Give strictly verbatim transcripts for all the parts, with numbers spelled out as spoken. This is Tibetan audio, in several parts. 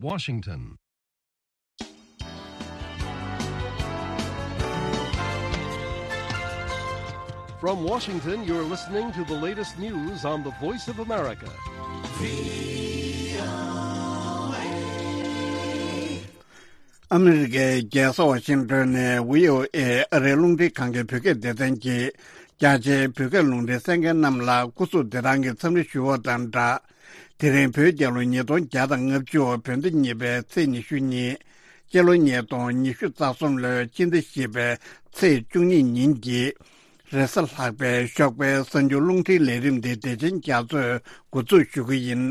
Washington. From Washington, you're listening to the latest news on the Voice of America. ཨ་མི་རི་ཀའི་རྒྱལ་ས་ཝ་ཤིང་ཏོན་ནས་བྷི་ཨོ་ཨེ་ཨ་རིའི་རླུང་འཕྲིན་ཁང་གི་བོད་སྐད་སྡེ་ཚན་གྱིས་རྒྱ་ཆེའི་བོད་སྐད་རླུང་འཕྲིན་གསན་མཁན་རྣམས་ལ་སྐུ་གཟུགས་བདེ་ཐང་གི་འཚམས་འདྲི་ཞུ་བ་དང་སྦྲགས། དེ་རིང་བོད་རྒྱལ་ལོ་ཉིས་སྟོང་བརྒྱ་དང་ལྔ་བཅུ་བོད་ཟླ་གཉིས་པའི་ཚེས་ཉི་ཤུ་གཉིས། སྤྱི་ལོ་ཉིས་སྟོང་ཉི་ཤུ་རྩ་གསུམ་ལོའི་སྤྱི་ཟླ་བཞི་པའི་ཚེས་བཅུ་གཉིས་ཉིན་གྱི་རེས་གཟའ་ལྷག་པའི་ཞོགས་པའི་གསར་འགྱུར་རླུང་འཕྲིན་ལས་རིམ་འདི་བདེ་ཆེན་རྒྱ་མཚོས་འགོ་འཛུགས་ཞུ་གི་ཡིན།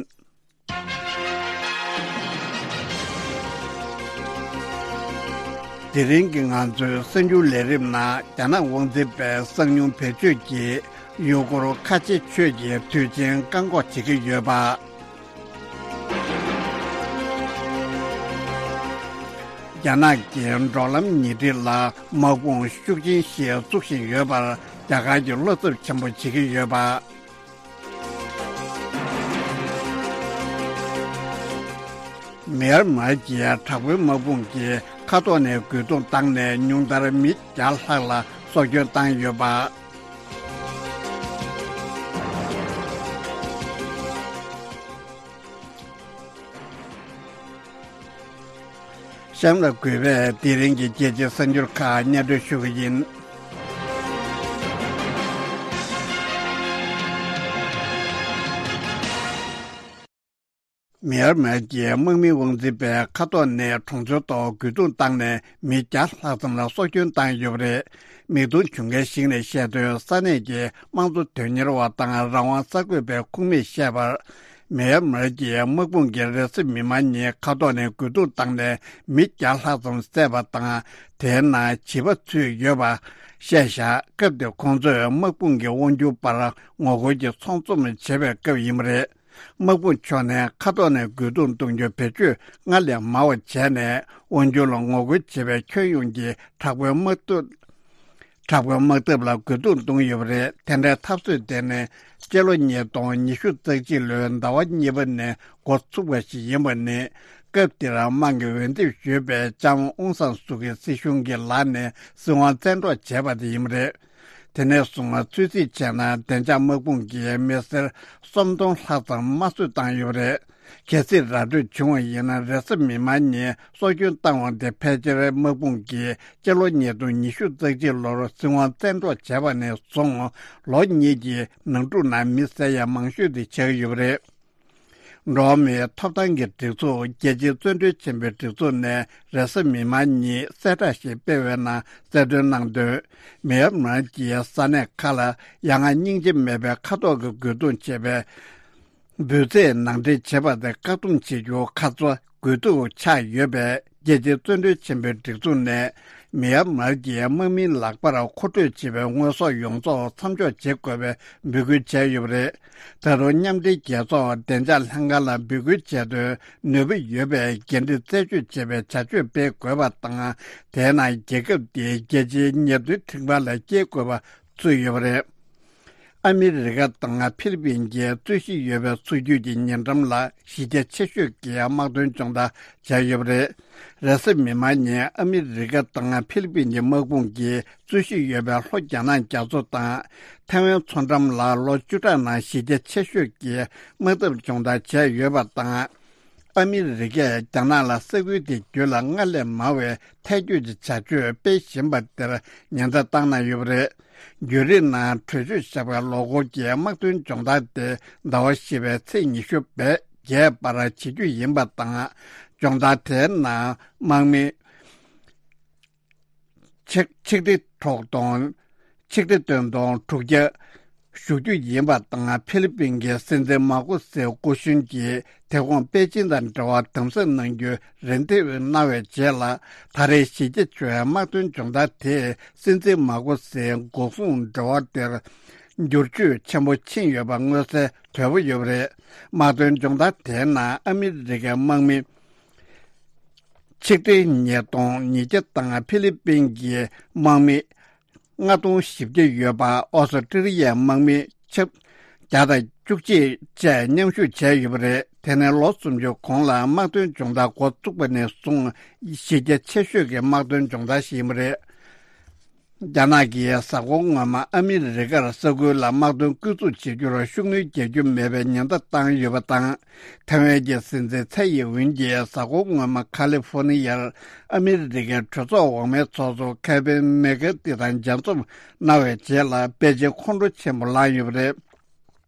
དེ་རིང་གི་ང་ཚོའི་གསར་འགྱུར་ལས་རིམ་ནང་རྒྱ་ནག་དབང་འཛིན་པའི་གསང་ཉུལ་བེད་སྤྱོད་ཀྱིས་ཡུ་གུར་ཁ་ཆེ་ཆོས་ཀྱི་དུས་ཆེན་བཀག་འགོག་བྱེད་ཀྱི་ཡོད་པ། རྒྱ་ནག་གིས་འབྲོག་ལམ་ཉེ་འཁྲིས་ལ་དམག་དཔུང་ཤུགས་ཆེན་ཞིག་བཙུགས་བཞིན་ཡོད་པར་རྒྱ་གར་གྱིས་བློ་འཚབ་ཆེན་པོ་བྱེད་ཀྱི་ཡོད་པ། མེར་མར་གྱི་དྲག་པོའི་དམག་དཔུང་གིས་མཁའ་ཐོག་ནས་རྒོལ་རྡུང་བཏང་ནས་ཉུང་མཐར་མི་བརྒྱ་ལྷག་ལ་སྲོག་སྐྱོན་བཏང་ཡོད་པ། གཤམ་ལ་གུས་པས་དེ་རིང་གི་རྒྱལ་སྤྱིའི་གསར་འགྱུར་ཁག་སྙན་སྒྲོན་ཞུ་གི་ཡིན། མེར་མར་གྱི་དམག་མི་དབང་འཛིན་པས་མཁའ་ཐོག་ནས་གྲོང་ཚོའི་ཐོག་རྒོལ་རྡུང་བཏང་ནས་མི་བརྒྱ་ལྷག་ཙམ་ལ་སྲོག་སྐྱོན་བཏང་ཡོད་པ་རེད། མིག་མཐོང་བྱུང་མཁན་ཞིག་ནས་བཤད་དོན། ས་གནས་ཀྱི་དམངས་གཙོ་དོན་གཉེར་བ་དང་རང་དབང་གསར་འགོད་པའི་ཁོངས་མིས་བཤད་པར། མེར་མར་གྱི་དམག་དཔུང་གིས་རེས་གཟའ་མིག་དམར་ཉིན་མཁའ་ཐོག་ནས་རྒོལ་རྡུང་བཏང་ནས་མི་བརྒྱ་ལྷག་ཙམ་བསད་པ་དང་། དེའི་ནང་བྱིས་པ་ཚུད་ཡོད་པ་བཤད་བཞག་སྐབས་དེར་ཁོང་ཚོས་དམག་དཔུང་གི་དབང་སྒྱུར་པར་ངོ་རྒོལ་གྱི་ཚོགས་འཛོམས་བྱེད་པའི་སྐབས་ཡིན་པ་རེད། དམག་དཔུང་ཕྱོགས་ནས་མཁའ་ཐོག་ནས་རྒོལ་རྡུང་གཏོང་རྒྱུ་བེད་སྤྱོད་སྔར་ལས་མང་བ་བྱས་ནས། དབང་སྒྱུར་ལ་ངོ་རྒོལ་བྱེད་པའི་ཁྱོན་ཡོངས་ཀྱི་དྲག་པོའི་དམག་འཐབ། དྲག་པོའི་དམག་འཐབ་ལ་རྒོལ་རྡུང་གཏོང་ཡོད་པ་རེད། དེ་འདྲའི་འཐབ་རྩོད་དེ་ནི་སྤྱི་ལོ་ཉིས་སྟོང་ཉི་ཤུ་རྩ་གཅིག་ལོའི་ཟླ་བ་གཉིས་པ་ནས་འགོ་ཚུགས་པ་ཞིག་ཡིན་པ་ནི། སྐབས་དེར་དམངས་ཀྱིས་འོས་འདེམས་ཞུས་པའི་ལྕམ་ཨུང་སང་སུ་ཀི་སྲིད་གཞུང་གི་ལག་ནས་སྲིད་དབང་བཙན་འཕྲོག་བྱས་པ་དེ་ཡིན་པ་རེད། དེ་ནས་བཟུང་ཚོད་རྩིས་བྱས་ན། བདེ་འཇགས་དམག་དཔུང་གིས་མི་སེར་སུམ་སྟོང་ལྷག་ཙམ་དམར་གསོད་བཏང་ཡོད་པ་རེད། གལ་སྲིད་ར་སྤྲོད་བྱུང་བ་ཡིན་ན། རེས་གཟའ་མིག་དམར་ཉིན་སྲོག་སྐྱོན་བཏང་བ་དེ་ཕལ་ཆེར་དམག་དཔུང་གིས་སྤྱི་ལོ་ཉིས་སྟོང་ཉི་ཤུ་རྩ་གཅིག་ལོར་སྲིད་དབང་བཙན་འཕྲོག་བྱས་པ་ནས་བཟུང་ལོ་གཉིས་ཀྱི་ནང་འཁྲུག་ནང་མི་བསད་ཡ་མང་ཤོས་དེ་ཆགས་ཡོད་པ་རེད། འགྲོ་བ་མིའི་ཐོབ་ཐང་གི་སྒྲིག་འཛུགས། རྒྱལ་སྤྱིའི་བཙོན་གྲོལ་ཆེན་པོའི་སྒྲིག་འཛུགས་ནས་རེས་གཟའ་མིག་དམར་ཉིན་གསལ་བསྒྲགས་ཤིག་སྤེལ་བའི་ནང་གསལ་སྟོན་གནང་དོན། མེན་མར་གྱི་ས་གནས་ཁག་ལ་ཡ་ང་སྙིང་རྗེ་མེད་པའི་མཁའ་ཐོག་གི་རྒོལ་རྡུང་བྱས་པའི་འབོད་ཚིག་ནང་འདྲེན་བྱས་པ་དེ་བཀག་སྡོམ་བྱེད་རྒྱུ་ཁ་ཚ་དགོས་གཏུག་ཆགས་ཡོད་པས། རྒྱལ་སྤྱིའི་བཙོན་གྲོལ་ཆེན་པོའི་སྒྲིག་འཛུགས་ནས་མེན་མར་གྱི་དམག་མིའི་ལག་པར་མཁོ་སྤྲོད་བྱས་པའི་དངོས་ཟོག་ཡོངས་རྫོགས་མཚམས་འཇོག་བྱེད་དགོས་པའི་འབོད་སྐུལ་བྱས་ཡོད་པ་རེད། ད་རུང་མཉམ་འབྲེལ་རྒྱལ་ཚོགས་བདེ་འཇགས་ལྷན་ཁང་ལ་འབོད་སྐུལ་བྱས་དོན། ནུས་པ་ཡོད་པའི་འགན་འཁྲི་རྩད་གཅོད་བྱེད་པའི་བྱ་སྤྱོད་སྤེལ་དགོས་པ་དང་། དེས་ན་རྒྱལ་ཁབ་དེའི་རྒྱལ་སྤྱིའི་ཉེས་དོན་ཁྲིམས་ཁང་ལ་སྐྱེལ་དགོས་པ་ཚུད་ཡོད་པ་རེད། ཨ་མི་རི་ཀ་དང་ཧྥི་ལི་པིན་གྱིས་རྩོད་གཞི་ཡོད་པའི་ཚུར་རྒྱུག་གི་ཉེ་འགྲམ་ལ་གཞི་རྒྱ་ཆེ་ཤོས་ཀྱི་དམག་དོན་སྦྱོང་བརྡར་བྱས་ཡོད་པ་རེད། རེས་གཟའ་མིག་དམར་ཉིན་ཨ་མི་རི་ཀ་དང་ཧྥི་ལི་པིན་གྱི་དམག་དཔུང་གིས་རྩོད་གཞི་ཡོད་པའི་ལྷོ་རྒྱ་ནག་རྒྱ་མཚོ་དང་ཐའེ་ཝན་མཚོ་འགྲམ་ལ་ལོ་བཅུ་ཕྲག་ནང་གཞི་རྒྱ་ཆེ་ཤོས་ཀྱི་དམག་འཐབ་སྦྱོང་བརྡར་བྱས་ཡོད་པ་དང་། ཨ་མི་རི་ཀས་རྒྱ་ནག་ལ་ས་ཁུལ་དེ་བརྒྱུད་ལ་སྔར་ལས་མང་བའི་ཐལ་སྐྱོད་ཀྱི་བྱ་སྤྱོད་སྤེལ་བཞིན་པ་དེར་ཉེན་བརྡ་བཏང་གནང་ཡོད་པ་རེད། བརྒྱུད་རིམ་ནང་གྲོས་ཆོད་བཞག་པའི་ལོ་འཁོར་གྱི་དམག་དོན་སྦྱོང་བརྡར་དེ་ཟླ་བ་བཞི་པའི་ཚེས་ཉི་ཤུ་བརྒྱད་བར་བྱེད་རྒྱུ་ཡིན་པ་དང་། སྦྱོང་བརྡར་དེའི་ནང་དམག་མི་ཆིག་ཆིག་ཁྲི་དྲུག་སྟོང་། ཆིག་ཁྲི་བདུན་སྟོང་དྲུག་བརྒྱ་ཞུགས་རྒྱུ་ཡིན་པ་དང་། ཧྥི་ལི་པིན་གྱི་སྲིད་འཛིན་མཱ་ཀོ་སི་སྐུ་གཞོན་གྱིས་དེ་གོང་པེ་ཅིན་དང་འབྲེལ་བ་དམ་ཟབ་གནང་རྒྱུའི་རེ་འདུན་གནང་བའི་རྗེས་ལ། ད་རེས་གཞི་རྒྱ་ཆེ་བའི་དམག་དོན་སྦྱོང་བརྡར་དེས་སྲིད་འཛིན་མཱ་ཀོ་སིའི་འགོག་སྲུང་འབྲེལ་བ་དེར་འགྱུར་བཅོས་ཆེན་པོ་ཕྱིན་ཡོད་པ་མངོན་གསལ་དོད་པོ་ཡོད་པ་རེད། དམག་དོན་སྦྱོང་བརྡར་དེའི་ནང་ཨ་མི་རི་ཀའི་དམག་མི་ཆིག་ཁྲི་ཉིས་སྟོང་ཉིས་བརྒྱ་དང་ཧྥི་ལི་པིན་གྱི་དམག་མི་ལྔ་སྟོང་བཞི་བརྒྱ་ཡོད་པ། ཨོ་སི་ཀྲི་ལི་ཡའི་དམག་མི་ཆབ་ བརྒྱ་དང་བཅུ་གཅིག་བཅས་མཉམ་ཞུགས་བྱས་ཡོད་པ་རེད། དེ་ནི་ལོ་སུམ་ཅུ་གོང་ལ་དམག་དོན་སྦྱོང་བརྡར་འགོ་བཙུགས་པ་ནས་བཟུང་གཞི་རྒྱ་ཆེ་ཤོས་ཀྱི་དམག་དོན་སྦྱོང་བརྡར་ཞིག་ཡིན་པ་རེད། རྒྱ་ནག་གིས་གཟའ་འཁོར་སྔོན་མ་ཨ་མི་རི་ཀར་ས་ཁུལ་ལ་དམག་དོན་སྐུལ་འཛུགས་བྱེད་རྒྱུར་ཤུགས་སྣོན་རྒྱག་རྒྱུ་མེད་པའི་ཉེན་བརྡ་བཏང་ཡོད་པ་དང་། ཐའེ་ཝན་གྱི་སྲིད་འཛིན་ཚའེ་ཡིན་ཝུན་གྱིས་གཟའ་འཁོར་སྔོན་མ་ཁ་ལི་ཧྥོ་ནི་ཡར་ཨ་མི་རི་ཀའི་གྲོས་ཚོགས་འོག་མའི་ཚོགས་གཙོ་ཁེ་ཝིན་མེག་ཀར་ཐི་དང་མཇལ་འཛོམས་གནང་བའི་རྗེས་ལ་པེ་ཅིན་ཁོང་ཁྲོ་ཆེན་པོ་ལངས་ཡོད་པ་རེད།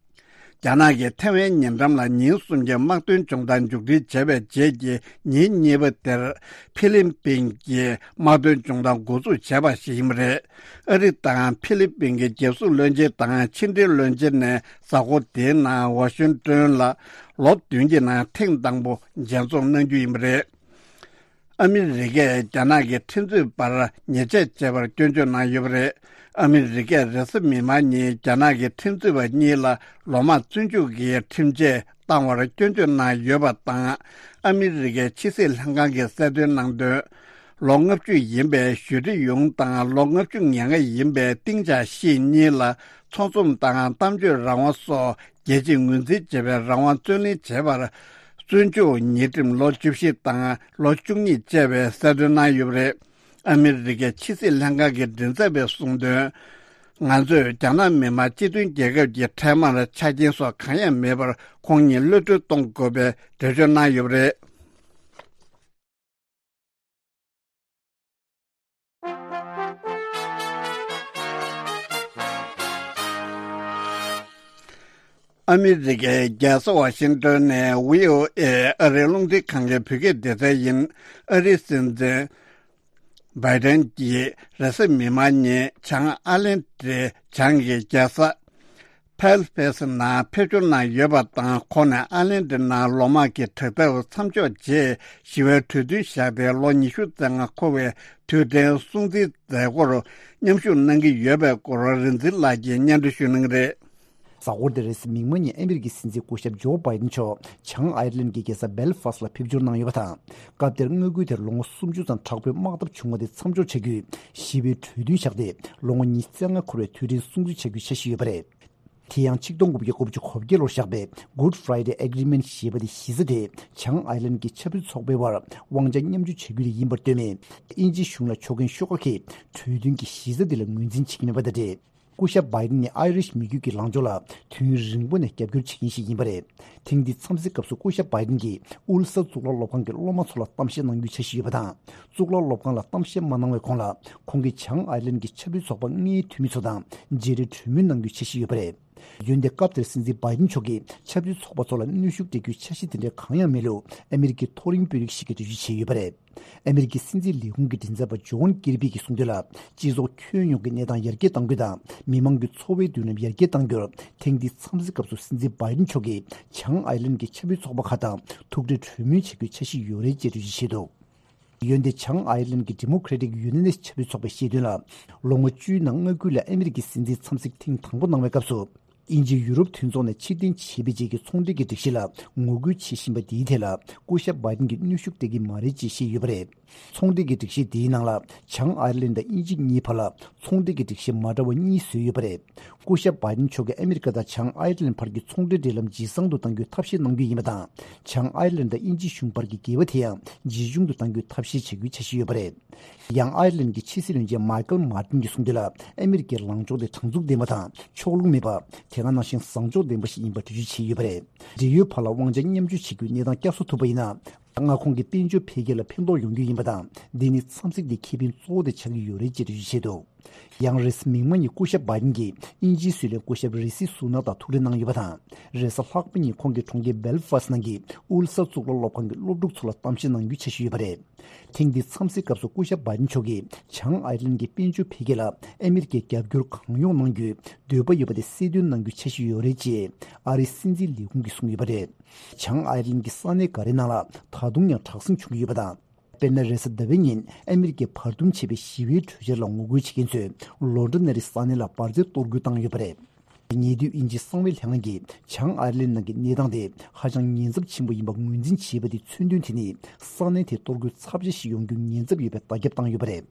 རྒྱ་ནག་གིས་ཐའེ་ཝན་ཉེ་འགྲམ་ལ་ཉིན་གསུམ་གྱི་དམག་དོན་སྦྱོང་བརྡར་མཇུག་སྒྲིལ་བྱས་པའི་རྗེས་ཀྱི་ཉིན་གཉིས་པ་དེར་ཧྥི་ལིན་པིན་གྱིས་དམག་དོན་སྦྱོང་བརྡར་འགོ་འཛུགས་བྱས་པ་ཞིག་ཡིན་པ་རེད། ཨ་རི་དང་ཧྥི་ལིན་པིན་གྱི་རྒྱལ་སྲུང་བློན་ཆེན་དང་ཕྱི་འབྲེལ་བློན་ཆེན་ནས་གཟའ་འཁོར་དེའི་ནང་ཝ་ཤིང་ཏོན་ལ་ལོ་བདུན་གྱི་ནང་ཐེངས་དང་པོ་མཇལ་འཛོམས་གནང་རྒྱུ་ཡིན་པ་རེད། ཨ་མི་རི་ཀས་རྒྱ་ནག་གི་ཁྲིམས་རྩོད་པར་ཉེས་ཆད་བཅད་པར་སྐྱོན་བརྗོད་གནང་ཡོད་པ་རེད། ཨ་མི་རི་ཀས་རེས་གཟའ་མིག་དམར་ཉིན་རྒྱ་ནག་གི་ཁྲིམས་རྩོད་པ་གཉིས་ལ་ལོ་མང་བཙོན་འཇུག་གི་ཁྲིམས་ཆད་བཏང་བར་སྐྱོན་བརྗོད་གནང་ཡོད་པ་དང་། ཨ་མི་རི་ཀའི་ཕྱི་སྲིད་ལྷན་ཁང་གིས་གསལ་སྟོན་གནང་དོན། ལོ་ལྔ་བཅུ་ཡིན་པའི་ཞུས་ཀྲི་ཡུང་དང་ལོ་ལྔ་བཅུ་ང་ལྔ་ཡིན་པའི་ཏིང་ཅཱ་ཤི་གཉིས་ལ་ཚོགས་འཛོམས་དང་གཏམ་བརྗོད་རང་དབང་སོགས་རྒྱལ་སྤྱིས་ངོས་འཛིན་བྱེད་པའི་རང་དབང་རྩོད་ལེན་བྱས་པར། བཙོན་འཇུག་ཉེས་ཁྲིམས་ལོ་བཅུ་བཞི་དང་ལོ་བཅུ་གཉིས་བཅས་པའི་གསལ་སྟོན་གནང་ཡོད་པ་རེད། ཨ་མི་རི་ཀའི་ཕྱི་སྲིད་ལྷན་ཁང་གི་མགྲིན་ཚབ་པས་གསུངས་དོན། ང་ཚོས་རྒྱ་ནག་མི་དམངས་སྤྱི་མཐུན་རྒྱལ་ཁབ་ཀྱི་འཕྲལ་མར་ཆ་རྐྱེན་སོགས་གང་ཡང་མེད་པར་ཁོང་ཉིད་གློད་གྲོལ་གཏོང་དགོས་པའི་འགྲེལ་བརྗོད་གནང་ཡོད་པ་རེད། ཨ་མི་རི་ཀའི་རྒྱལ་ས་ཝ་ཤིང་ཏོན་ནས་བྷི་ཨོ་ཨེ་ཨ་རིའི་རླུང་འཕྲིན་ཁང་གི་བོད་སྐད་སྡེ་ཚན་ཡིན། ཨ་རིའི་སྲིད་འཛིན་བྷའི་ཏན་གྱིས་རེས་གཟའ་མིག་དམར་ཉིན་བྱང་ཨའི་ལན་ཌའི་བྱང་གི་རྒྱལ་ས་ཕལ་ཕེས་ནང་ཕེབས་འབྱོར་གནང་ཡོད་པ་དང་། ཁོང་ནས་ཨའི་ལན་ཌའི་ནང་ལོ་དམག་གི་དྲག་འཐབ་མཚམས་འཇོག་རྗེས་ཞི་བའི་གྲོས་མཐུན་བཞག་སྟེ་ལོ་ཉི་ཤུ་རྩ་ལྔ་འཁོར་བའི་དུས་དྲན་སྲུང་བརྩིའི་མཛད་སྒོར་མཉམ་ཞུགས་གནང་གི་ཡོད་པའི་སྐོར་རིག་འཛིན་ལགས་ཀྱིས་སྙན་སྒྲོན་ཞུ་གནང་གི་རེད། གཟའ་འཁོར་འདིར་རེས་གཟའ་མིག་དམར་ཉིན་ཨ་མི་རི་ཀའི་སྲིད་འཛིན་སྐུ་ཞབས་ཇོ་བྷའི་ཏན་མཆོག་བྱང་ཨའི་ལན་གྱི་རྒྱལ་ས་སྦེལ་ཕཱ་སི་ལ་ཕེབས་འབྱོར་གནང་ཡོད་པ་དང་། སྐབས་དེར་མངའ་ཁུལ་དེར་ལོ་ངོ་སུམ་ཅུ་ཙམ་དྲག་པོའི་དམག་འཐབ་བྱུང་བ་དེ་མཚམས་འཇོག་བྱ་རྒྱུའི་ཞི་བའི་གྲོས་མཐུན་བཞག་སྟེ། ལོ་ངོ་ཉི་ཤུ་རྩ་ལྔ་འཁོར་བའི་དུས་དྲན་སྲུང་བརྩི་བྱ་རྒྱུའི་འཆར་གཞི་ཡོད་པ་རེད། དེ་ཡང་ཆིག་སྟོང་དགུ་བརྒྱ་གོ་གཅིག་གོ་བརྒྱད་ལོར་བཞག་པའི་Good Friday Agreement ཞེས་པ་དེ་གཞི་རྩ་དེ་བྱང་ཨའི་ལན་གྱི་ཆབ་སྲིད་ཚོགས་པའི་དབར་དབང་ཆ་མཉམ་སྤྱོད་བྱ་རྒྱུ་དེ་ཡིན་པར་ལྟོས་མེད། དབྱིན་ཇིའི་གཞུང་ལ་ཕྱོགས་འགལ་ཤོག་ཁག་གིས་གྲོས་མཐུན་གྱི་གཞི་རྩ་དེ་ལ་ངོས་འཛིན་བྱེད་ཀྱི་མེད་པ་དང་འབྲེལ། སྐུ་ཞབས་བྷའི་ཏན་ནི་ཨའི་རིཤ་མི་རྒྱུད་ཀྱི་ལངས་ཕྱོགས་ལ་དུས་ཡུན་རིང་པོ་ནས་རྒྱབ་སྐྱོར་བྱེད་མཁན་ཞིག་ཡིན་པ་རེད། ཐེངས་འདིའི་འཚམས་གཟིགས་སྐབས་སུ་སྐུ་ཞབས་བྷའི་ཏན་གྱིས་ཨུལ་ས་གཙུག་ལག་སློབ་ཁང་གི་སློབ་མ་ཚོ་ལ་གཏམ་བཤད་གནང་རྒྱུའི་འཆར་གཞི་ཡོད་པ་དང་། གཙུག་ལག་སློབ་ཁང་ལ་གཏམ་བཤད་མ་གནང་བའི་གོང་ལ་ཁོང་གིས་བྱང་ཨའི་ལན་གྱི་ཆབ་སྲིད་ཚོགས་པ་ལྔའི་འཐུས་མི་ཚོ་དང་མཇལ་འཕྲད་གྲོས་མོལ་གནང་རྒྱུའི་འཆར་གཞི་ཡོད་པ་རེད། འོན་ཏེ་སྐབས་དེར་སྲིད་འཛིན་བྷའི་ཏན་མཆོག་གིས་ཆབ་སྲིད་ཚོགས་པ་ཚོ་ལ་གནོན་ཤུགས་སྤྲད་རྒྱུའི་འཆར་གཞི་དེ་འདྲ་གང་ཡང་མེད་ལུགས་ཨ་མི་རི་ཀའི་མཐོ་རིམ་དཔོན་རིགས་ཤིག་གིས་འགྲེལ་བརྗོད་བྱས་ཡོད་པ་རེད། ཨ་མི་རི་ཀའི་སྲིད་འཛིན་ལས་ཁུངས་ཀྱི་མགྲིན་ཚབ་པ་ཇོན་ཀིར་པི་གིས་གསུངས་དོན་ལ། སྤྱི་ཚོགས་ཁྱོན་ཡོངས་ཀྱི་གནས་སྟངས་ཡར་རྒྱས་གཏང་རྒྱུ་དང་། མི་མང་གི་འཚོ་བའི་མདུན་ལམ་ཡར་རྒྱས་གཏང་རྒྱུར། ཐེངས་འདིའི་འཚམས་གཟིགས་སྐབས་སུ་སྲིད་འཛིན་བྷའི་ཏན་མཆོག་གིས་བྱང་ཨའི་ལན་གྱི་ཆབ་སྲིད་ཚོགས་པ་ཁག་དང་ཐུག་འཕྲད་གྲོས་མོལ་བྱེད་རྒྱུའི་འཆར་གཞི་ཡོད་རེད་ཅེས་འགྲེལ་བརྗོད་བྱས་འདུག་འོན་ཏེ་བྱང་ཨའི་ལན་གྱི་Democratic Unionist ཆབ་སྲིད་ཚོགས་པས་བཤད་དོན་ལ། ལོ་ངོ་བཅུའི་ནང་མངའ་ཁུལ་ལ་ཨ་མི་རི་ཀའི་སྲིད་འཛིན་འཚམས་གཟིགས་ཐེངས་དང་པོ་གནང་བའི་སྐབས་སུ། དབྱིན་ཇི་ཡུ་རོབ་མཐུན་ཚོགས་ནས་ཕྱིར་འཐེན་བྱས་པའི་རྗེས་ཀྱི་ཚོང་འབྲེལ་གྱི་སྒྲིག་གཞི་ལ་ངོ་རྒོལ་བྱེད་བཞིན་པ་འདིའི་ཐད་ལ་སྐུ་ཞབས་བྷའི་ཏན་གྱིས་གནོན་ཤུགས་སྤྲད་ཀྱི་མ་རེད་ཅེས་བཤད་ཡོད་པ་རེད། ཚོང་འབྲེལ་གྱི་སྒྲིག་གཞི་འདིའི་ནང་ལ་བྱང་ཨའི་ལན་དང་དབྱིན་ཇི་གཉིས་བར་ལ་ཚོང་འབྲེལ་གྱི་སྒྲིག་གཞི་མ་འདྲ་བ་གཉིས་བཟོས་ཡོད་པ་རེད། སྐུ་ཞབས་བྷའི་ཏན་མཆོག་གིས་ཨ་མི་རི་ཀ་དང་བྱང་ཨའི་ལན་བར་གྱི་ཚོང་འབྲེལ་འབྲེལ་ལམ་ཇེ་བཟང་དུ་གཏང་རྒྱུའི་ཐབས་ཤེས་གནང་རྒྱུ་ཡིན་པ་དང་། བྱང་ཨའི་ལན་དང་དབྱིན་ཇི་གཞུང་བར་གྱི་འགལ་བ་དེ་ཡང་ཇེ་ཆུང་དུ་གཏང་རྒྱུའི་ཐབས་ཤེས་བྱེད་རྒྱུའི་འཆར་གཞི་ཡོད་པ་རེད། ཡང་ཨའི་ལན་གྱི་ཕྱི་སྲིད་བློན་ཆེན་མཱི་ཀལ་མཱ་ཏིན་གྱིས་གསུངས་དོན་ལ། ཨ་མི་རི་ཀའི་ལངས་ཕྱོགས་དེ་དྲང་ཚུགས་ལྡན་པ་དང་ཕྱོགས་ལྷུང་མེད་པ། དེ་ག་ནང་བཞིན་བཟང་ཕྱོགས་ལྡན་པ་ཞིག་ཡིན་པ་འགྲེལ་བརྗོད་བྱས་ཡོད་པ་རེད། འབྲེལ་ཡོད་བར་ལ་དབང་ཆ་མཉམ་སྤྱོད་བྱེད་རྒྱུའི་གནས་སྟངས་བསྐྱར་གསོ་ཐུབ་པ་ཡིན་ན། མངའ་ཁོངས་ཀྱི་དཔལ་འབྱོར་འཕེལ་རྒྱས་ལ་ཕན་ཐོགས་ཡོང་རྒྱུ་ཡིན་པ་དང་། འདི་ནི་འཚམས་གཟིགས་དེའི་ཁེ་ཕན་གཙོ་བོ་དེ་ཆགས་ཀྱི་ཡོད་རེད་ཅེས་འགྲེལ་བརྗོད་བྱས་འདུག་ཡང་རེས་གཟའ་མིག་དམར་ཉིན་སྐུ་ཞབས་བྷའི་ཏིན་གྱིས་དབྱིན་ཇིའི་སྲིད་བློན་སྐུ་ཞབས་རི་ཤི་སུ་ནག་དང་ཐུག་འཕྲད་གནང་ཡོད་པ་དང་། རེས་གཟའ་ལྷག་པ་ཉིན་ཁོང་གིས་གྲོང་ཁྱེར་སྦེལ་ཕཱ་སི་ནང་གི་ཨུལ་ས་གཙུག་ལག་སློབ་ཁང་གི་སློབ་ཕྲུག་ཚོ་ལ་གཏམ་བཤད་གནང་རྒྱུའི་འཆར་གཞི་ཡོད་པ་རེད། ཐེངས་འདིའི་འཚམས་གཟིགས་སྐབས་སུ་སྐུ་ཞབས་བྷའི་ཏིན་མཆོག་གིས་བྱང་ཨའི་ལན་གྱི་དཔལ་འབྱོར་འཕེལ་རྒྱས་ལ་ཨ་མི་རི་ཀས་རྒྱབ་སྐྱོར་གང་ཡོང་གནང་རྒྱུའི་འདོད་པ་ཡོད་པ་དེ་གསལ་སྟོན་གནང་རྒྱུའི་འཆར་གཞི་ཡོད་རེད་ཅེས་ཨ་རིའི་སྲིད་འཛིན་ལས་ཁུངས་ཀྱིས་གསུངས་ཡོད་པ་རེད། བྱང་ཨའི་ལན་གྱི་ས་གནས་འགའ་རེའི་ནང་ལ་ད་དུང་ཡང་དྲག་ཟིང་བྱུང་གི་ཡོད་པ་དང་། དཔེར་ན། རེས་གཟའ་ཟླ་བའི་ཉིན་ཨ་མི་རི་ཀས་བར་འདུམ་བྱས་པའི་ཞི་བའི་གྲོས་འཆར་ལ་ངོ་རྒོལ་བྱེད་མཁན་ཚོས་ལོ་འདྲ་ན་རི་ས་གནས་ལ་འབར་རྫས་གཏོར་རྒོལ་བཏང་ཡོད་པ་རེད། ཉེ་དུས་དབྱིན་ཇིའི་གསང་བའི་ལྷན་ཁང་གིས་བྱང་ཨའེ་རི་ལན་ནང་གི་གནས་སྟངས་དེ་ཧ་ཅང་ཉེན་ཚབས་ཆེན་པོ་ཡིན་པ་ངོས་འཛིན་བྱས་པ་དེ་མཚོན་དོན་དེ་ནི་ས་གནས་དེར་གཏོར་རྒོལ་ཚབས་ཆེ་ཞིག་ཡོང་རྒྱུའི་ཉེན་ཚབས་ཡོད་པའི་བརྡ་ཁྱབ་བཏང་ཡོད་པ་རེད།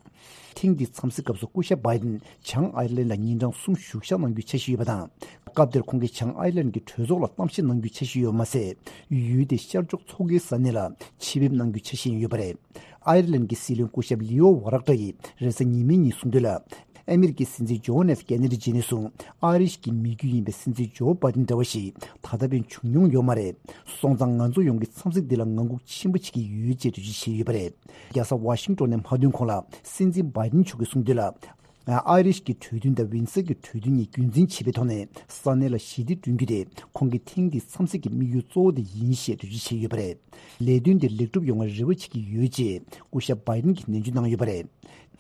ཐེངས་འདིའི་འཚམས་གཟིགས་སྐབས་སུ་སྐུ་ཞབས་བྷའི་ཌེན་བྱང་ཨའེ་རི་ལན་ལ་ཉིན་གྲངས་གསུམ་བཞུགས་ཞག་གནང་རྒྱུའི་འཆར་གཞི་ཡོད་པ་དང་། སྐབས་དེར་ཁོང་གིས་བྱང་ཨའེ་རི་ལན་གྱི་གྲོས་ཚོགས་ལ་གཏམ་བཤད་གནང་རྒྱུའི་འཆར་གཞི་ཡོད་པ་མ་ཟད། ཡུལ་དེ་ཤར་ཕྱོགས་མཚོ་ཁའི་ས་གནས་ལ་ཆེད་ཕེབས་གནང་རྒྱུའི་འཆར་གཞི་ཡང་ཡོད་པ་རེད། ཨའེ་རི་ལན་གྱི་སྲིད་བློན་སྐུ་ཞབས་ལིའོ་ཝ་རག་ཏྲ་ཡིས་རེས་གཟའ་ཉི་མའི་ཉིན་གསུངས་དོན་ལ། ཨ་མི་རི་ཀའི་སྲིད་འཛིན་ཇོན་ཨེཕ་ཀེ་ནེ་ཌི་རྗེས་ནས་བཟུང་ཨ་རིའི་གི་མི་རྒྱུད་ཡིན་པའི་སྲིད་འཛིན་ཇོ་བྷའི་ཌེན་འདྲ་བ་ཞིག་ད་ལྟ་བར་བྱུང་མྱོང་ཡོད་མ་རེད། སོང་ཙང་ང་ཚོ་ཡོངས་ཀྱིས་འཚམས་གཟིགས་འདི་ལ་ངང་སྒུག་ཆེན་པོ་བྱེད་ཀྱི་ཡོད་ཅེས་འགྲེལ་བརྗོད་བྱས་ཡོད་པ་རེད། རྒྱལ་ས་ཝ་ཤིང་ཏོན་ནས་མ་ཐོན་གོང་ལ་སྲིད་འཛིན་བྷའི་ཌེན་མཆོག་གིས་གསུངས་དོན་ལ། ཨ་རིའི་གི་གྲོས་མཐུན་དང་ཝིན་སར་གྱི་གྲོས་མཐུན་གཉིས་རྒྱུན་འཛིན་བྱེད་པའི་ཐོག་ནས་ས་གནས་ལ་ཞི་བདེ་བསྐྲུན་རྒྱུ་དེ་ཁོང་གི་ཐེངས་འདིའི་འཚམས་གཟིགས་ཀྱི་དམིགས་ཡུལ་གཙོ་བོ་དེ་ཡིན་ཞེས་འགྲེལ་བརྗོད་བྱས་ཡོད་པ་རེད། ལས་དོན་དེ་ལེགས་གྲུབ་ཡོང་བར་རེ་བ་བྱེད་ཀྱི་ཡོད་ཅེས་སྐུ་ཞབས་བྷའི་ཌེན་གྱིས་ནན་བརྗོད་གནང་ཡོད་པ་རེད།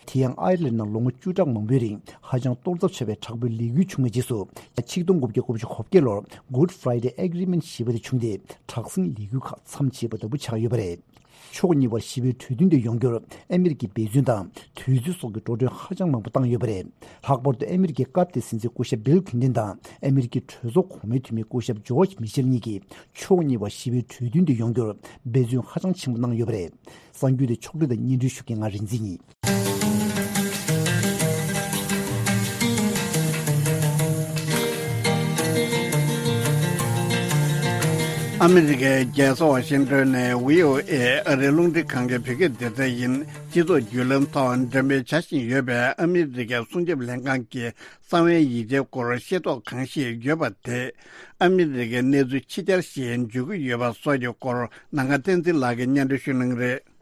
དེ་ཡང་ཨའི་རི་ལན་ནང་ལོ་ངོ་བཅུ་ཕྲག་མང་པོའི་རིང་ཧ་ཅང་གཏོར་ཚབས་ཆེ་བའི་དྲག་པོའི་ལས་འགུལ་བྱུང་བའི་རྗེས་སུ། ཆིག་སྟོང་དགུ་བརྒྱ་གོ་བརྒྱད་ལོར་Good Friday Agreement ཞེས་པ་དེ་བྱུང་སྟེ། དྲག་ཟིང་ལས་འགུལ་ཁག་མཚམས་ཆད་པ་ལྟ་བུ་ཆགས་ཡོད་པ་རེད། ཕྱོགས་གཉིས་བར་ཞི་བའི་གྲོས་མཐུན་དེ་ཡོང་རྒྱུར་ཨ་མི་རི་ཀས་འབད་བརྩོན་དང་དུས་ཚོད་སོགས་ཀྱི་འགྲོ་གྲོན་ཧ་ཅང་མང་པོ་བཏང་ཡོད་པ་རེད། ལྷག་པར་དུ་ཨ་མི་རི་ཀའི་སྐབས་དེའི་སྲིད་འཛིན་སྐུ་ཞབས་བྷིལ་ཁིན་ཏན་དང་ཨ་མི་རི་ཀའི་གྲོས་ཚོགས་གོང་མའི་འཐུས་མི་སྐུ་ཞབས་ཇོརྗ་མི་ཤེལ་གཉིས་ཀྱིས་ཕྱོགས་གཉིས་བར་ཞི་བའི་གྲོས་མཐུན་དེ་ཡོང་རྒྱུར་འབད་བརྩོན་ཧ་ཅང་ཆེན་པོ་གནང་ཡོད་པ་རེད། གསར་འགྱུར་དེ་ཕྱོགས་བསྒྲིགས་དང་སྙན་སྒྲོན་ཞུ་མཁན་ང་རིག་འཛིན་ཡིན། ཨ་མི་རི་ཀའི་རྒྱལ་ས་ཝ་ཤིང་ཏོན་ནས་བྷི་ཨོ་ཨེ་ཨ་རིའི་རླུང་འཕྲིན་ཁང་གི་བོད་སྐད་སྡེ་ཚན་ཡིན། སྤྱི་ཚོགས་བརྒྱུད་ལམ་ཐོག་འགྲེམས་སྤེལ་བྱ་བཞིན་ཡོད་པའི་ཨ་མི་རི་ཀའི་སྲུང་སྐྱོབ་ལྷན་ཁང་གི་གསང་བའི་ཡིག་ཆའི་སྐོར་ཤེས་རྟོགས་གང་ཞིག་ཡོད་པ་དེ། ཨ་མི་རི་ཀའི་གནས་ཚུལ་ཕྱི་གྱར་ཞིག་འཇོག་གི་ཡོད་པ་སོགས་ཀྱི་སྐོར་ནམ་མཁའ་བསྟན་འཛིན་ལགས་ཀྱིས་སྙན་སྒྲོན་ཞུ་གནང་གི་རེད།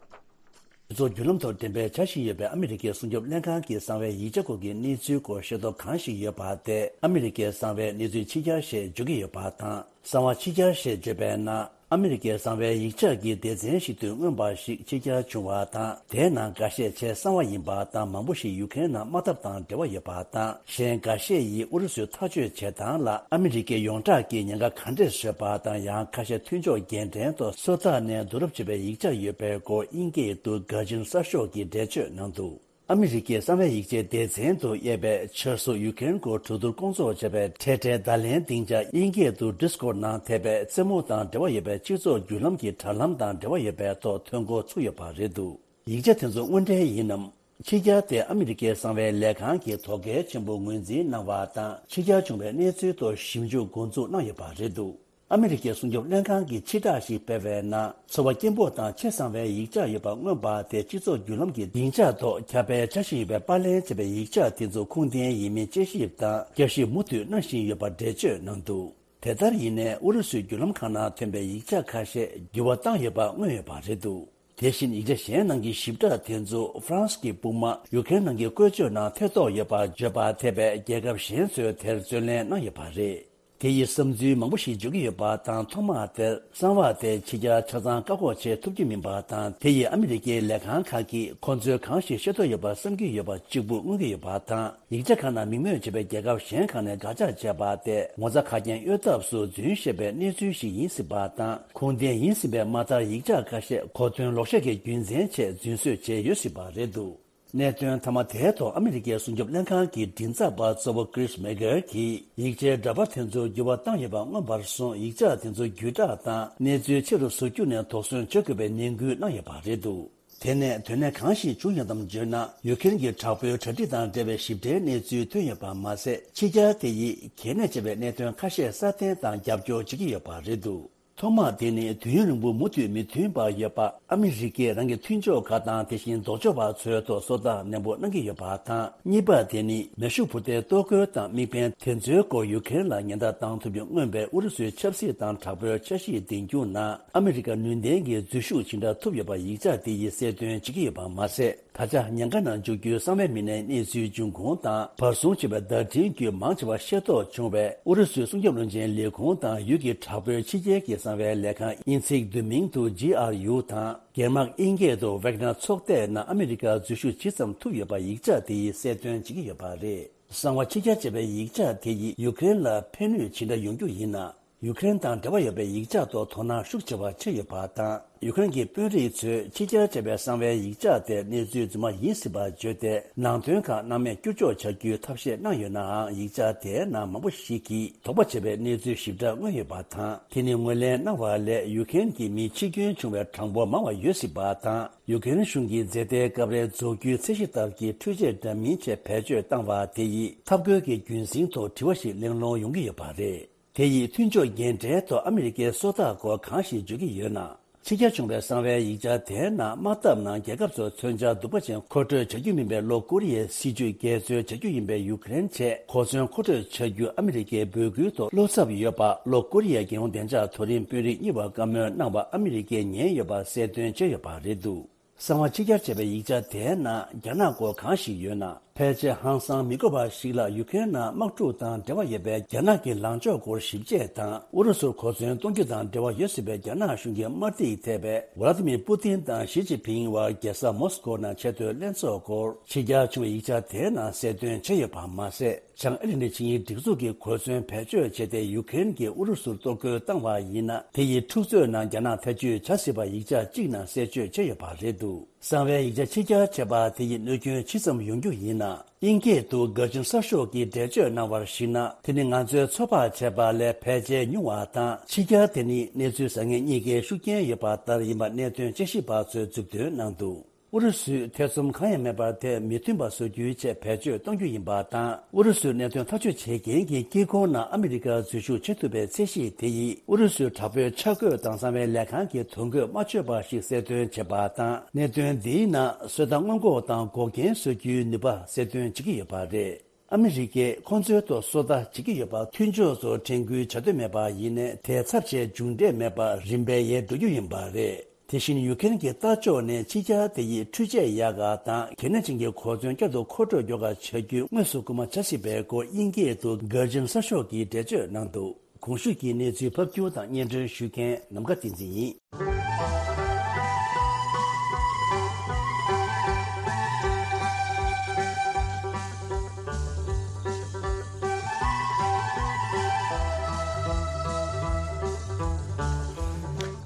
སྤྱི་ཚོགས་བརྒྱུད་ལམ་ཐོག་འགྲེམས་སྤེལ་བྱ་བཞིན་ཡོད་པའི་ཨ་མི་རི་ཀའི་སྲུང་སྐྱོབ་ལྷན་ཁང་གི་གསང་བའི་ཡིག་ཆ་སྐོར་གྱི་གནས་ཚུལ་སྐོར་ཤེས་རྟོགས་གང་ཞིག་ཡོད་པ་དེ། ཨ་མི་རི་ཀའི་གསང་བའི་གནས་ཚུལ་ཕྱི་གྱར་ཞེས་བརྗོད་ཀྱི་ཡོད་པ་དང་། གསང་བ་ཕྱི་གྱར་ཞེས་བརྗོད་པའི་ནང་། ཨ་མི་རི་ཀའི་གསང་བའི་ཡིག་ཆ་གི་སྡེ་ཚན་ཞིག་ཏུ་མངོན་པ་ཞིག་ཕྱི་གྱར་བྱུང་བ་དང་། དེའི་ནང་འགའ་ཤས་ཆེས་གསང་བ་ཡིན་པ་དང་། མང་པོ་ཞིག་ཡུ་ཀེ་རེན་ནང་དམག་འཐབ་དང་འབྲེལ་བ་ཡོད་པ་དང་། གཞན་འགའ་ཤས་ཡིས་ཨུ་རུ་སུའི་ཐག་གཅོད་བྱེད་སྟངས་ལ་ཨ་མི་རི་ཀའི་ཡོངས་གྲགས་ཀྱི་ཉེན་ཁ་ག་འདྲས་བཟོས་པ་དང་། ཡང་ཁ་ཤས་མཐུན་ཕྱོགས་རྒྱལ་ཕྲན་ཐོག་སོ་ཐར་ནས་བསྡུ་རུབ་བྱས་པའི་ཡིག་ཆ་ཡོད་པའི་སྐོར་དབྱིན་སྐད་དུ་གྷར་ཇིན་གསར་ཤོག་གིས་འགྲེལ་བརྗོད་གནང་འདུག་ཨ་མི་རི་ཀའི་གསང་བའི་ཡིག་ཆའི་སྡེ་ཚན་དུ་དབྱེ་བའི་ཆབ་སྲིད་ཡུ་ཀེ་རེན་སྐོར་གྲོས་བསྡུར་སྐོང་ཚོགས་བྱས་པའི་འཕྲལ་འཕྲལ་བརྡ་ལན་སྡིངས་ཆ་དབྱིན་སྐད་དུ་Discord ནང་ཐེབས་པའི་རྩེད་མོ་དང་འབྲེལ་བ་ཡོད་པའི་སྤྱི་ཚོགས་བརྒྱུད་ལམ་གྱི་དྲ་ལམ་དང་འབྲེལ་བ་ཡོད་པའི་ཐོག་ཐོན་འགོ་ཚུགས་ཡོད་པ་རེད་འདུག་ཡིག་ཆ་དེ་ཚོ་དངོས་འབྲེལ་ཡིན་ནམ། ཕྱི་གྱར་དེ་ཨ་མི་རི་ཀའི་གསང་བའི་ལས་ཁང་གི་དོ་གལ་ཆེན་པོ་ངོས་འཛིན་གནང་བ་དང་། ཕྱི་གྱར་བྱུང་བའི་གནས་ཚུལ་ཐོག་ཞིབ་འཇུག་འགོ་འཛུགས་གནང་ཡོད་པ་རེད་འདུག་ཨ་མི་རི་ཀའི་སྲུང་སྐྱོབ་ལྷན་ཁང་གིས་ཕྱིར་བསྒྲགས་ཤིག་སྤེལ་བའི་ནང་། ཚོར་བ་སྐྱེན་པོ་དང་ཆེས་གསང་བའི་ཡིག་ཆ་ཡོད་པ་མངོན་པ་དེ་སྤྱི་ཚོགས་བརྒྱུད་ལམ་གྱི་སྡིངས་ཆ་ཐོག་ཁྱབ་སྤེལ་བྱ་བཞིན་ཡོད་པའི་པར་ལེན་བྱས་པའི་ཡིག་ཆ་དེ་ཚོ་ཁུངས་ལྡན་ཡིན་མིན་དཔྱད་ཞིབ་དང་དཔྱད་ཞིབ་མུ་མཐུད་གནང་བཞིན་ཡོད་པ་འགྲེལ་བརྗོད་གནང་འདུག་དེ་ལྟར་ཡིན་ནའི་ཨུ་རུ་སུའི་བརྒྱུད་ལམ་ཁག་ནང་ཐོན་པའི་ཡིག་ཆ་ཁ་ཤས་འགྱུར་བ་བཏང་ཡོད་པ་མངོན་ཡོད་པ་རེད་འདུག་དེ་བཞིན་ཡིག་ཆ་གཞན་ནང་གི་ཞིབ་ཕྲ་དེ་ཚོ་ཧྥ་རན་སི་གི་དཔུང་དམག་ཡུ་ཀེ་རེན་ནང་གི་བཀོལ་སྤྱོད་ནང་ཐེ་གཏོགས་ཡོད་པ་བརྗོད་པ་ཐེབས་པའི་རྒྱལ་ཁབ་གཞན་ཚོས་དེར་བརྩོན་ལེན་གནང་ཡོད་པ་རེད། དེ་ཡི་བསམ་ཚུལ་མང་པོ་ཞིག་བརྗོད་ཀྱི་ཡོད་པ་དང་། ཐོག་མ་དེར་གསང་བ་དེ་ཕྱི་གྱར་ཆ་ཚང་བཀག་འགོག་བྱེད་ཐུབ་ཀྱི་མིན་པ་དང་། དེ་ཡིས་ཨ་མི་རི་ཀའི་ལས་ཁང་ཁག་གིས་ཁོ་ཚོས་གང་ཞིག་ཤེས་རྟོགས་ཡོད་པར་བསམ་གྱི་ཡོད་པ་གཅིག་པུ་མངོན་གྱི་ཡོད་པ་དང་། ཡིག་ཆ་ཁག་ནང་མིང་འབོད་བྱས་པའི་རྒྱལ་ཁབ་གཞན་ཁག་ནས་དགག་བྱ་བྱས་པ་དེ་ངོ་ཚ་ཁ་རྐྱེན་གཡོལ་ཐབས་སུ་རྫུན་བཤད་པའི་གནས་ཚུལ་ཞིག་ཡིན་སྲིད་པ་དང་། ཁུངས་ལྡན་ཡིན་སྲིད་པའི་མ་མཐར་ཡིག་ཆ་ཁ་ཤས་གོ་དོན་ལོག་བཤད་ཀྱི་རྒྱུ་མཚན་ཆེད་རྫུན་བཟོས་བྱས་ཡོད་སྲིད་པ་རེད་འདུག་གནད་དོན་མཐའ་མ་དེའི་ཐོག་ཨ་མི་རི་ཀའི་སྲུང་སྐྱོབ་ལྷན་ཁང་གི་མགྲིན་ཚབ་པ་གཙོ་བོ་Chris Miguel གྱིས། ཡིག་ཆའི་འདྲ་པར་དེ་ཚོར་འགྱུར་བ་བཏང་ཡོད་པ་མངོན་པར་སོང་། ཡིག་ཆ་དེ་ཚོ་བརྒྱུད་བསྒྲགས་དང་གནས་ཚུལ་ཆེ་རུ་བཟོ་རྒྱུ་ནས་དོགས་ཟོན་བྱེད་དགོས་པའི་ནན་སྐུལ་གནང་ཡོད་པ་རེད་འདུག་དེ་ནས་དོན་གནད་གང་ཞིག་བྱུང་ཡོད་དམ་བརྗོད་ན། ཡུ་ཀེ་རེན་གྱི་དྲག་པོའི་གྲ་སྒྲིག་དང་འབྲེལ་བའི་ཞིབ་ཕྲའི་གནས་ཚུལ་ཐོན་ཡོད་པ་མ་ཟད། ཕྱི་གྱར་དེ་ཡིས་གལ་གནད་ཆེ་བའི་གནད་དོན་ཁ་ཤས་སྲ་བརྟན་དང་རྒྱབ་སྐྱོར་བྱེད་ཀྱི་ཡོད་པ་རེད་འདུག་ཐོག་མ་དེ་ནི་དུས་ཡུན་རིང་པོ་མུ་མཐུད་མི་མཐུན་པ་ཡོད་པ། ཨ་མི་རི་ཀས་རང་གི་མཐུན་ཕྱོགས་ཁག་དང་དེ་བཞིན་ལྡོག་ཕྱོགས་པ་ཚོའི་ཐོག་སོ་ལྟ་ནན་པོ་གནང་གི་ཡོད་པ་དང་། གཉིས་པ་དེ་ནི་མེ་ཤུགས་འཕུར་མདེལ་གཏོར་རྒོལ་དང་དམིགས་འབེན་དེ་ཚོའི་སྐོར་ཡུ་ཀེ་རེན་ལ་ཉེན་བརྡ་བཏང་ཐུབ་རྒྱུ་མངོན་པའི་ཨུ་རུ་སུའི་ཆབ་སྲིད་དང་དྲག་པོའི་འཆར་གཞི་འདིང་རྒྱུ་ནང་ཨ་མི་རི་ཀ་ནུས་ལྡན་གྱི་འཛུལ་ཞུགས་ཇི་འདྲ་ཐུབ་ཡོད་པ་ཡིག་ཆ་དེ་ཡིས་གསལ་སྟོན་བྱེད་ཀྱི་ཡོད་པ་མ་ཟད། ད་ཆ་ཉེན་ཁ་ནང་འཇུག་རྒྱུའི་གསང་བའི་མི་སྣའི་གནས་ཚུལ་འབྱུང་ཁུངས་དང་བར་སྲུང་བྱས་པའི་བརྡ་འཕྲིན་བརྒྱུད་མང་ཆེ་བ་ཤེས་རྟོགས་བྱུང་བས། ཨུ་རུ་སུའི་སྲུང་སྐྱོབ་བློན་ཆེན་ལས་ཁུངས་དང་ཡུལ་གྱི་དྲག་པོའི་ཕྱི་རྒྱལ་གྱི་གསང་བའི་ལས་ཁང་དབྱིན་ཚིག་བསྡུས་མིང་དུ་ཇི་ཨར་ཡུ་དང་། སྒེར་དམག་དབྱིན་སྐད་དུ་Wagner ཚོགས་སྡེ་ནང་ཨ་མི་རི་ཀར་འཛུལ་ཞུགས་ཇི་ཙམ་ཐུབ་ཡོད་པ་ཡིག་ཆ་དེ་ཡིས་གསལ་སྟོན་བྱེད་ཀྱི་ཡོད་པ་རེད། གསང་བ་ཕྱི་གྱར་བྱས་པའི་ཡིག་ཆ་དེ་ཡིས་ཡུ་ཀེ་རེན་ལ་ཕན་ནུས་ཇི་འདྲ་ཡོང་རྒྱུ་ཡིན་ན། ཡུ་ཀེ་རེན་དང་འབྲེལ་བ་ཡོད་པའི་ཡིག་ཆ་ཐོག་དོ་སྣང་ཤུགས་ཆེ་བ་བྱས་ཡོད་པ་དང་། ཡུ་ཀེ་རེན་གྱི་དཔོན་རིགས་ཚོས་ཕྱི་གྱར་བྱས་པའི་གསང་བའི་ཡིག་ཆ་དེ་གནས་ཚུལ་རྫུན་མ་ཡིན་སྲིད་པ་བརྗོད་དེ། ནང་དོན་ཁག་སྣང་མེད་བསྐྱུར་འཇོག་བྱ་རྒྱུའི་ཐབས་ཤེས་གནང་ཡོད་ནའང་། ཡིག་ཆ་དེའི་ནང་མང་པོ་ཞིག་གིས་དོགས་པ་བྱེད་པའི་གནས་ཚུལ་ཞིབ་ཕྲ་མངོན་ཡོད་པ་དང་། དེ་ནི་ངོས་ལེན་གནང་བ་ལས་ཡུ་ཀེ་རེན་གྱི་མི་འཆི་སྐྱོན་བྱུང་བའི་གྲངས་འབོར་མང་བ་ཡོད་སྲིད་པ་དང་། ཡུ་ཀེ་རེན་གཞུང་གིས་འཛིན་བདའི་སྐབས་རེ་རྫོགས་རྒྱུའི་ཚད་གཞི་ལྟར་གྱི་འཕྲུལ་ཆས་འདྲ་མིན་ཆེད་བེད་སྤྱོད་བཏང་བ་དེ་ཡིས་འཐབ་རྒོལ་གྱི་རྒྱུན་སྲིང་ཐོག་དྲི་བ་ཞིག་གླེང་སློང་ཡོང་གི་ཡོད་པ་རེད། དེ་ཡིས་མཐུན་ཕྱོགས་འགན་འཁྲིའི་ཐོག་ཨ་མི་རི་ཀའི་སོ་ཐར་སྐོར་གང་ཞིག་བརྗོད་ཀྱི་ཡོད་ན། ཕྱི་གྱར་བྱུང་བའི་གསང་བའི་ཡིག་ཆ་དེའི་ནང་དམག་འཐབ་ནང་རྒྱལ་ཁབ་ཚོར་མཚོན་ཆ་སྡུག་པ་ཅན་མཁོ་སྤྲོད་བྱ་རྒྱུ་མིན་པའི་ལྷོ་ཀོ་རི་ཡའི་སྲིད་ཇུས་འགལ་འཛོལ་བྱ་རྒྱུ་ཡིན་པའི་ཡུ་ཀེ་རེན་ཆེད་གོ་མཚོན་མཁོ་སྤྲོད་བྱ་རྒྱུ་ཨ་མི་རི་ཀའི་འབོད་སྐུལ་ཐོག་བློ་འཚབ་ཡོད་པ་ལྷོ་ཀོ་རི་ཡའི་རྒྱལ་ཡོངས་བདེ་འཇགས་མཐོ་རིམ་དཔོན་རིགས་གཉིས་བར་བཀའ་མོལ་གནང་བ་ཨ་མི་རི་ཀས་ཉན་ཡོད་པ་གསལ་སྟོན་བྱས་ཡོད་པ་རེད་འདུག། གསང་བ་ཕྱི་གྱར་བྱས་པའི་ཡིག་ཆ་དེའི་ནང་རྒྱ་ནག་སྐོར་གང་ཞིག་ཡོད་ན། ཕལ་ཆེར་ཧང་སང་མི་དགོས་པ་ཞིག་ལ། ཡུ་ཀེ་རེན་ནང་དམག་འཁྲུག་དང་འབྲེལ་བ་ཡོད་པའི་རྒྱ་ནག་གི་ལངས་ཕྱོགས་སྐོར་ཞིབ་དཔྱད་དང་། ཨུ་རུ་སུར་གོ་མཚོན་གཏོང་རྒྱུ་དང་འབྲེལ་བ་ཡོད་སྲིད་པའི་རྒྱ་ནག་གཞུང་གི་དམར་ཐིག་ཐེབས་པའི་ཝ་ལ་ཏི་མིར་པུ་ཏིན་དང་ཞི་ཅིན་ཕིང་བར་རྒྱལ་ས་མོ་སི་ཀོ་ནང་ཆེས་མཐོའི་ལྷན་ཚོགས་སྐོར་ཕྱི་གྱར་བྱུང་བའི་ཡིག་ཆ་དེའི་ནང་གསལ་སྟོན་བྱས་ཡོད་པ་མ་ཟད། བྱང་ཨེ་ལན་ཌི་ཆིངས་ཡིག་སྒྲིག་འཛུགས་ཀྱི་གོ་མཚོན་བེད་སྤྱོད་བྱས་ཏེ། ཡུ་ཀེ་རེན་གྱིས་ཨུ་རུ་སུར་གཏོར་རྒོལ་བཏང་བ་ཡིན་ན། དེ་ཡིས་འཁྲུག་རྩོད་ནང་རྒྱ་ནག་ཐེ་བྱུས་བྱ་སྲིད་པ་ཡིག་ཆ་གཅིག་ནང་གསལ་བརྗོད་བྱས་ཡོད་པ་རེད་འདུག། གསང་བའི་ཡིག་ཆ་ཕྱི་གྱར་བྱས་པ་དེ་ཡིས་གནོད་སྐྱོན་ཇི་ཙམ་ཡོང་རྒྱུ་ཡིན་ན། དབྱིན་སྐད་དུ་གར་ཇིན་གསར་ཤོག་གིས་འགྲེལ་བརྗོད་གནང་བར་གཞིགས་ན། དེ་ནི་ང་ཚོས་ཚོད་དཔག་བྱས་པ་ལས་ཕལ་ཆེར་ཉུང་བ་དང་། ཕྱི་གྱར་དེ་ནི་གནས་ཚུལ་བཟང་ངན་གཉིས་ཀའི་ཤུགས་རྐྱེན་ཡོད་པ་ལྟར་ཡིན་པ་གནད་དོན་དཔྱད་ཞིབ་པ་ཚོས་མཛུབ་སྟོན་གནང་འདུག། ཨུ་རུ་སུས་ཐེ་ཚོམ་གང་ཡང་མེད་པར་དེ་མི་མཐུན་པ་བཟོ་རྒྱུའི་ཆེད་བེད་སྤྱོད་གཏོང་རྒྱུ་ཡིན་པ་དང་། ཨུ་རུ་སུའི་གནད་དོན་ཐག་གཅོད་བྱེད་མཁན་གྱི་དཀྱིལ་འཁོར་ནང་ཨ་མི་རི་ཀར་འཛུལ་ཞུགས་བྱེད་ཐུབ་པའི་ཚད་གཞི་དེ་ཡིས་ཨུ་རུ་སུའི་དྲག་པོའི་འཆར་འགོད་དང་གསང་བའི་ལས་ཁང་གི་ཐོ་འགོད་མ་ཆོད་པ་ཞིག་གསལ་སྟོན་བྱེད་པ་དང་། གནད་དོན་འདིའི་ནང་བཟོ་ལྟ་སྔོན་འགོག་དང་འགོག་རྐྱེན་བཟོ་རྒྱུའི་ནུས་པ་གསལ་སྟོན་བྱེད་ཀྱི་ཡོད་པ་རེད། ཨ་མི་རི་ཀས་ཁོང་ཚོའི་ཐོག་སོ་ལྟ་བྱེད་ཀྱི་ཡོད་པ། མཐུན་ཕྱོགས་ཚོར་དྲན་སྐུལ་བྱ་འདོད་མེད་པ་ཡིན་ནའི། དེའི་ཚབས་ཆེའི་མཇུག་འབྲས་མེད་པར་རིམ་པས་ཡལ་འགྲོ་རྒྱུ་ཡིན་པ་རེད། དེ་བཞིན་ཡུ་ཀེ་རེན་གྱི་ལྟ་ཕྱོགས་ནི་ཕྱི་གྱར་དེ་ཡིས་འཕྲུལ་ཆས་ཡག་ག་དང་། གལ་གནད་ཅན་གྱི་གོ་མཚོན་བསྐྱར་དུ་མཁོ་སྤྲོད་མགྱོགས་ག་བྱ་རྒྱུ་དངོས་སུ་སྐུལ་མ་བྱ་སྲིད་པའི་སྐོར་དབྱིན་སྐད་དུ་གར་ཇིན་གསར་ཤོག་གིས་འགྲེལ་བརྗོད་གནང་འདུག། གོང་ཞུས་ཀྱི་གནས་ཚུལ་ཕབ་སྒྱུར་དང་སྙན་སྒྲོན་ཞུ་མཁན་ནམ་མཁའ་བསྟན་འཛིན་ཡིན།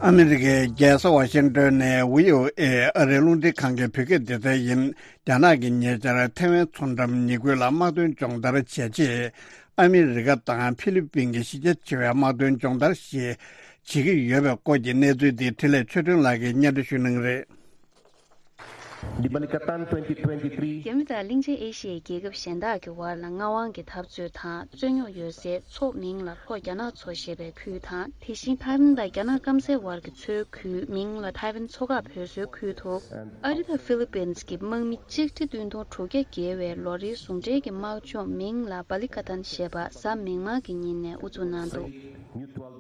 ཨ་མི་རི་ཀའི་རྒྱལ་ས་ཝ་ཤིང་ཏོན་ནས་བྷི་ཨོ་ཨེ་ཨ་རིའི་རླུང་འཕྲིན་ཁང་གི་བོད་སྐད་སྡེ་ཚན་ཡིན། རྒྱ་ནག་གིས་ཉེ་ཆར་ཐའེ་ཝན་མཚོ་འགྲམ་ཉེ་ཁུལ་ལ་དམག་དོན་སྦྱོང་བརྡར་བྱས་རྗེས། ཨ་མི་རི་ཀ་དང་ཧྥི་ལི་པིན་གྱི་གཞི་རྒྱ་ཆེ་བའི་དམག་དོན་སྦྱོང་བརྡར་ཞིག་བྱེད་ཀྱི་ཡོད་པའི་སྐོར་གྱི་གནས་ཚུལ་འདི་འཕྲིན་ལས་ཆོས་སྒྲོན་ལགས་ཀྱིས་སྙན་སྒྲོན་ཞུ་གནང་གི་རེད། Di Balikatan twenty twenty-three. རྒྱ་མི་དང་གླིང་ཆེན་ཨེ་ཤི་ཡའི་རྒྱལ་ཁབ་གཞན་དག་གི་བར་ལ་མངའ་དབང་གི་འཐབ་རྩོད་དང་རྩོད་རྙོག་ཡོད་སའི་མཚོ་མིང་ལ་ལྷོ་རྒྱ་ནག་མཚོ་ཞེས་པའི་ཁུལ་དང་། དེ་བཞིན་ཐའེ་ཝན་དང་རྒྱ་ནག་སྐམ་སའི་བར་གྱི་མཚོའི་ཁུལ་མིང་ལ་ཐའེ་ཝན་མཚོ་འགག་བོད་ཟེར་ཁུལ་དུ། ཨ་རི་དང་ཧྥི་ལི་པིན་གྱི་དམག་མི་གཅིག་ཁྲི་བདུན་སྟོང་དྲུག་བརྒྱ་བརྒལ་བའི་ལོ་རེའི་ཟུང་འབྲེལ་གྱི་དམག་སྦྱོང་མིང་ལ་བ་ལི་ཀ་ཏན་ཞེས་པ་གཟའ་མིག་དམར་གྱི་ཉིན་ནས་དབུ་འཛུགས་གནང་འདུག།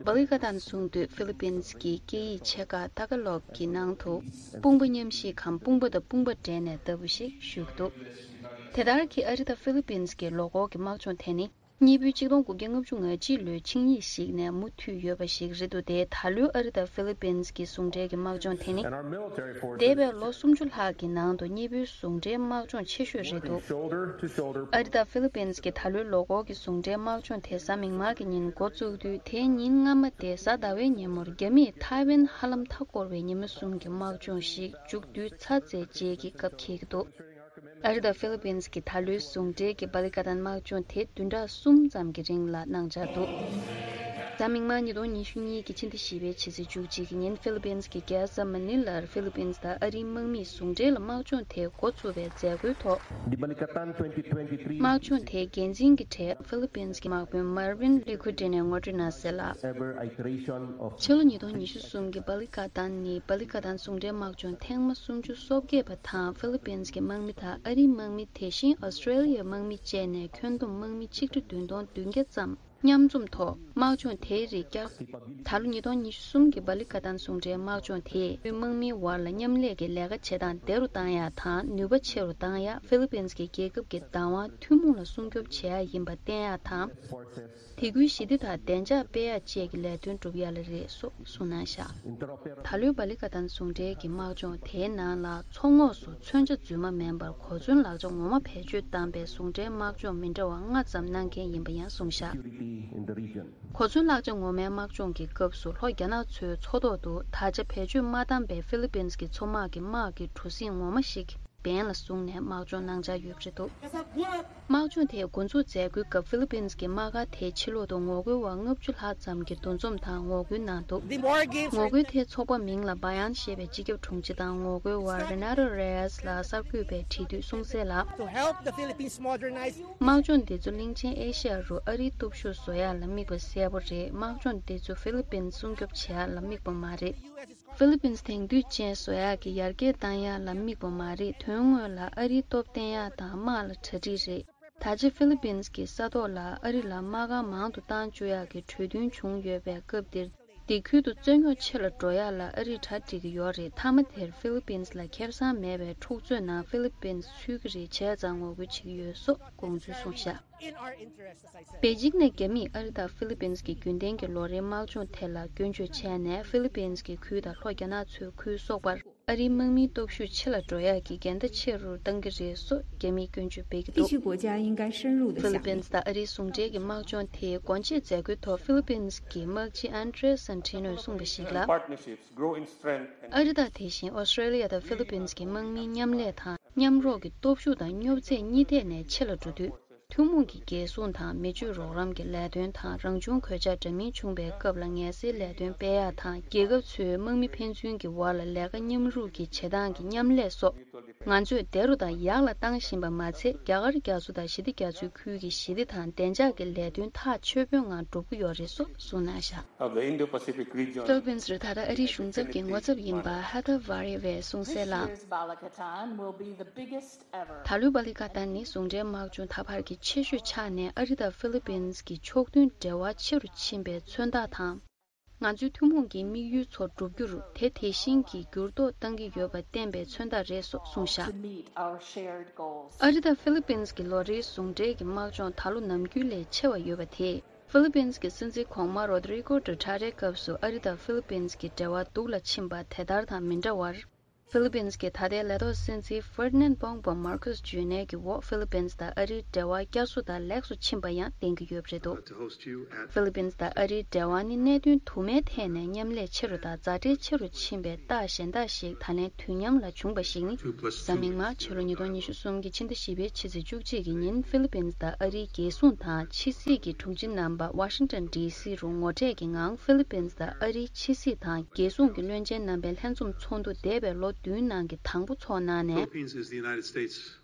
བ་ལི་ཀ་ཏན་གསུང་དུས་ཧྥི་ལི་པིན་གྱི་སྐད་ཡིག་ཆེ་ཁག་ཏ་ག་ལོག་གི་ནང་དུ། དཔུང་པ་མཉམ་གཤིབ་གམ་དཔུང་པ་དང་དཔུང་པ་འབྲེལ་ནས་ལྟ་བུ་ཞིག་བཞུགས་འདུག། དེ་ལྟར་གྱི་ཨ་རི་དང་ཧྥི་ལི་པིན་གྱི་ལོ་འཁོར་གྱི་དམག་སྦྱོང་དེ་ནི། གཉིས་པོའི་ཆིག་སྟོང་དགུ་བརྒྱ་ལྔ་བཅུ་ང་གཅིག་ལོའི་ཆིངས་ཡིག་ཞིག་ནས་མུ་མཐུད་ཡོད་པ་ཞིག་རེད་འདུག། སྟེ། ད་ལོའི་ཨ་རི་དང་ཧྥི་ལི་པིན་གྱི་ཟུང་འབྲེལ་གྱི་དམག་སྦྱོང་དེ་ནི། འདས་པའི་ལོ་སུམ་ཅུ་ལྷག་གི་ནང་དུ་གཉིས་པོའི་ཟུང་འབྲེལ་དམག་སྦྱོང་ཆེ་ཤོས་རེད་འདུག། ཨ་རི་དང་ཧྥི་ལི་པིན་གྱི་ད་ལོའི་ལོ་འཁོར་གྱི་ཟུང་འབྲེལ་དམག་སྦྱོང་དེ་གཟའ་མིག་དམར་གྱི་ཉིན་འགོ་བཙུགས་དུས། དེའི་ཉིན་སྔ་མ་སྟེ་གཟའ་ཟླ་བའི་ཉིན་མོར་རྒྱ་མིས་ཐའེ་ཝན་ཧ་ལམ་མཐའ་བསྐོར་བའི་ཉི་མ་གསུམ་གྱི་དམག་སྦྱོང་ཞིག་མཇུག་བསྡུས་ཚར་ཚར་རྗེས་ཀྱི་སྐབས་འཁེལ་གྱི་འདུག། ཨ་རི་དང་ཧྥི་ལི་པིན་གྱི་ད་ལོའི་ཟུང་འབྲེལ་གྱི་བ་ལི་ཀ་ཏན་དམག་སྦྱོང་དེ་བདུན་ཕྲག་གསུམ་ཙམ་གྱི་རིང་ལ་གནང་འཆར་འདུག། གཟའ་མིག་དམར་ཉིས་སྟོང་ཉི་ཤུ་གཉིས་ཀྱི་ཕྱི་ཟླ་བཞི་པའི་ཕྱི་ཚེས་བཅུ་གཅིག་གི་ཉིན་ཧྥི་ལི་པིན་གྱི་རྒྱལ་ས་མ་ནི་ལར་ཧྥི་ལི་པིན་དང་ཨ་རིའི་དམག་མིས་ཟུང་འབྲེལ་ལ་དམག་སྦྱོང་དེ་འགོ་ཚུགས་པའི་མཛད་སྒོའི་ཐོག། དམག་སྦྱོང་དེའི་འགན་འཛིན་གྱི་གྲས་ཧྥི་ལི་པིན་གྱི་དམག་དཔོན་མར་ཝིན་ལི་ཁུ་ཏི་ནས་ངོ་སྤྲོད་གནང་གསལ་ལ། ཕྱི་ལོ་ཉིས་སྟོང་ཉི་ཤུ་གསུམ་གྱི་བ་ལི་ཀ་ཏན་ནི་བ་ལི་ཀ་ཏན་ཟུང་འབྲེལ་དམག་སྦྱོང་ཐེངས་མ་སུམ་ཅུ་སོ་བརྒྱད་པ་དང་། ཧྥི་ལི་པིན་གྱི་དམག་མི་དང་ཨ་རིའི་དམག་མི། དེ་བཞིན་ཨོ་སི་ཀྲེ་ལི་ཡའི་དམག་མི་བཅས་ནས་ཁྱོན་བསྡོམས་དམག་མི་ཆིག་ཁྲི་བདུན་སྟོང་བདུན་བརྒྱ་ཙམ་མཉམ་འཛོམས་ཐོག་དམག་སྦྱོང་དེའི་རིགས་བསྐྱར། ད་ལོ་ཉིས་སྟོང་ཉི་ཤུ་གསུམ་གྱི་བ་ལི་ཀ་ཏན་ཟུང་འབྲེལ་དམག་སྦྱོང་དེས་དམག་མིའི་བར་ལ་མཉམ་ལས་ཀྱི་ལས་ཀ་བྱེད་སྟངས་བདེ་རུ་བཏང་ཡག་དང་ནུས་པ་ཆེ་རུ་བཏང་ཡག། ཧྥི་ལི་པིན་གྱི་རྒྱལ་ཁབ་ཀྱི་བདག་དབང་ཐུན་མོང་ལ་སྲུང་སྐྱོབ་བྱེད་ཡག་ཡིན་པ་བསྟན་ཡག་དང་། དེ་ཁུལ་ཞི་བདེ་དང་བདེ་འཇགས་སྤེལ་ཡག་བཅས་ཀྱི་ལས་དོན་སྒྲུབ་ཡག་ལ་རེད་སོགས་གསུངས་གནང་བཞག། ད་ལོའི་བ་ལི་ཀ་ཏན་ཟུང་འབྲེལ་གྱི་དམག་སྦྱོང་དེའི་ནང་ལ་མཚོ་ངོགས་སུ་མཚོན་ཆ་རྫུན་མ་མིན་པར་གོ་མཚོན་ལག་ཆ་ངོ་མ་བེད་སྤྱོད་བཏང་པའི་ཟུང་འབྲེལ་དམག་སྦྱོང་མི་འདྲ་བ་ལྔ་ཙམ་གནང་མཁན་ཡིན་པ་ཡང་གསུངས་བཞག། in the region. གོ་མཚོན་བརླག་བྱ་ངོ་མའི་དམག་སྦྱོང་གི་སྐབས་སུ་ལྷོ་རྒྱ་ནག་ཚོའི་མཚོ་ཐོག་ཏུ་ད་ཆ་བེད་སྤྱོད་མ་བཏང་པའི་ཧྥི་ལི་པིན་གྱི་མཚོ་དམག་གི་དམག་གི་གྲུ་གཟིངས་ངོ་མ་ཞིག་འབེན་ལ་བཟུང་ནས་དམག་སྦྱོང་གནང་འཆར་ཡོད་པ་རེད་འདུག་དམག་སྦྱོང་དེ་འགོ་འཛུགས་མཛད་སྒོའི་སྐབས་ཧྥི་ལི་པིན་གྱི་དམག་སྒར་དེའི་ཕྱི་ལོགས་དུ་ངོ་རྒོལ་བ་ལྔ་བཅུ་ལྷག་ཙམ་གྱིས་འདུ་འཛོམས་དང་ངོ་རྒོལ་གནང་འདུག་ངོ་རྒོལ་དེའི་ཚོགས་པ་མིང་ལ་བ་ཡན་ཞེས་པའི་སྤྱི་ཁྱབ་དྲུང་ཆེ་དང་ངོ་རྒོལ་བ་Renato Reyes ལགས་གསར་འགོད་པའི་དྲི་དུས་གསུངས་གསལ་ལ། དམག་སྦྱོང་འདི་ཚོ་གླིང་ཆེན་ཨེ་ཤ་ཡ་རུ་ཨ་རིའི་སྟོབས་ཤུགས་བཟོ་ཡག་ལ་དམིགས་པ་གསལ་པོ་རེད། དམག་སྦྱོང་འདི་ཚོ་ཧྥི་ལི་པིན་སྲུང་སྐྱོབ་བྱེད་ཡག་ལ་དམིགས་པ་མ་རེད། ཧྥི་ལི་པིན་དེང་དུས་ཅན་བཟོ་ཡག་གི་ཡར་རྒྱས་བཏང་ཡག་ལ་དམིགས་པ་མ་རེད། དོན་དངོས་ལ་ཨ་རིའི་སྟོབས་བརྟན་ཡག་དང་དམག་ལ་གྲ་སྒྲིག་རེད། ད་ཆ་ཧྥི་ལི་པིན་གྱི་ས་ཐོག་ལ་ཨ་རི་ལ་དམག་སྒར་མང་དུ་བཏང་བཅུག་ཡག་གི་གྲོས་མཐུན་བྱུང་ཡོད་པའི་སྐབས་འདིར། འདི་ཁུལ་དུ་རྩོད་རྙོག་ཆེ་ལ་འགྲོ་ཡག་ལ་ཨ་རིས་གྲ་སྒྲིག་གི་ཡོད་རེད། མཐའ་མ་དེར་ཧྥི་ལི་པིན་ལ་ཁེ་བཟང་མེད་པའི་འཁྲུག་རྩོད་ནང་ཧྥི་ལི་པིན་ཚུད་ཀྱི་རེད། བྱས་ཙང་ངོ་རྒོལ་བྱེད་ཀྱི་ཡོད་སོགས་དགོངས་ཚུལ་གསུངས་བཞག་པེ་ཅིང་ནས་རྒྱ་མིས་ཨ་རི་དང་ཧྥི་ལི་པིན་གྱི་རྒྱུན་ལྡན་གྱི་ལོ་རེའི་དམག་སྦྱོང་ཐད་ལ་སྐྱོན་བརྗོད་བྱས་ནས་ཧྥི་ལི་པིན་གྱི་ཁུལ་དང་ལྷོ་རྒྱ་ནག་མཚོའི་ཁུལ་སོགས་པར། ཨ་རིའི་དམག་མིའི་སྟོབས་ཤུགས་ཆེ་ལ་འགྲོ་ཡག་གི་འགལ་ཟླ་ཆེ་རུ་གཏང་གི་རེད་སོགས་རྒྱ་མིས་སྐྱོན་བརྗོད་སྤེལ་གྱི་འདུག་ཧྥི་ལི་པིན་དང་ཨ་རིའི་ཟུང་འབྲེལ་གྱི་དམག་སྦྱོང་དེའི་སྒོ་འབྱེད་མཛད་སྒོའི་ཐོག་ཧྥི་ལི་པིན་གྱི་དམག་སྤྱི་ཨན་ཏྲེ་སན་ཏི་ནོས་གསུངས་པ་ཞིག་ལ། ཨ་རི་དང་དེ་བཞིན་ཨོ་སི་ཀྲེ་ལི་ཡ་དང་ཧྥི་ལི་པིན་གྱི་དམག་མིའི་མཉམ་ལས་དང་མཉམ་རོགས་ཀྱི་སྟོབས་ཤུགས་དང་སྙོབ་ཚད་གཉིས་ཐད་ནས་ཆེ་ལ་འགྲོ་དུས། ཐུན་མོང་གི་རྒྱལ་སྲུང་དང་མི་སྤྱོད་རོགས་རམ་གྱི་ལས་དོན་དང་རང་བྱུང་གོད་ཆག་འདྲ་མིན་བྱུང་བའི་སྐབས་ལ་ངལ་སེལ་ལས་དོན་སྤེལ་ཡག་དང་རྒྱལ་ཁབ་ཚོའི་དམག་མི་ཕན་ཚུན་གྱི་བར་ལ་ལས་ཀ་མཉམ་རུབ་ཀྱི་བྱེད་སྟངས་ཀྱི་མཉམ་ལས་སོགས། ང་ཚོས་བདེ་རུ་དང་ཡག་ལ་བཏང་བཞིན་པ་མ་ཚད། རྒྱ་གར་རྒྱ་མཚོ་དང་ཞི་བདེ་རྒྱ་མཚོའི་ཁུལ་གྱི་ཞི་བདེ་དང་བདེ་འཇགས་ཀྱི་ལས་དོན་ཐག་ཆོད་པོའི་ངང་སྒྲུབ་ཀྱི་ཡོད་རེད་སོགས་གསུངས་གནང་བཞག་ཧྥི་ལི་པིན་རེད། ད་ལྟ་ཨ་རིའི་གཞུང་ཚབ་ཀྱི་ངོ་ཚབ་ཡིན་པ་ཧ་ཐར་ཝ་རེ་བས་གསུངས་གསལ་ལ། ད་ལོའི་བྷ་ལི་ཀ་ཏན་ནི་ཟུང་འབྲེལ་དམག་སྦྱོང་ད་བར་གྱི་ཆེ་ཤོས་ཆགས་ནས་ཨ་རི་དང་ཧྥི་ལི་པིན་གྱི་ཕྱོགས་མཐུན་འབྲེལ་བ་ཆེ་རུ་ཕྱིན་པའི་མཚོན་རྟགས་དང་། ང་ཚོའི་ཐུན་མོང་གི་དམིགས་ཡུལ་ཚོ་བསྒྲུབ་རྒྱུར་དེ་དེ་བཞིན་གྱི་འགྱུར་ལྡོག་གཏང་གི་ཡོད་པ་བསྟན་པའི་མཚོན་རྟགས་རེད་སོགས་གསུངས་བཞག་ཨ་རི་དང་ཧྥི་ལི་པིན་གྱི་ལོ་རེའི་ཟུང་འབྲེལ་གྱི་དམག་སྦྱོང་ད་ལོ་ནམ་རྒྱུན་ལས་ཆེ་བ་ཡོད་པ་དེས། ཧྥི་ལི་པིན་གྱི་སྲིད་འཛིན་གོང་མ་རོ་ཏྲི་ཀོ་ཌུ་ཏྲ་ཏེའི་སྐབས་སུ་ཨ་རི་དང་ཧྥི་ལི་པིན་གྱི་འབྲེལ་བ་སྡུག་ལ་ཕྱིན་པ་དེ་ལྟར་དང་མི་འདྲ་བར། ཧྥི་ལི་པིན་གྱི་ད་ལྟའི་ལས་ཐོག་སྲིད་འཛིན་ཧྥེར་ནན་བོང་པོ་མར་ཁུས་ཇུ་ནེ་གི་འོག་ཧྥི་ལི་པིན་དང་ཨ་རིའི་འབྲེལ་བ་བསྐྱར་གསོ་དང་ལེགས་སུ་ཕྱིན་པ་ཡང་བསྟན་གྱི་ཡོད་པ་རེད་འདུག་ཧྥི་ལི་པིན་དང་ཨ་རིའི་འབྲེལ་བ་ནི་གནད་དོན་དུ་མའི་ཐད་ནས་མཉམ་ལས་ཆེ་རུ་དང་མཛའ་འབྲེལ་ཆེ་རུ་ཕྱིན་པའི་རྟགས་གཞན་དག་ཞིག་ད་ལན་དུས་མཉམ་ལ་བྱུང་བ་ཞིག་ནི། གཟའ་མིག་དམར་ཕྱི་ལོ་ཉིས་སྟོང་ཉི་ཤུ་གསུམ་གྱི་ཕྱི་ཟླ་བཞི་པའི་ཕྱི་ཚེས་བཅུ་གཅིག་གི་ཉིན་ཧྥི་ལི་པིན་དང་ཨ་རིའི་རྒྱལ་སྲུང་དང་ཕྱི་སྲིད་ཀྱི་དྲུང་ཆེ་རྣམ་པ་ཝ་ཤིང་ཊོན་ཌི་སི་རུ་ངོ་འཕྲད་ཀྱི་ངང་ཧྥི་ལི་པིན་དང་ཨ་རིའི་ཕྱི་སྲིད་དང་རྒྱལ་སྲུང་གི་བློན་ཆེན་རྣམ་པའི་ལྷན་འཛོམས་ཚོགས་འདུ་འདས་པའི་ལོ་བདུན་ནང་གི་དང་པོ་ཚོགས་གནང་ནས། Philippines is the United States'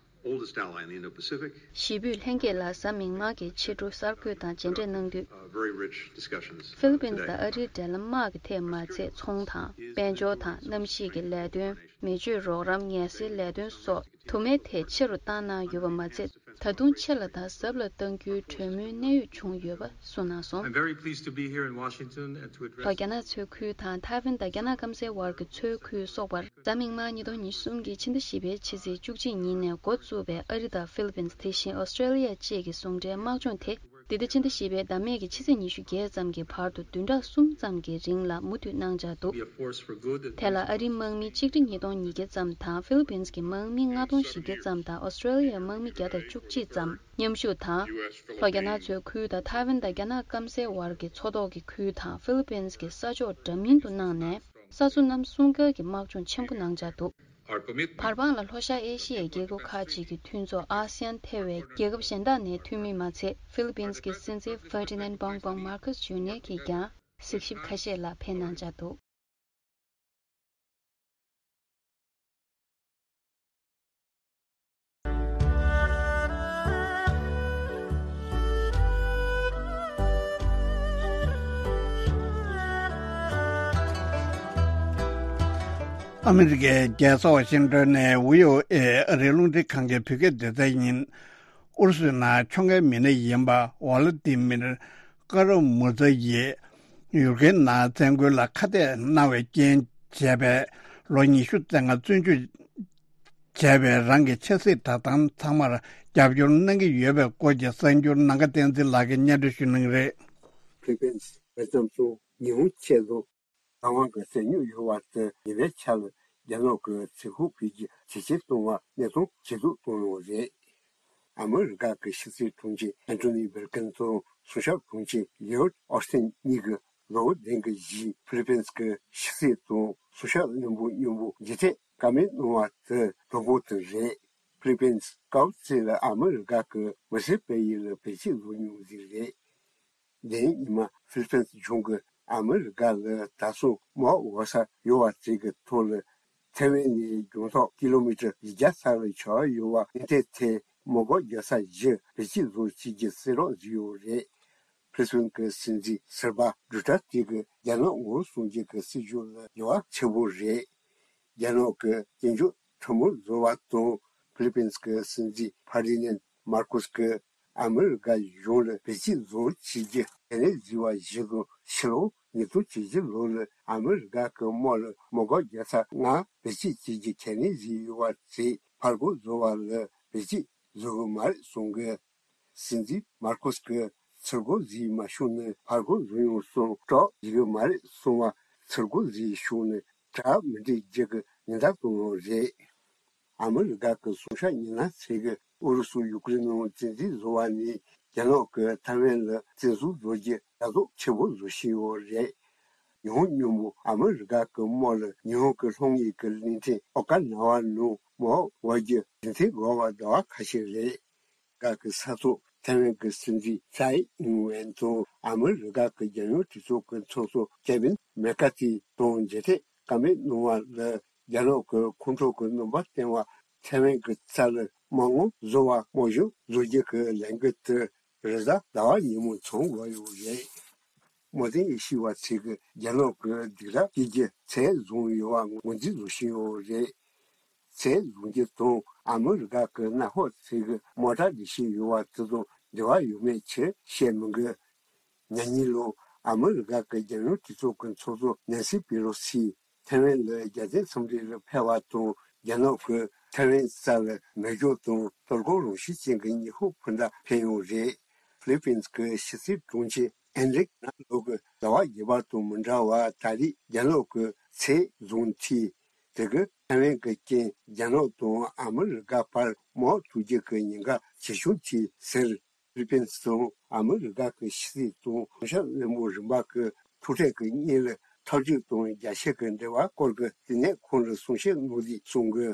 oldest ally in the Indo-Pacific. ཞི་བོད་ལྷན་རྒྱས་ལགས་གཟའ་མིག་དམར་གྱི་ཕྱི་དྲོ་གསར་འགོད་དང་མཇལ་འཕྲད་གནང་དུས། Uh, very rich discussions, uh, ཧྥི་ལི་པིན་today. དང་ཨ་རིའི་འབྲེལ་ལམ་དམག་གི་ཐད་མ་ཚད་ཚོང་དང་དཔལ་འབྱོར་དང་གནམ་གཤིས་ཀྱི་ལས་དོན། མི་སྤྱོད་རོགས་རམ་ངལ་སེལ་ལས་དོན་སོགས་དུ་མའི་ཐད་ཆེ་རུ་བཏང་གནང་ཡོད་པ་མ་ཚད། ད་དུང་ཆེ་ལ་དང་ཟབ་ལ་གཏང་རྒྱུའི་གྲོས་མོལ་གནད་ཡོད་བྱུང་ཡོད་པ་གསུངས་གནང་སོང་། I'm very pleased to be here in Washington and to address ལྷོ་རྒྱ་ནག་མཚོའི་ཁུལ་དང་ཐའེ་ཝན་དང་རྒྱ་ནག་སྐམ་སའི་བར་གྱི་མཚོའི་ཁུལ་སོགས་པར་གཟའ་མིག་དམར་ཉིས་སྟོང་ཉི་ཤུ་གསུམ་གྱི་ཕྱི་ཟླ་བཞི་པའི་ཕྱི་ཚེས་བཅུ་གཅིག་ཉིན་ནས་འགོ་བཙུགས་པའི་ཨ་རི་དང་ཧྥི་ལི་པིན་དེ་བཞིན་ཨོ་སི་ཀྲེ་ལི་ཡ་བཅས་ཀྱི་ཟུང་འབྲེལ་དམག་སྦྱོང་དེ། འདི་ཟླ་ཕྱི་ཟླ་བཞི་པའི་ཟླ་སྨད་ཀྱི་ཕྱི་ཚེས་ཉི་ཤུ་བརྒྱད་ཙམ་གྱི་བར་དུ་བདུན་ཕྲག་གསུམ་ཙམ་གྱི་རིང་ལ་མུ་མཐུད་གནང་འཆར་འདུག Be a force for good and དེ་ལ་ཨ་རིའི་དམག་མི་གཅིག་ཁྲི་ཉིས་སྟོང་ཉིས་བརྒྱ་ཙམ་དང་ཧྥི་ལི་པིན་གྱི་དམག་མི་ལྔ་སྟོང་བཞི་བརྒྱ་ཙམ་དང་ཨོ་སི་ཀྲེ་ལི་ཡའི་དམག་མི་བརྒྱ་དང་བཅུ་གཅིག་ཙམ་མཉམ་ཞུགས་དང་། ལྷོ་རྒྱ་ནག་མཚོའི་ཁུལ་དང་ཐའེ་ཝན་དང་རྒྱ་ནག་སྐམ་སའི་བར་གྱི་མཚོ་ཐོག་གི་ཁུལ་དང་ཧྥི་ལི་པིན་གྱི་ས་ཕྱོགས་འདྲ་མིན་དུ་གནང་ནས། ས་མཚོ་གནམ་སྲུང་སྐྱོར་གྱི་དམག་སྦྱོང་ཆེན་པོ་གནང་འཆར་འདུག Our commitment བར་དཔང་ལ་ལྷོ་ཤར་ཨེ་ཤི་ཡའི་རྒྱལ་ཁབ་ཁག་ཅིག་གི་མཐུན་ཚོགས་ཨ་སི་ཡན་ཐེ་བའི་རྒྱལ་ཁབ་གཞན་དག་ནས་འཐུས་མི་མ་ཚད་ཧྥི་ལི་པིན་གྱི་སྲིད་འཛིན་ཧྥེར་ཏི་ནན་བོང་བོང་མར་ཁུས་ཇུ་ནེ་གིས་ཀྱང་གཟིགས་ཞིབ་ཁ་ཤས་ལ་ཕེབས་གནང་འཆར་འདུག་ཨ་མི་རི་ཀའི་རྒྱལ་ས་ཝ་ཤིང་ཏོན་ནས་བྷི་ཨོ་ཨེ་ཨ་རིའི་རླུང་འཕྲིན་ཁང་གི་བོད་སྐད་སྡེ་ཚན་ཡིན། ཨུ་རུ་སུའི་ནང་ཁྱོང་མཁན་མི་སྣ་ཡིན་པ་ཝ་ལ་ཏི་མིར་ཀ་ར་མུ་ཛ་ཡིས་ཡུ་ཀེ་རེན་ནང་བཙན་རྒོལ་ལ་ཁ་གཏད་གནང་བའི་རྐྱེན་བྱས་པའི་ལོ་ཉི་ཤུ་རྩ་ལྔ་བཙོན་འཇུག་བྱས་པའི་རང་གི་ཆབ་སྲིད་བསྒྲགས་གཏམ་ཚང་མར་རྒྱབ་སྐྱོར་གནང་གི་ཡོད་པའི་སྐོར་གྱི་གསར་འགྱུར་ནམ་མཁའ་བསྟན་འཛིན་ལགས་ཀྱིས་སྙན་སྒྲོན་ཞུ་གནང་གི་རེད། ཕི་ལི་པིན་སི་བོད་ལྗོངས་སུ་ཉི་ཧོང་ཆེད་དུ་རང་དབང་གི་ཟས་སྣོད་ཡོད་པ་དེ་ཉིན་རེའི་ཆར་རྒྱ་ནག་གི་ཚེ་ཁུག་ཕུད་ཀྱི་ཇེ་ཆེར་གཏོང་བར་གནས་སྟངས་ཇེ་སྡུག་གཏོང་ཡོང་བ་རེད། ཨ་མི་རི་ཀ་གི་ཕྱི་སྲིད་དྲུང་ཆེ་ཨན་ཐོ་ནི་བྷིལ་ཀིན་སོང་ སྲུང་སྐྱོབ་དྲུང་ཆེ་ལིའོ་ཨོ་སྟིན་གཉིས་ཀྱིས་ལོ་བདུན་གྱི་རྗེས་ཕི་ལི་པིན་གྱི་ཕྱི་སྲིད་དང་སྲུང་སྐྱོབ་བློན་པོ་མཉམ་པོ་མཇལ་འཕྲད་བཀའ་མོལ་གནང་བ་དེ་དང་པོ་དེ་རེད། ཕི་ལི་པིན་སྐབས་དེ་ལ་ཨ་མི་རི་ཀ་གི་མི་སེར་སྤེལ་ཡུལ་ལ་བེད་སྤྱོད་བཟོ་མྱོང་ཟིག་རེད། དེ་ཉིན་མ་ཕི་ལི་པིན་གཞུང་གིས་ཨ་མི་རི་ཀ་ལ་ད་སོ་མོ་འོ་ས་ཡོད་པ་ཅིག་གི་ཐོག་ལ་ཐེ་ཝན་ནས་རྒྱང་ཐག་ཀི་ལོ་མི་ཊར་བཞི་བརྒྱ་ས་ལ་ཆགས་ཡོད་པ་ཨིན་ཐེ་ཐེ་མེ་འགོག་རྒྱག་ས་བཞི་བེད་སྤྱོད་བཟོ་བྱེད་ཀྱི་གསལ་བསྒྲགས་བཟོས་ཡོད་རེད། ཕི་ལི་པིན་གྱི་སྲིད་འཛིན་ཟུར་པ་ཌུ་ཏར་ཏེ་གིས་རྒྱ་ནག་ངོ་བོ་སྲུང་སྐྱོབ་ཀྱི་སྲིད་ཇུས་ལ་འགྱུར་བ་ཆེན་པོ་རེད། རྒྱ་ནག་གི་སྐྱོན་བརྗོད་ཁྲི་མོ་བཟོ་བ་དང་ཕི་ལི་པིན་གྱི་སྲིད་འཛིན་ཕར་ཌི་ནན་མར་ཀོས་ཀྱིས་ཨ་མི་རི་ཀ་གཞུང་ལ་བེད་སྤྱོད་བཟོ་བྱེད་རྒྱུ་ཁས་ལེན་བཟོས་པ་བཞིན་དུ་ཕྱི་ལོ་ཉིས་སྟོང་བཅུ་བཞི་ལོ་ལ་ཨ་མི་རི་ཀ་གི་དམག་ལ་མེ་འགོག་རྒྱག་ས་ལྔ་བེད་སྤྱོད་བྱེད་རྒྱུ་ཁས་ལེན་བཟོས་ཡོད་པ་དེ་ཕར་རྒོལ་བཟོ་བ་ལ་བེད་སྤྱོད་བཟོ་གི་མ་རེད་གསུང་གི། སྲིད་འཛིན་མར་ཀོས་ཀྱིས་ཚུར་རྒོལ་བཟོས་མ་བྱུང་ན་ཕར་རྒོལ་བཟོ་ཡོང་སོང་སྐྲག་ཡི་གི་མ་རེད་གསུང་བ། ཚུར་རྒོལ་བཟོས་བྱུང་ན་གྲ་མི་འགྲིག་རྒྱུ་གི་ཉེན་བརྡ་གཏོང་ཡོད་རེད། ཨ་མི་རི་ཀ་གི་སྲུང་སྐྱོབ་མི་སྣ་ཚོས་ཀྱིས་ཨུ་རུ་སུ་ཡུ་ཀེ་རེན་ནང་བཙན་འཛུལ་བཟོ་བ་ནས་རྒྱ་ནག་གིས་ཐའེ་ཝན་ལ་བཙན་འཛུལ་བཟོ་རྒྱུ་ལྟ་རྟོག་ཆེན་པོ་བཟོ་བཞིན་ཡོད་རེད། ཉི་ཧོང་མཉམ་པོ་ཨ་མི་རི་ཀ་གི་དམག་ལ་ཉི་ཧོང་གི་ལྷོ་ངོས་ཀྱི་གླིང་ཕྲན་ཨོ་ཀ་ན་ཝ་ནང་མེ་འོ་འོར་རྒྱུ་རྒྱུན་མཐུད་དགོས་པ་ཟླ་བ་ཁ་ཤས་རེད། རྒྱ་གར་གྱི་ས་ཐོག་ཐའེ་ཝན་གྱི་སྲིད་འཛིན་ཚའེ་ཨིན་ཝེན་དང་ཨ་མི་རི་ཀ་གི་རྒྱལ་ཡོངས་གྲོས་ཚོགས་ཀྱི་ཚོགས་གཙོ་ཀེ་ཝིན་མེ་ཀ་ཐི་དང་མཇལ་འཕྲད་བཀའ་མོལ་གནང་བ་ལ་རྒྱ་ནག་གིས་ཁོང་ཁྲོ་གི་སྣང་བ་བསྟན་པ། ཐའེ་ཝན་གྱི་རྩ་ལ་མ་དངུལ་བཟོ་བ་དམག་གཞུང་བཟོ་རྒྱུ་གི་ལས་འགུལ་དེ་རེས་གཟའ་ཟླ་བ་ཉིན་མོ་མཚམས་བཞག་ཡོད་རེད། མོ་དེ་ཡི་ཤི་བ་ཚིག་གི་རྒྱ་ནག་གི་སྡིགས་ར་སྐྱེ་རྒྱུ་ཚད་བཟུང་ཡོད་པ་ངོས་འཛིན་བཟོ་བཞིན་ཡོད་རེད། ཚད་བཟུང་རྒྱུ་དང་ཨ་མི་རི་ཀ་གི་གནམ་འོག་ཚིག་གི་མོ་ཊ་འདི་ཤི་ཡོད་པ་དེ་དང་འབྲེལ་བ་ཡོད་མེད་ཆེ་བཤད་མི་དགོས། ཉེ་ཉིན་ལོ་ཨ་མི་རི་ཀ་གི་རྒྱལ་ཡོངས་གྲོས་ཚོགས་ཀྱི་ཚོགས་གཙོ་ནན་སི་པེ་ལོ་སི་ཐའེ་ཝན་ལ་རྒྱལ་མཚན་འཚམས་འདྲི་ལ་ཕེབས་པ་དང་རྒྱ་ནག་གིས་ཐའེ་ཝན་ས་ལ་མེ་སྒྱོགས་དང་གཏོར་རྒོལ་རང་བཞིན་ཅན་གྱི་ཉི་ཧོང་འཕུར་མདའ་འཕེན་ཡོད་རེད། ཕི་ལི་པིན་གྱི་ཕྱི་སྲིད་དྲུང་ཆེ་ཨན་རིག་ན་ལོ་གི་ཟླ་བ་བརྒྱད་པ་དང་མི་འདྲ་བར་ད་རེས་རྒྱ་ནག་གི་ཚད་བཟུང་དུས་དེ་གི་ཐའེ་ཝན་གྱི་རྐྱེན་རྒྱ་ནག་དང་ཨ་མི་རི་ཀ་བར་མེ་འོ་ཐུག་རྒྱུ་གི་ཉེན་ཁ་ཇེ་ཆུང་དུས་ཟེར། ཕི་ལི་པིན་དང་ཨ་མི་རི་ཀ་གི་ཕྱི་སྲིད་དང་གཞུང་ཞབས་བློན་པོ་རིམ་པ་གི་ཐུག་འཕྲད་ཀྱི་སྔོན་ལ་འཐབ་ཇུས་དང་རྒྱ་ཆེ་གི་འབྲེལ་བ་སྐོར་གྱི་ལྟེ་གནས་ཁང་ལ་གསུང་བཤད་གནང་དུས་གསུང་གི།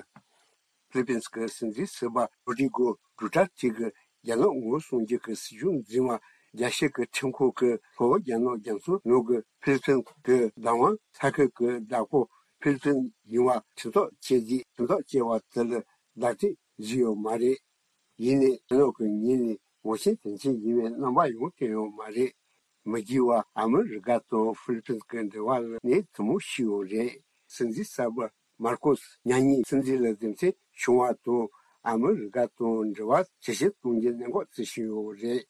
ཕི་ལི་པིན་གྱི་སྲིད་འཛིན་ཟུར་པ་རོ་ཏྲི་གོ་ཌུ་ཏར་ཏེ་གིས་རྒྱ་ནག་ངོ་བོ་སྲུང་སྐྱོབ་ཀྱི་སྲིད་ཇུས་འཛིན་པ་རྒྱ་ཆེ་གི་ཁྲིམས་ཁང་གིས་ལྷོ་རྒྱ་ནག་རྒྱ་མཚོ་ནང་གི་ཕི་ལི་པིན་གྱི་བདག་དབང་ས་ཁུལ་གྱི་བདག་པོ་ཕི་ལི་པིན་ཡིན་པ་ཁྲིམས་ཐག་བཅད་རྗེས་ཁྲིམས་ཐག་བཅད་པ་དེ་ལ་ལག་དེབ་བཟོས་ཡོད་མ་རེད། ཡིན་ནའི་རྒྱ་ནག་གི་ངོས་ནས་ངོ་ཤེས་དོན་ཆེན་ཡིན་པའི་རྣམ་པ་ཡང་བསྟན་ཡོད་མ་རེད། མི་རྒྱུད་པ་ཨ་མི་རི་ཀ་དང་ཧྥི་ལི་པིན་གྱི་འབྲེལ་བ་ལ་ནས་དུ་མོ་ཤི་ཡོད་རེད། སྲིད་འཛིན་གསར་པ་མར་ཀོས་མྱ་ངན་སྲིད་འཛིན་ལ་འཛིན་བྱེད་བྱུང་བ་དང་ཨ་མི་རི་ཀ་དང་འབྲེལ་བ་ཇེ་ཆེར་གཏོང་རྒྱུ་གནད་འགག་བརྩི་བཞིན་ཡོད་རེད།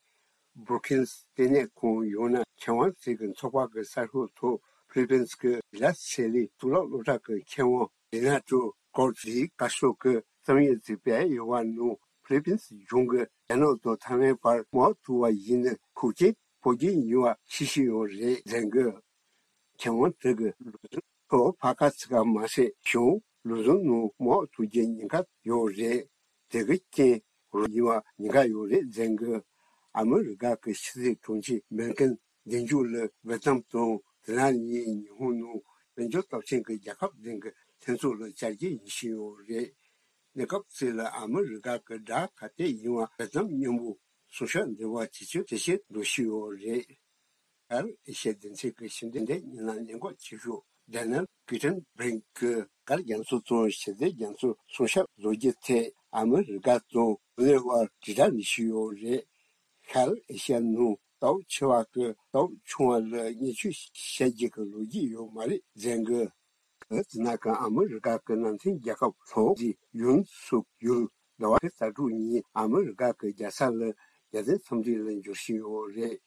བྷྲུ་ཀིན་སི་ལྟེ་གནས་ཁང་ཡང་ན་མཁས་དབང་ཚོས་ཀྱི་ཚོགས་པ་གི་གསར་ཤོག་ཐོག་ཕི་ལི་པིན་གྱི་ལ་སེ་ལི་གཙུག་ལག་སློབ་གྲྭ་གི་མཁས་དབང་རི་ན་ཏྲོ་ཀོར་ལིས་བཀའ་ཤོག་གི་རྩོམ་ཡིག་ཅིག་སྤེལ་ཡོད་པ་ནང་ཕི་ལི་པིན་གཞུང་གིས་རྒྱ་ནག་དང་ཐའེ་ཝན་བར་མ་ཐུག་པ་ཡིན་ན་ཤུགས་རྐྱེན་ཕོག་རྒྱུ་ཡིན་པ་ཤེས་ཀྱི་ཡོད་རེད་ཟེར་གི། མཁས་དབང་དེ་གིས་ལུགས་སྲོལ་ཕར་ཁ་ཚུར་ཁ་མ་ཟད་གཞུང་ལུགས་སྲོལ་ནང་མ་ཐུག་རྒྱུ་ཉེན་ཁ་ཡོད་རེད། དེ་གི་རྐྱེན་རོ་ཡིན་པ་ཉེན་ཁ་ཡོད་རེད་ཟེར་གི། ཨ་མི་རི་ཀ་གི་ཕྱི་སྲིད་དྲུང་ཆེ་བྷིན་ཀེན་གདན་རྒྱུད་ལ་ཝེ་ཏམ་དང་དེ་ན་ནི་ཉི་ཧོང་ནང་དཔལ་འབྱོར་སྟོབས་ཆེན་གྱི་རྒྱལ་ཁབ་ལྡན་གྱི་ལྷན་ཚོགས་ལ་བཅར་རྒྱུ་ཡིན་བཞིན་ཡོད་རེད། གནས་སྐབས་ཚོད་ལ་ཨ་མི་རི་ཀ་གི་དགྲ་ག་དེ་ཡིན་པ་ཝེ་ཏམ་མཉམ་པོ་སྲུང་སྐྱོབ་འབྲེལ་བ་ཇེ་ཆེར་ཇེ་ཆེར་འགྲོ་བཞིན་ཡོད་རེད། ཨར་ཨེ་ཤ་ཡ་སྡེ་ཚན་གྱི་ཕྱི་འབྲེལ་ལས་སྣེ་ལ་གནད་འགག་ཆེ་ཤོས་ཌེ་ནལ་ཀི་ཏན་བྷིན་གྱིས་མགར་རྒྱ་མཚོ་དང་ཞི་བདེ་རྒྱ་མཚོ་སྲུང་སྐྱོབ་བཟོ་རྒྱུ་ཐད་ཨ་མི་རི་ཀ་དང་གོ་རི་ཡ་བར་དྲིལ་བསྒྲགས་ནས་ཞུས་ཡོད་རེད། ཤར་ཨེ་ཤ་ཡ་ནང་དྭོགས་ཆེ་བ་གི་དྭོགས་ཆུང་བ་ལ་བརྙས་བཅོས་བྱ་རྒྱུ་གི་ལོ་རྒྱུས་ཡོད་མ་རེད་ཟེར་གི། དེ་ན་ཀ་ཨ་མི་རི་ཀ་གི་ནང་བསྟན་རྒྱལ་ཁབ་ལྷོ་ཀོ་རི་ཡའི་ཡུན་སུག་ཡུལ་ཟླ་བ་ཁའི་ས་དྲུག་ཉིན་ཨ་མི་རི་ཀ་གི་རྒྱལ་ས་ལ་རྒྱལ་མཚན་འཚམས་འདྲི་ལ་འབྱོར་བཞིན་ཡོད་རེད།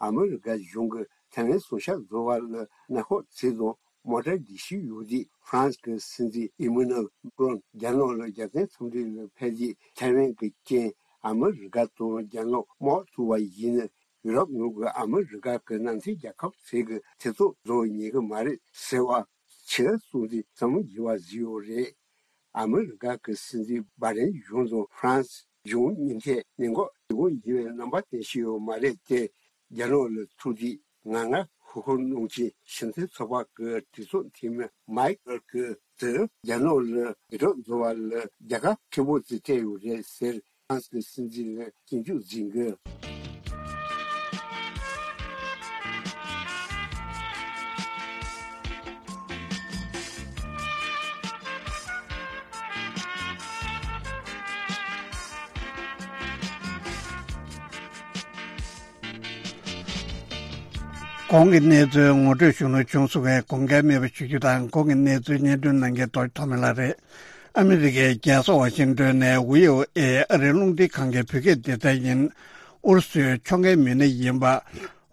ཨ་མི་རི་ཀ་གཞུང་གིས་ཐའེ་ཝན་སྲུང་སྐྱོབ་བཟོ་བ་ལ་གནམ་འོག་ཚིག་དང་མོ་ཊ་འདི་ཤི་ཡོད་དུས་ཧྥ་རན་སི་གི་སྲིད་འཛིན་ཨི་མ་ནུ་ཨེལ་མེ་ཀྲོན་རྒྱ་ནག་ལ་རྒྱལ་མཚན་འཚམས་འདྲི་ལ་ཕེབས་དུས་ཐའེ་ཝན་གྱི་རྐྱེན་ཨ་མི་རི་ཀ་དང་རྒྱ་ནག་མ་ཐུག་པ་ཡིན་ན་ཡུ་རོབ་ནང་གི་ཨ་མི་རི་ཀ་གི་ནང་བསྟན་རྒྱལ་ཁབ་ཚོས་ཀྱི་ཐེ་ཚོམ་བཟོ་ཉན་གི་མ་རེད་ཟེར་བ། ཕྱི་སྲུང་འཛིན་བསམ་བློ་བགྱི་བ་བཟོས་ཡོད་རེད། ཨ་མི་རི་ཀ་གི་སྲིད་འཛིན་བྷའི་ཌེན་གཞུང་དང་ཧྥ་རན་སི་གཞུང་གཉིས་ཐད་གནད་འགག་ཆེ་པོ་ཡིན་པའི་རྣམ་པ་བསྟན་བཞིན་ཡོད་མ་རེད་དེ། རྒྱ་ནག་ལ་ཐུག་དུས་ང་ང་ཧུ་ཧུ་གནང་ཆེན་ཞིང་ཆེན་ཚོགས་པ་གི་གྲོས་ཚོགས་འཐུས་མི་མའིག་ཀེལ་གྱིས་རྒྱ་ནག་ལ་འོས་སྒྲུབ་བཟོ་བ་ལ་རྒྱལ་ཁ་ཆེན་པོ་ཅིག་སྤྲད་ཡོད་རེད་ཟེར། ཧྥ་རན་སི་གི་སྲིད་འཛིན་ལ་སྐྱོན་བརྗོད་མཛད་འགུལ། གོང་གི་གནས་ཚུལ་ངོ་སྤྲོད་ཞུ་ནུ་བྱུང་སོང་བས་དགོངས་འགལ་མེད་པ་ཞུ་རྒྱུ་དང་། གོང་གི་གནས་ཚུལ་སྙན་སྒྲོན་གནང་མཁན་རྡོ་རྗེ་ཐོགས་མེད་ལགས་རེད། ཨ་མི་རི་ཀའི་རྒྱལ་ས་ཝ་ཤིང་ཏོན་ནས་ཝི་ཨོ་ཨེ་ཨ་རིའི་རླུང་འཕྲིན་ཁང་གི་བོད་སྐད་སྡེ་ཚན་ཡིན། ཨུ་རུ་སུའི་ཕྱོགས་འགལ་མི་སྣ་ཡིན་པ་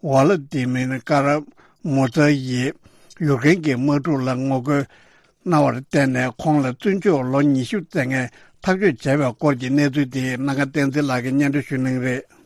ཝ་ལ་ཏི་མིར་ཀ་ར་མུ་ཛ་ཡིས་ཡུ་ཀེ་རེན་གྱི་དམག་འཁྲུག་ལ་ངོ་རྒོལ་གནང་བར་བརྟེན་ནས་ཁོང་ལ་བཙོན་འཇུག་ལོ་ཉི་ཤུ་བསྩལ་མཁན་ཐག་གཅོད་བྱས་པའི་སྐོར་གྱི་གནས་ཚུལ་དེ་སྣ་ཁ་བསྟན་འཛིན་ལགས་ཀྱིས་སྙན་སྒྲོན་ཞུ་གནང་གི་རེད།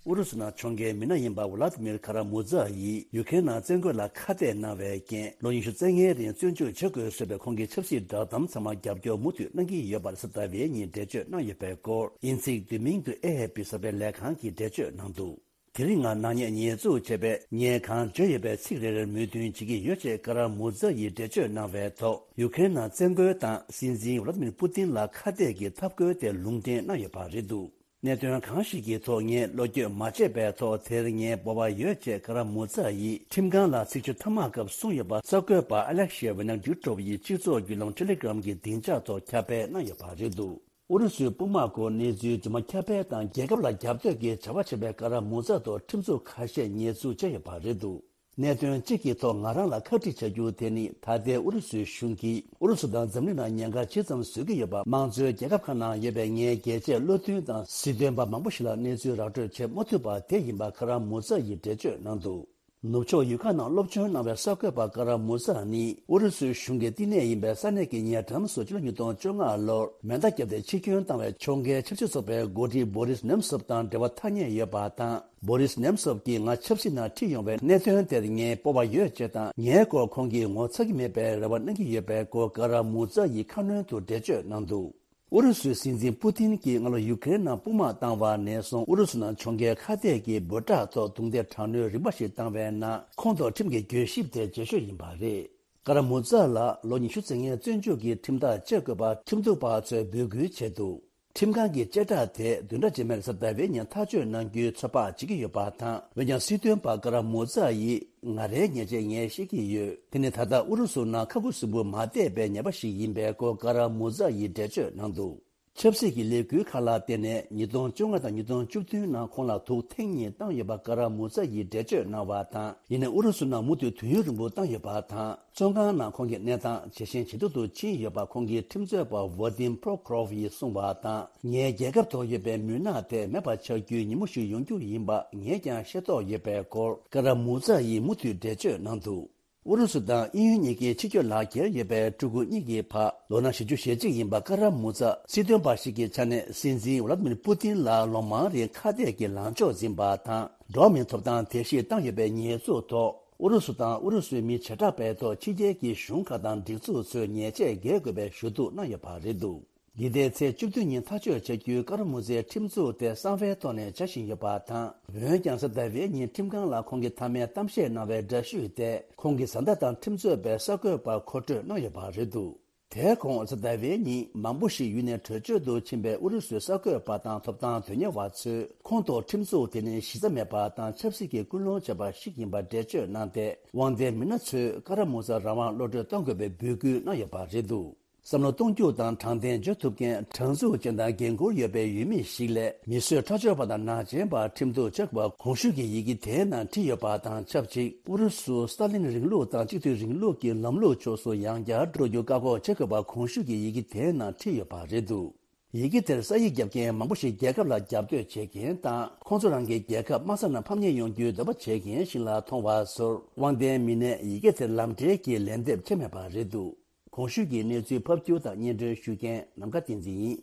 ཨུ་རུ་སུ་ནང་ཕྱོགས་འགལ་མི་སྣ་ཡིན་པ་ཝ་ལ་ཏི་མིར་ཁ་ར་མུ་ཛ་ཡིས་ཡུ་ཀེ་རེན་ནང་བཙན་རྒོལ་ལ་ཁ་གཏད་གནང་བའི་རྐྱེན་ལོ་ཉི་ཤུ་རྩ་ལྔའི་རིང་བཙོན་འཇུག་བྱེད་དགོས་བཟོས་པའི་ཁོང་གི་ཆབ་སྲིད་བསྒྲགས་གཏམ་ཚང་མ་རྒྱབ་སྐྱོར་མུ་མཐུད་གནང་གི་ཡོད་པར་གཟའ་ཟླ་བའི་ཉིན་འགྲེལ་བརྗོད་གནང་ཡོད་པའི་སྐོར་དབྱིན་ཚིག་བསྡུས་མིང་དུ་ཨེ་ཨེ་ཕི་གསར་སྤེལ་ལས་ཁང་གིས་འགྲེལ་བརྗོད་གནང་འདུག་དེ་རིང་ང་ནག་ཉེས་ཉེས་འཛུགས་བྱས་པས་ངས་གང་བརྗོད་ཡོད་པའི་ཚིག་རེ་རེར་མོས་མཐུན་བྱེད་ཀྱི་ཡོད་ཅེས་ཀ་ར་མུ་ཛ་ཡིས་འགྲེལ་བརྗོད་གནང་བའི་ཐོག་ཡུ་ཀེ་རེན་ནང་བཙན་རྒོལ་དང་སྲིད་འཛིན་ཝ་ལ་ཏི་མིར་པུ་ཏིན་ལ་ཁ་གཏད་ཀྱི་ཐབས་བཀོད་དེ་ལུང་འདྲེན་གནང་ཡོད་པ་རེད་འདུག་གནད་དོན་གང་ཞིག་གི་ཐོག་ངས་བློ་འགྱོད་མ་བྱས་པའི་ཐོག་དེར་ངའི་སྤོབས་པ་ཡོད་ཅེས་ཀ་ར་མུ་ཛ་ཡིས་ཁྲིམས་ཁང་ལ་ཚིག་བརྗོད་ཐ་མག་སྐབས་གསུངས་ཡོད་པ་གསར་འགོད་པ་ཨ་ལེག་ཤེ་ཝི་ནག་ཌུ་ཀྲོབ་ཡིས་སྤྱི་ཚོགས་བརྒྱུད་ལམ་ཊེ་ལེ་གྷི་རམ་གྱི་སྡིངས་ཆ་ཐོག་ཁྱབ་སྤེལ་གནང་ཡོད་པ་རེད་འདུག་ཨུ་རུ་སུའི་དཔུང་དམག་སྐོར་གནས་ཚུལ་རྫུན་མ་ཁྱབ་སྤེལ་དང་རྒྱལ་ཁབ་ལ་རྒྱབ་གཏོད་ཀྱི་བྱ་བ་བྱེད་པའི་ཀ་ར་མུ་ཛ་ཐོག་ཁྲིམས་འཛུགས་ཁ་ཤས་ཉེས་འཛུགས་བྱས་ཡོད་པ་རེད་འདུག་གནད་དོན་གཅིག་གི་ཐོག་ང་རང་ལ་ཁ་ཁྲིད་བྱ་རྒྱུ་དེ་ནི་ད་ལྟའི་ཨུ་རུ་སུའི་གཞུང་གིས་ཨུ་རུ་སུ་དང་འཛམ་གླིང་ནང་ཉེན་ཁ་ཇི་ཙམ་བཟོ་གི་ཡོད་པ་དམངས་གཙོའི་རྒྱལ་ཁབ་ཁག་ནང་ཡོད་པའི་ངའི་རྒྱལ་གཅེས་བློ་མཐུན་དང་སྲིད་དོན་པ་མང་པོ་ཞིག་ལ་གནས་ཚུལ་ར་སྤྲོད་བྱེད་མ་ཐུབ་པ་དེ་ཡིན་པ་ཀ་ར་མུ་ཛ་ཡིས་འགྲེལ་བརྗོད་གནང་འདུག་ནུབ་ཕྱོགས་ཡུལ་ཁག་ནང་སློབ་སྦྱོང་གནང་བའི་གསར་འགོད་པ་ཀ་ར་མུ་ཛ་ནི་ཨུ་རུ་སུའི་གཞུང་གི་བསྟི་གནས་ཡིན་པའི་ས་གནས་ཀྱི་ཉེ་འགྲམ་སུ་ཕྱི་ལོ་ཉིས་སྟོང་བཅོ་ལྔ་ལོར་མེ་མདའ་བརྒྱབ་སྟེ་འཆི་སྐྱོན་བཏང་བའི་ཕྱོགས་འགལ་ཆབ་སྲིད་ཚོགས་པའི་འགོ་ཁྲིད་བོ་རིས་ནེམ་སོབ་དང་འབྲེལ་བ་ཐ་སྙད་ཡོད་པ་དང་། བོ་རིས་ནེམ་སོབ་ཀྱིས་ང་ཆབ་སྲིད་ནང་ཁྲིད་ཡོང་བའི་གནད་དོན་དེར་ངའི་སྤོབས་པ་ཡོད་ཅེས་དང་། ངའི་སྐོར་ཁོང་གིས་ངོ་ཚ་གི་མེད་པའི་རེ་བ་གནང་གི་ཡོད་པའི་སྐོར་ཀ་ར་མུ་ཛ་ཡིས་ཁ་སྣོན་དུ་འགྲེལ་བརྗོད་གནང་འདུག་ཨུ་རུ་སུའི་སྲིད་འཛིན་པུ་ཏིན་གྱིས་སྔ་ལོ་ཡུ་ཀེ་རེན་ནང་དཔུང་དམག་བཏང་བ་ནས་བཟུང་ཨུ་རུ་སུ་ནང་ཕྱོགས་འགལ་ཁ་གཏད་ཀྱི་འབོད་སྒྲ་ཐོག་རྡུང་རྡེག་དྲག་གནོན་རིམ་པ་ཞིག་བཏང་བའི་ནང་ཁོང་ཐོག་ཁྲིམས་ཀྱི་གྱོད་ཞིབ་དེ་རྗེས་ཤོས་ཡིན་པ་རེད། ཀ་ར་མུ་ཛ་ལ་ལོ་ཉི་ཤུ་རྩ་ལྔའི་བཙོན་འཇུག་གི་ཁྲིམས་ཐག་བཅད་དགོས་པ་ཁྲིམས་གཏུག་པ་ཚོས་འབོད་སྐུལ་བྱས་འདུག་ཁྲིམས་ཁང་གི་བཅད་ཁྲ་དེ་བདུན་ཕྲག་རྗེས་མའི་གཟའ་ཟླ་བའི་ཉིན་ཐག་གཅོད་གནང་རྒྱུའི་ཚོད་དཔག་བྱེད་ཀྱི་ཡོད་པ་དང་། འོན་ཀྱང་སྲིད་དོན་པ་ཀ་ར་མུ་ཛ་ཡིས་ང་རའི་ཉེས་ཆད་ངས་ཤེས་ཀྱི་ཡོད། དེ་ནི་ད་ལྟ་ཨུ་རུ་སུ་ནང་ཁ་ཁུ་སིམ་པོ་མ་བསྡད་པའི་ཉེས་པ་ཞིག་ཡིན་པའི་སྐོར་ཀ་ར་མུ་ཛ་ཡིས་འགྲེལ་བརྗོད་གནང་འདུག་ཆབ་སྲིད་ཀྱི་ལས་འགུལ་ཁག་ལ་བརྟེན་ནས་ཉིས་སྟོང་བཅོ་ལྔ་དང་ཉིས་སྟོང་བཅུ་བདུན་ནང་ཁོང་ལ་དུག་ཐེངས་གཉིས་བཏང་ཡོད་པ་ཀ་ར་མུ་ཛ་ཡིས་འགྲེལ་བརྗོད་གནང་བ་དང་། ཡིན་ནའི་ཨུ་རུ་སུ་ནང་མུ་མཐུད་དུས་ཡུན་རིང་པོ་བཏང་ཡོད་པ་དང་། བཙོན་ཁང་ནང་ཁོང་གི་གནས་སྟངས་ཇེ་ཞན་ཇེ་སྡུག་ཏུ་ཕྱིན་ཡོད་པ་ཁོང་གི་ཁྲིམས་རྩོད་པ་ཝ་དིམ་པྲོ་ཁོ་རོ་ཝ་ཡིས་གསུངས་པ་དང་། ངའི་རྒྱལ་ཁབ་ཐོག་ཡོད་པའི་མུན་ནག་དེ་མེད་པ་ཆགས་རྒྱུའི་ཉིན་མོ་ཞིག་ཡོང་རྒྱུ་ཡིན་པ་ངས་ཀྱང་ཤེས་རྟོགས་ཡོད་པའི་སྐོར་ཀ་ར་མུ་ཛ་ཡིས་མུ་མཐུད་འགྲེལ་བརྗོད་གནང་འདུག་ཨུ་རུ་སུ་དང་དབྱིན་ཡུལ་གཉིས་ཀྱི་ཕྱི་སྐྱོད་ལག་འཁྱེར་ཡོད་པའི་ཕྲུ་གུ་གཉིས་ཀྱི་ཕ་ལོ་ན་བཞི་བཅུ་ཞེ་གཅིག་ཡིན་པ་ཀ་ར་མུ་ཛ་སྲིད་དོན་པ་ཞིག་གི་ཆ་ནས་སྲིད་འཛིན་ཝ་ལ་ཏི་མིར་པུ་ཏིན་ལ་ལོ་མང་རིང་ཁ་གཏད་ཀྱི་ལངས་ཕྱོགས་འཛིན་པ་དང་། འགྲོ་བ་མིའི་ཐོབ་ཐང་དེ་བཞིན་བཏང་ཡོད་པའི་ཉེས་འཛུགས་ཐོག་ཨུ་རུ་སུ་དང་ཨུ་རུ་སུའི་མི་བྱེ་བྲག་པའི་ཐོག་ཕྱི་རྒྱལ་གྱི་གཞུང་ཁག་དང་སྒྲིག་འཛུགས་ཚོས་ཉེས་ཆད་འགེལ་དགོས་པའི་ཞུ་གཏུག་གནང་ཡོད་པ་རེད་འདུག་འདི་ཟླའི་ཚེས་བཅུ་བདུན་ཉིན་ཐག་གཅོད་བྱ་རྒྱུའི་ཀ་ར་མུ་ཛའི་ཁྲིམས་འཛུགས་དེ་གསང་བའི་ཐོག་ནས་བྱ་བཞིན་ཡོད་པ་དང་། འོན་ཀྱང་གཟའ་ཟླ་བའི་ཉིན་ཁྲིམས་ཁང་ལ་ཁོང་གིས་མཐའ་མའི་གཏམ་བཤད་གནང་བའི་འདྲ་བཤུས་དེ་ཁོང་གི་བཟའ་ཟླ་དང་ཁྲིམས་རྩོད་པའི་གསར་འགོད་པར་མཁོ་སྤྲོད་གནང་ཡོད་པ་རེད་འདུག་དེའི་གོང་གཟའ་ཟླ་བའི་ཉིན་མང་པོ་ཞིག་ཡུལ་ནས་བྲོས་བྱོལ་དུ་ཕྱིན་པའི་ཨུ་རུ་སུའི་གསར་འགོད་པ་དང་ཐོབ་ཐང་དོན་གཉེར་བ་ཚོས་ཁོང་ཐོག་ཁྲིམས་འཛུགས་དེ་ནི་གཞི་རྩ་མེད་པ་དང་ཆབ་སྲིད་ཀྱི་སྐུལ་སློང་བྱས་པ་ཞིག་ཡིན་པ་འགྲེལ་བརྗོད་གནང་སྟེ། དབང་ལྡན་མི་སྣ་ཚོས་ཀ་ར་མུ་ཛ་རང་དབང་གློད་གྲོལ་གཏོང་དགོས་པའི་འབོད་སྐུལ་གནང་ཡོད་པ་རེད་འདུག་བསམ་བློ་གཏོང་རྒྱུ་དང་དྲང་བདེན་བརྗོད་ཐུབ་མཁན་དྲང་ཚུགས་ཅན་དང་འགན་འཁུར་ཡོད་པའི་ཡུལ་མི་ཞིག་ལས་མི་གསོད་ཁྲག་སྦྱོར་བ་དང་ནག་ཅན་པར་ཁྲིམས་གཏུག་བྱ་དགོས་པ་གོང་ཞུས་ཀྱི་ཡི་གེ་དེའི་ནང་བྲིས་ཡོད་པ་དང་ཆབས་ཅིག་ཨུ་རུ་སུ་སྟ་ལིན་རིང་ལུགས་དང་གཅིག་མཐུན་རིང་ལུགས་ཀྱི་ལམ་ལུགས་ཕྱོགས་སུ་ཡང་བསྐྱར་འགྲོ་རྒྱུ་བཀག་འགོག་བྱེད་དགོས་པ་གོང་ཞུས་ཀྱི་ཡི་གེ་དེའི་ནང་བྲིས་ཡོད་པ་རེད་འདུག་ཡི་གེ་དེར་ས་ཡིག་བརྒྱབ་མཁན་མང་པོ་ཞིག་རྒྱལ་ཁབ་ལ་རྒྱབ་གཏོད་བྱེད་མཁན་དང་ཁོང་ཚོ་རང་གི་རྒྱལ་ཁབ་དམག་ས་ནང་ཕམ་ཉེས་ཡོང་རྒྱུའི་འདོད་པ་བྱེད་མཁན་ཞིག་ལ་མཐོང་བ་ཚོར། དབང་ལྡན་མི་སྣས་ཡི་གེ་དེར་ལམ་འབྲས་ཀྱི་ལན་འདེབས་བྱས་མེད་པ་རེད་འདུག་གོང་ཞུས་ཀྱི་གནས་ཚུལ་ཕབ་སྒྱུར་དང་སྙན་སྒྲོན་ཞུ་མཁན་ནམ་མཁའ་བསྟན་འཛིན་ཡིན།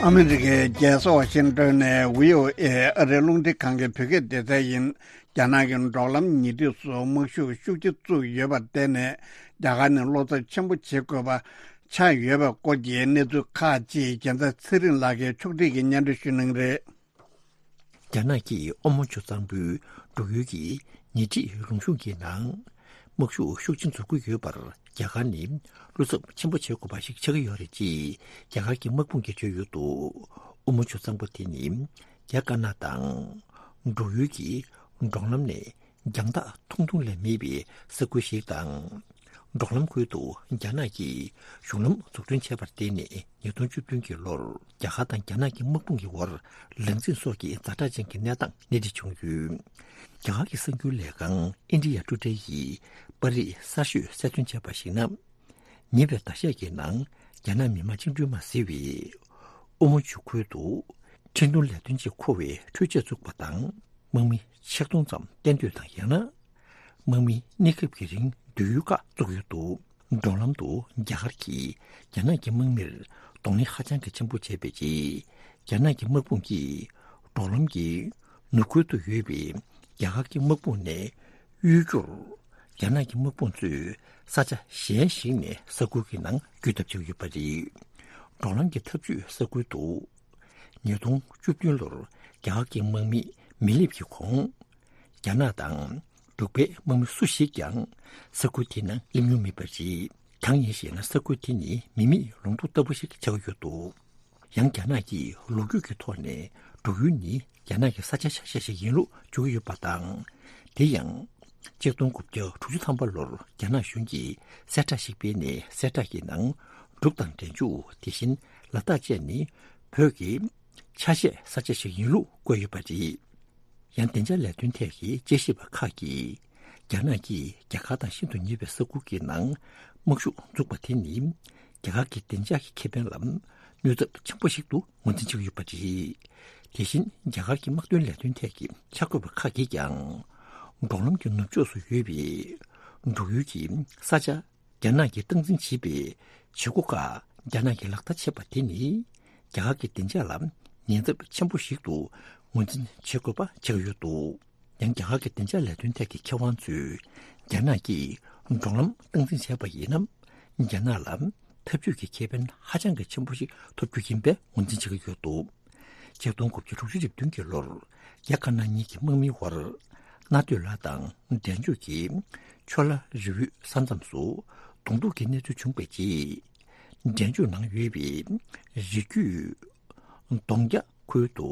ཨ་མི་རི་ཀའི་རྒྱལ་ས་ཝ་ཤིང་ཏོན་ནས་བྷི་ཨོ་ཨེ་ཨ་རིའི་རླུང་འཕྲིན་ཁང་གི་བོད་སྐད་སྡེ་ཚན་ཡིན། རྒྱ་ནག་གི་འབྲོག་ལམ་ཉེ་འཁྲིས་སུ་དམག་ཤུགས་ཤུགས་ཆེ་བཙུགས་ཡོད་པར་བརྟེན་ནས། རྒྱ་གར་ནས་བློ་འཚབ་ཆེན་པོ་བྱེད་དགོས་པ་ཆགས་ཡོད་པའི་སྐོར་གྱི་གནས་ཚུལ་ཁག་ཅིག་རྒྱལ་མཚན་ཚེ་རིང་ལགས་ཀྱིས་ཕྱོགས་སྒྲིག་གིས་སྙན་སྒྲོན་ཞུ་གནང་གི་རེད། རྒྱ་ནག་གིས་ཨོ་མོན་ཆུ་གཙང་པོའི་འབྲུག་ཡུལ་གྱི་ཉེ་འཁྲིས་རོང་གཞུང་གི་ནང་དམག་ཤུགས་ཤུགས་ཆེན་འཛུགས་ཀྱི་ཡོད་པར། རྒྱ་གར་ནི་བློ་འཚབ་ཆེན་པོ་བྱེད་དགོས་པ་ཞིག་ཆགས་ཀྱི་ཡོད་རེད་ཅེས་རྒྱ་གར་གྱི་དམག་དཔུང་གིས་བརྗོད་ཡོད་འདུག། ཨོ་མོན་ཆུ་གཙང་པོ་དེ་ནི་རྒྱ་དཀར་ནག་དང་འབྲུག་ཡུལ་གྱི་འབྲོག་ལམ་ནས་རྒྱང་ཐག་ཐུང་ཐུང་ལས་མེད་པའི་ས་ཁུལ་ཞིག་དང་། འབྲོག་ལམ་ཁུལ་དུ་རྒྱ་ནག་གིས་གཞུང་ལམ་འཛུགས་སྐྲུན་བྱས་པར་བརྟེན་ནས། ཉིས་སྟོང་བཅུ་བདུན་གྱི་ལོར་རྒྱ་གར་དང་རྒྱ་ནག་གི་དམག་དཔུང་གི་བར་ལང་ཚིང་སོགས་ཀྱི་ཛ་དྲག་ཅན་གྱི་གནས་སྟངས་སྣེ་ཁྲིད་བྱུང་ཡོད། རྒྱ་གར་གྱི་གསར་འགྱུར་ལས་ཁང་ཨིན་ཌི་ཡ་ཊུ་ཌེ་ཡིས་པར་རིས་གསར་ཤོས་གསལ་སྟོན་བྱས་པར་གཞིགས་ན། ཉེ་བའི་ཟླ་ཤས་ཀྱི་ནང་རྒྱ་ནག་མི་དམངས་བཅིངས་འགྲོལ་དམག་ཟེར་བའི་ཨོ་མོན་ཆུ་ཁུལ་དུ་འཕྲིན་གཏོང་ལས་དོན་ཆེད་མཁོ་བའི་འཕྲུལ་ཆས་བཙུགས་པ་དང་། དམག་མི་ཆིག་སྟོང་ཙམ་གཏན་སྡོད་དང་། ཡང་ན་དམག་མིའི་གནས་སྐབས་ཀྱི་རིང་སྡོད་ཡུལ་ཁག་བཙུགས་ཡོད་འདུག། འབྲོག་ལམ་དུ་རྒྱ་གར་གྱིས་རྒྱ་ནག་གི་དམག་མིར་གདོང་ལེན་ཧ་ཅང་གི་ཆེན་པོ་བྱས་པའི་རྗེས། རྒྱ་ནག་གི་དམག་དཔུང་གིས་འབྲོག་ལམ་གྱི་ནུབ་ཁུལ་དུ་ཡོད་པའི་རྒྱ་གར་གྱི་དམག་དཔུང་ནས་གཡོལ་རྒྱུར། རྒྱ་ནག་གི་དམག་དཔུང་ཚོས་ས་ཆ་གཞན་ཞིག་ནས་ས་ཁུལ་གྱི་ནང་བསྐྱོད་ཐབས་བྱས་ཡོད་པ་རེད། འབྲོག་ལམ་གྱི་འཐབ་ཇུས་ས་ཁུལ་དུ། ཉིས་སྟོང་བཅུ་བདུན་ལོར་རྒྱ་གར་གྱི་དམག་མི་མི་སླེབས་ཀྱི་གོང་། རྒྱ་ནག་དང་འབྲུག་པའི་དམག་མི་སུ་ཞིག་ཀྱང་ས་ཁུལ་དེའི་ནང་སླེབས་མྱོང་མེད་པ་རེད། གང་ཡིན་ཞེ་ན། ས་ཁུལ་དེ་ནི་མི་མེད་ལུང་སྟོང་ལྟ་བུ་ཞིག་ཆགས་ཡོད་འདུག། ཡང་རྒྱ་ནག་གིས་ལོ་རྒྱུས་ཀྱི་ཐོག་ནས་འབྲུག་ཡུལ་ནི་རྒྱ་ནག་གི་ས་ཆ་ཆ་ཤས་ཤིག་ཡིན་ལུགས་བརྗོད་ཀྱི་ཡོད་པ་དང་། དེ་ཡང་། ཆིག་སྟོང་དགུ་བརྒྱ་དྲུག་ཅུ་ཐམ་པ་ལོར་རྒྱ་ནག་གཞུང་གིས་གསལ་བསྒྲགས་ཤིག་སྤེལ་ནས། གསལ་བསྒྲགས་ཀྱི་ནང་། འབྲུག་དང་འབྲས་ལྗོངས། དེ་བཞིན་ལ་དྭགས་བཅས་ནི་བོད་ཀྱི་ཆ་ཤས་ས་ཆ་ཞིག་ཡིན་ལུགས་བཀོད་ཡོད་པ་རེད། ཡང་བདེ་འཇགས་ལས་དོན་ཐད་ཀྱི་དཔྱད་ཞིབ་པ་ཁག་གིས། རྒྱ་ནག་གིས་རྒྱ་གར་དང་ཤིན་ཏུ་ཉེ་བའི་ས་ཁུལ་གྱི་ནང་དམག་ཤུགས་འཛུགས་པ་དེ་ནི། རྒྱ་གར་གྱི་བདེ་འཇགས་ཀྱི་ཁེ་ཕན་ལ་གནོད་ཚབས་ཆེན་པོ་ཞིག་ཏུ་ངོས་འཛིན་བྱེད་ཀྱི་ཡོད་པ་རེད། དེ་བཞིན་རྒྱ་གར་གྱི་དམག་དོན་ལས་དོན་ཐད་ཀྱི་གསར་འགོད་པ་ཁག་གིས་ཀྱང་། འབྲོག་ལམ་གྱི་ནུབ་ཕྱོགས་སུ་ཡོད་པའི་འབྲུག་ཡུལ་གྱི་ས་ཆ། རྒྱ་ནག་གིས་སྟངས་འཛིན་བྱེད་པའི་བྱེད་སྒོ་ཁག་རྒྱ་ནག་གིས་ལག་བསྟར་བྱས་པ་དེ་ནི། རྒྱ་གར་གྱི་བདེ་འཇགས་ལ་ཉེན་ཚབས་ཆེན་པོ་ཞིག་ཏུ་ངོས་འཛིན་བྱེད་དགོས་པ་ཆགས་ཡོད་འདུག། ཡང་རྒྱ་གར་གྱི་བདེ་འཇགས་ལས་དོན་ཐད་ཀྱི་མཁས་དབང་ཚོས། རྒྱ་ནག་གིས་འབྲོག་ལམ་སྟངས་འཛིན་བྱས་པ་ཡིན་ན། རྒྱ་ནག་ལ་འཐབ་ཇུས་ཀྱི་ཁེ་ཕན་ཧ་ཅང་གི་ཆེན་པོ་ཞིག་ཐོབ་རྒྱུ་ཡིན་པའི་ངོས་འཛིན་བྱེད་ཀྱི་ཡོད་འདུག། ཆིག་སྟོང་དགུ་བརྒྱ་དྲུག་ཅུ་རེ་བདུན་གྱི་ལོར། རྒྱ་དཀར་ནག་གཉིས་ཀྱི་དམག་མིའི་བར། རྣ་སྟོད་ལ་དང་འབྲས་ལྗོངས་ཀྱི་ཆོ་ལ་རི་བོའི་ས་མཚམས་སུ་གདོང་ཐུག་གི་གནས་ཚུལ་བྱུང་བའི་རྗེས། འབྲས་ལྗོངས་ནང་ཡོད་པའི་རི་རྒྱུད་གདོང་རྒྱ་ཁུལ་དུ་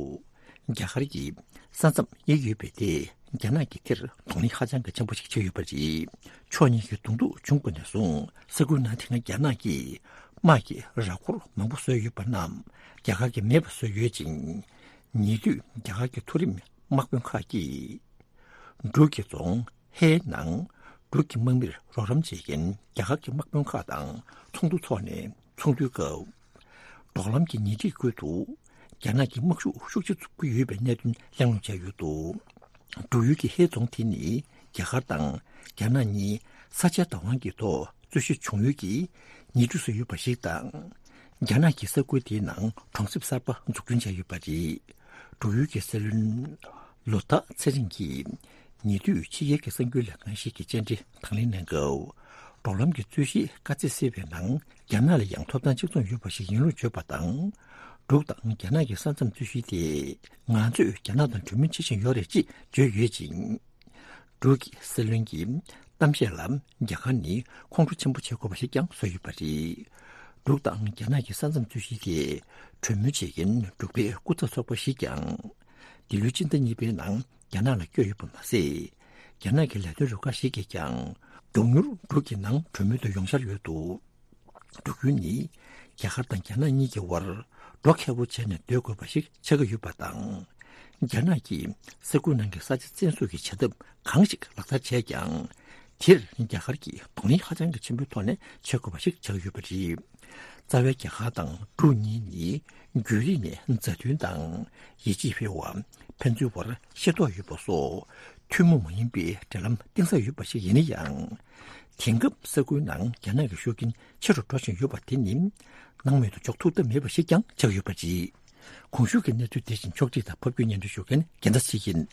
རྒྱ་གར་གྱི་ས་མཚམས་དབྱེ་ཡོད་པས། དེས་རྒྱ་ནག་གིས་དེར་གདོང་ལེན་ཧ་ཅང་གི་ཆེན་པོ་ཞིག་བྱས་ཡོད་པ་རེད། ཕྱོགས་གཉིས་ཀྱི་གདོང་ཐུག་བྱུང་པ་ནས་བཟུང་། ས་ཁུལ་ནང་དེ་སྔ་རྒྱ་ནག་གིས་དམག་གི་ར་འཁོར་མང་པོ་བཟོས་ཡོད་པ་རྣམས་རྒྱ་གར་གྱིས་མེད་པ་བཟོས་ཡོད་ཅིང་། ཉེ་དུས་རྒྱ་གར་གྱི་མཐོ་རིམ་དམག་དཔོན་ཁག་གིས། འབྲུག་གི་རྫོང་ཧེའི་ནང་འབྲུག་གི་དམག་མིར་རོགས་རམ་བྱེད་མཁན་རྒྱ་གར་གྱི་དམག་དཔོན་ཁག་དང་ཚོགས་འདུ་འཚོགས་ནས་ཚོགས་འདུའི་སྐབས། འབྲོག་ལམ་གྱི་ཉེ་འཁྲིས་ཁུལ་དུ་རྒྱ་ནག་གིས་དམག་ཤུགས་ཤུགས་ཆེ་བཙུགས་ཀྱི་ཡོད་པའི་གནད་དོན་གླེང་སློང་བྱས་ཡོད་འདུག། འབྲུག་ཡུལ་གྱི་ཧེའི་རྫོང་དེ་ནི་རྒྱ་གར་དང་རྒྱ་ནག་གཉིས་ས་ཆའི་བདག་དབང་གི་ཐོག་རྩོད་གཞི་བྱུང་ཡུལ་གྱི་ཉེ་འཁྲིས་སུ་ཡོད་པ་ཞིག་དང་། རྒྱ་ནག་གིས་ས་ཁུལ་དེའི་ནང་གྲོང་གསེབ་གསར་པ་འཛུགས་སྐྲུན་བྱས་ཡོད་པ་རེད། འབྲུག་ཡུལ་གྱི་སྲིད་བློན་ལོ་ཐ་ཚེ་རིང་གིས་ཉེ་དུས་ཕྱི་རྒྱལ་གྱི་གསར་འགྱུར་ལས་ཁང་ཞིག་གི་བཅར་འདྲི་དང་ལེན་གནང་སྐབས། འབྲོག་ལམ་གྱི་རྩོད་གཞི་དཀའ་ཚེགས་སེལ་བའི་ནང་རྒྱ་ནག་ལ་ཡང་ཐོབ་ཐང་གཅིག་མཚུངས་ཡོད་པ་ཞིག་ཡིན་ལུགས་བརྗོད་པ་དང་། འབྲུག་དང་རྒྱ་ནག་གི་ས་མཚམས་རྩོད་གཞི་དེ་ང་ཚོས་རྒྱ་ནག་དང་གྲོས་མོལ་བྱེད་བཞིན་ཡོད་རེད་ཅེས་བརྗོད་ཡོད་ཅིང་། འབྲུག་གི་སྲིད་བློན་གྱི་གཏམ་བཤད་ལ་རྒྱ་གར་ནི་ཁོང་ཁྲོ་ཆེན་པོ་བྱེད་དགོས་པ་ཞིག་ཀྱང་བཟོས་ཡོད་པ་རེད། འབྲུག་དང་རྒྱ་ནག་གི་ས་མཚམས་རྩོད་གཞི་དེ་གྲོས་མོལ་བྱེད་མཁན་འབྲུག་པའི་སྐུ་ཚབ་ཚོགས་པ་ཞིག་ཀྱང་འདི་ལོའི་སྤྱི་ཟླ་གཉིས་པའི་ནང་རྒྱ་ནག་ལ་བསྐྱོད་ཡོད་པ་མ་ཟད། རྒྱ་ནག་གི་ལས་དོན་རུ་ཁག་ཞིག་གིས་ཀྱང་མགྱོགས་མྱུར་འབྲུག་གི་ནང་གྲོས་མོལ་དུ་ཡོང་འཆར་ཡོད་འདུག། འབྲུག་ཡུལ་ནི་རྒྱ་གར་དང་རྒྱ་ནག་གཉིས་ཀྱི་དབར་འགྲོ་མཁས་པོ་བྱས་ནས་སྡོད་དགོས་པ་ཞིག་ཆགས་ཀྱི་ཡོད་པ་དང་། རྒྱ་ནག་གིས་ས་ཁུལ་ནང་གི་ས་ཆ་བཙན་བཟུང་གི་བྱ་ཐབས་གང་ཞིག་ལག་བསྟར་བྱས་ཀྱང་། དེར་རྒྱ་གར་གྱིས་གདོང་ལེན་ཧ་ཅང་གི་ཆེན་པོའི་ཐོག་ནས་བྱེད་དགོས་པ་ཞིག་ཆགས་ཀྱི་ཡོད་པ་རེད། རྩ་བའི་རྒྱ་གར་དང་འབྲུག་གཉིས་ནི་རྒྱུན་རིང་ནས་མཛའ་མཐུན་དང་ཡིད་ཆེས་འཕེར་བ། ཕན་ཚུན་བར་ཤེས་རྟོགས་ཡོད་པ་སོགས་ཐུན་མོང་མ་ཡིན་པའི་འབྲེལ་ལམ་གཏིང་ཟབ་ཡོད་པ་ཞིག་ཡིན་ན་ཡང་། དེང་སྐབས་ས་ཁུལ་ནང་རྒྱ་ནག་གི་ཤུགས་རྐྱེན་ཆེ་རུ་འགྲོ་བཞིན་ཡོད་པ་དེ་ནི་སྣང་མེད་དུ་འཇོག་ཐུབ་ཐབས་མེད་པ་ཞིག་ཀྱང་ཆགས་ཡོད་པ་རེད། གོང་ཞུས་ཀྱི་གནས་ཚུལ་དེ་བཞིན་ཕྱོགས་སྒྲིག་དང་ཕབ་སྒྱུར་སྙན་སྒྲོན་ཞུ་མཁན་རྒྱལ་མཚན་ཡིན།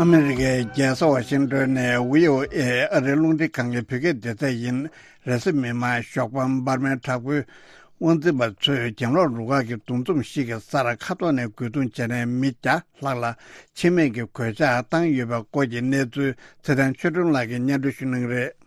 ཨ་མེ་རི་ཀའི་རྒྱལ་ས་ཝ་ཤིང་ཏོན་ནས་བྷི་ཨོ་ཨེ་ཨ་རིའི་རླུང་འཕྲིན་ཁང་གི་བོད་སྐད་སྡེ་ཚན་ཡིན། རེས་གཟའ་མིག་དམར་ཞོགས་པ་འབར་མའི་དྲག་པོའི་དབང་འཛིན་པ་ཚོས་གྱེན་ལོག་རུ་ཁག་གི་འདུ་འཛོམས་ཤིག་གི་སར་མཁའ་ཐོག་ནས་རྒོལ་རྡུང་བྱས་ནས་མི་བརྒྱ་ལྷག་ལ་འཆི་རྨས་ཀྱི་གོད་ཆག་བཏང་ཡོད་པའི་སྐོར་གྱི་གནས་ཚུལ་ཚེ་བརྟན་ཆོས་སྒྲོན་ལགས་ཀྱིས་སྙན་སྒྲོན་ཞུ་གནང་གི་རེད།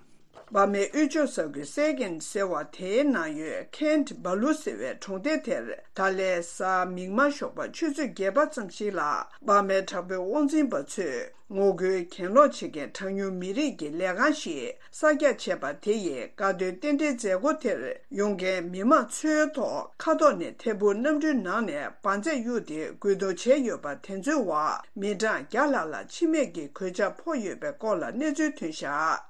འབར་མའི་དབུས་ཕྱོགས་ས་ཁུལ་སེ་གན་ཟེར་བ་དེའི་ནང་ཡོད་ཁེན་ཊི་བྷ་ལུ་ཟེར་བའི་གྲོང་སྡེ་དེར་ད་ལན་གཟའ་མིག་དམར་ཞོགས་པ་ཆུ་ཚོད་བརྒྱད་པ་ཙམ་ཞིག་ལ་འབར་མའི་དྲག་པོའི་དབང་འཛིན་པ་ཚོས། ངོ་རྒོལ་གྱེན་ལོག་བྱེད་མཁན་གྲངས་ཉུང་མི་རིགས་ཀྱི་ལས་ཁང་ཞིག་གསར་རྒྱག་བྱས་པ་དེ་ཡི་དགའ་སྟོན་རྟེན་འབྲེལ་མཛད་སྒོ་དེར་ཡོང་མཁན་མི་མང་ཚོའི་ཐོག་མཁའ་ཐོག་ནས་ཐད་འཕུར་གནམ་གྲུའི་ནང་ནས་འབར་རྫས་གཡུགས་ཏེ་རྒོལ་རྡུང་བྱས་ཡོད་པ་དེ་ཚོའི་འོག་མི་གྲངས་བརྒྱ་ལྷག་ལ་འཆི་རྨས་ཀྱི་གོད་ཆག་ཕོག་ཡོད་པའི་སྐོར་ལ་གནས་ཚུལ་ཐོན་བཞག་